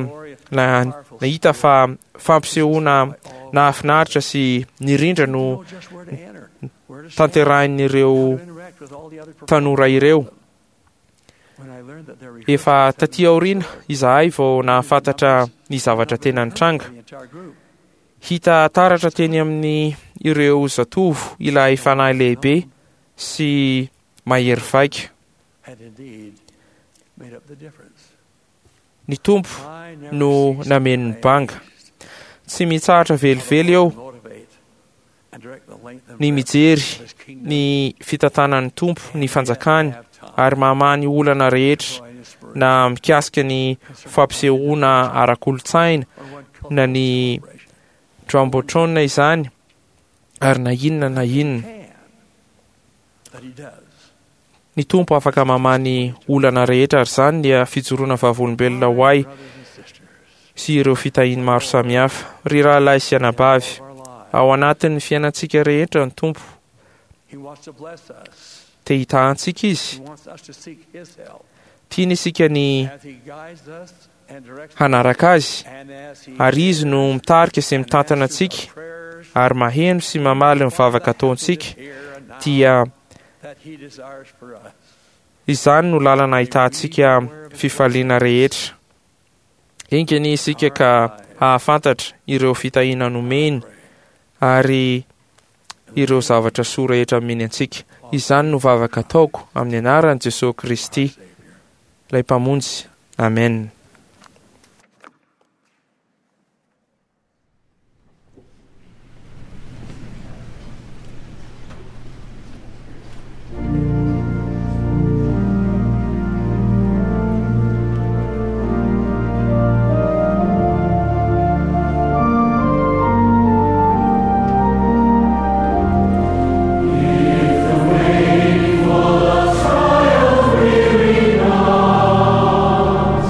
D: nahita fa fampisehoana nahafinaritra sy nirindra no tanterahin'ireo tanora ireo. Efa taty aoriana izahay vao nahafantatra ny zavatra tena nitranga. Hita taratra teny amin'ny ireo zatovo ilay fanahy lehibe sy mahery vaika. Ny Tompo no nameno ny banga. Tsy mitsahatra velively eo ny mijery ny fitantanan'ny Tompo ny fanjakany ary mamaha ny olana rehetra na mikasika ny fampisehoana ara-kolontsaina na ny jumbotron izany ary na inona na inona. Ny Tompo afaka mamaha ny olana rehetra ary izany dia fijoroana vavolombelona ho ahy sy ireo fitahiany maro samihafa. Ry rahalahy sy anabavy, ao anatin'ny fiainantsika rehetra ny Tompo te hitaha antsika Izy. Tiany isika ny hanaraka Azy, ary Izy no mitarika sy mitantana antsika ary maheno sy mamaly ny vavaka ataontsika. Dia izany no lalana ahitantsika fifaliana rehetra. Enga anie isika ka hahafantatra ireo fitahiana nomeny ary ireo zavatra soa rehetra omeny antsika. Izany no vavaka ataoko amin'ny anaran'i Jesosy Kristy, ilay Mpamonjy. Amen.
G: If the wakefull of trial weary not,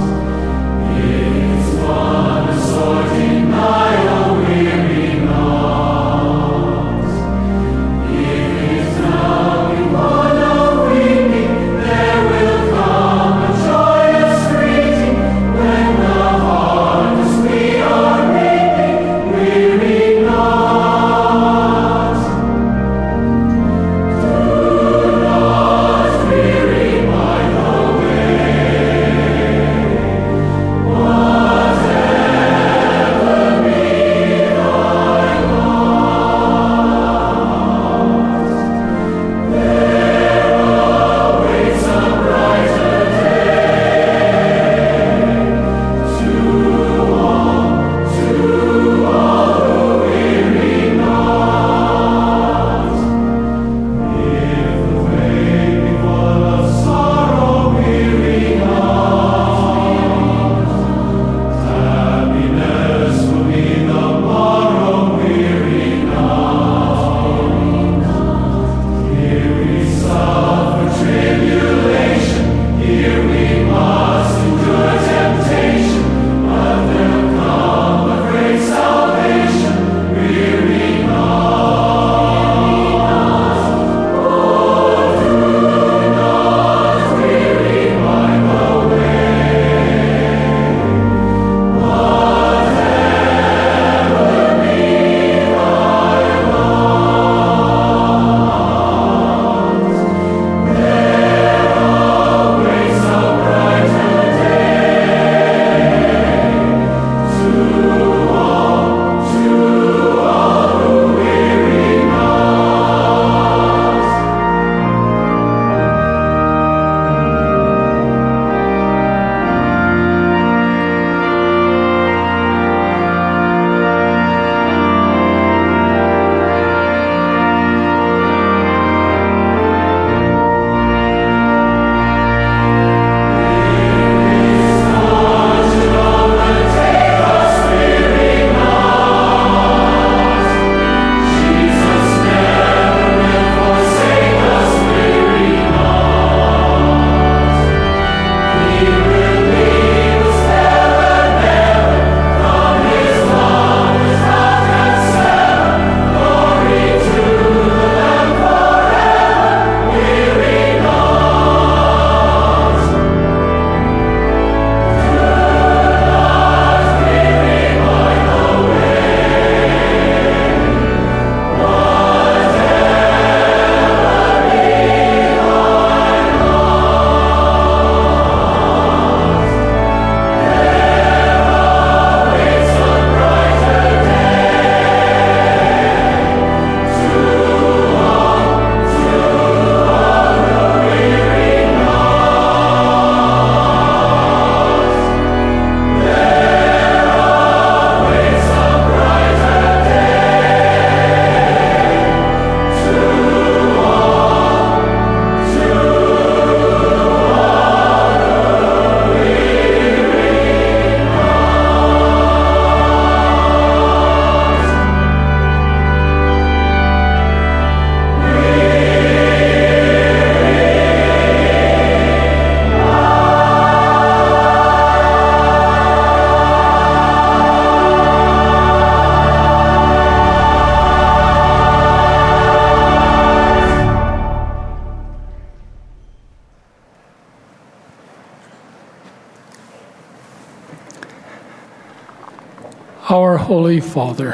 M: Holy Father,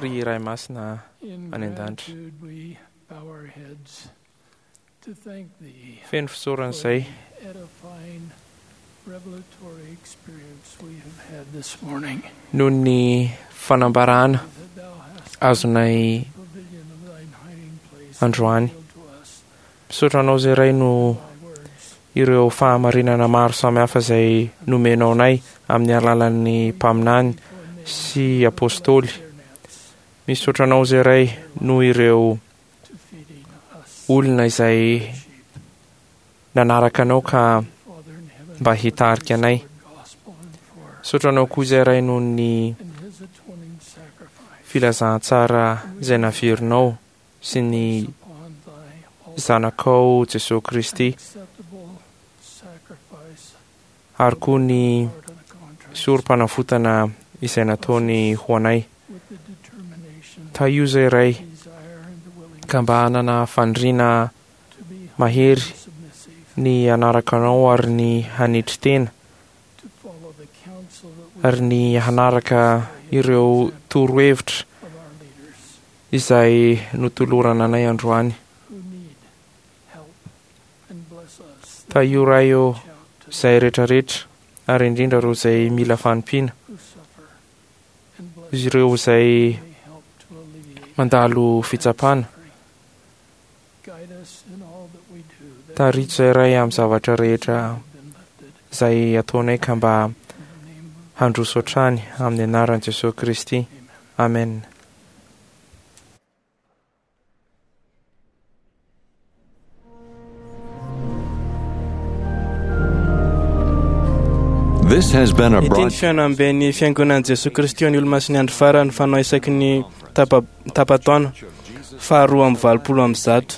D: Ry Ray Masina
M: in
D: any an-danitra,
M: gratitude we bow our heads to thank Thee
D: feno fisaorana
M: for
D: izay
M: the edifying revelatory experience we have had this morning.
D: noho ny fanambarana azonay
M: Pavilion of Thine hiding place
D: androany.
M: revealed to us
D: Misaotra anao izay Ray no ireo fahamarinana maro samihafa izay nomenao anay amin'ny alalan'ny mpaminany sy apôstôly. Misaotra anao izay Ray noho ireo olona izay nanaraka anao ka mba hitarika anay. Misaotra anao koa izay Ray noho ny
M: and His atoning sacrifice
D: filazantsara izay naverinao sy ny
M: upon Thy
D: zanakao Jesosy Kristy
M: acceptable sacrifice
D: ary koa ny sorom-panavotana izay nataony ho anay.
M: with the determination,
D: Tahio izay Ray
M: desire, and the willingness
D: ka mba hanana faniriana
M: to be
D: mahery
M: submissive,
D: ny hanaraka anao ary ny hanetry tena
M: to follow the counsel that we
D: ary ny hanaraka ireo torohevitra
M: of our leaders
D: izay notolorana anay androany.
M: who need help, and bless us that
D: Tahio Ray ô
M: reach out to
D: izay rehetrarehetra ary indrindra ireo izay mila fanampiana,
M: who suffer, and bless
D: izy ireo izay
M: may help to alleviate
D: mandalo fitsapana.
M: suffering. Guide us in all that we do, that
D: Tarito izay Ray amin'ny zavatra rehetra
M: we have been lifted
D: izay ataonay ka mba
M: in the name of
D: handroso hatrany amin'ny anaran'i Jesosy Kristy. Amen.
H: This has been a
B: Ity ny
H: broadcast.
B: fihaonamben'ny fiangonan'i Jesosy Kristy ny Olomasin'ny andro farany fanao isaky ny tapa- tapa-taona faharoa amby valopolo amby zato.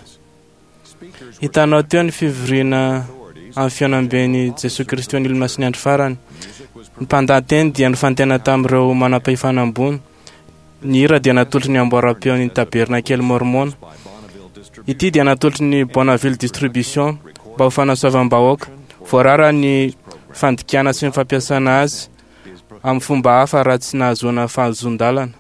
B: Hitanao teo ny fivoriana amin'ny fihaonamben'i Jesosy Kristy ny Olomasin'ny andro farany. Ny mpandahateny dia nifantena tamin'ireo manam-pahefana ambony. Ny hira dia natolotry ny amboaram-peon'ny tabernakely Mormona. Ity dia natolotry ny Bonneville Distribution mba ho fanasoavam-bahoaka. Voarara ny fandikana sy ny fampiasana azy amin'ny fomba hafa raha tsy nahazoana fahazoan-dalana.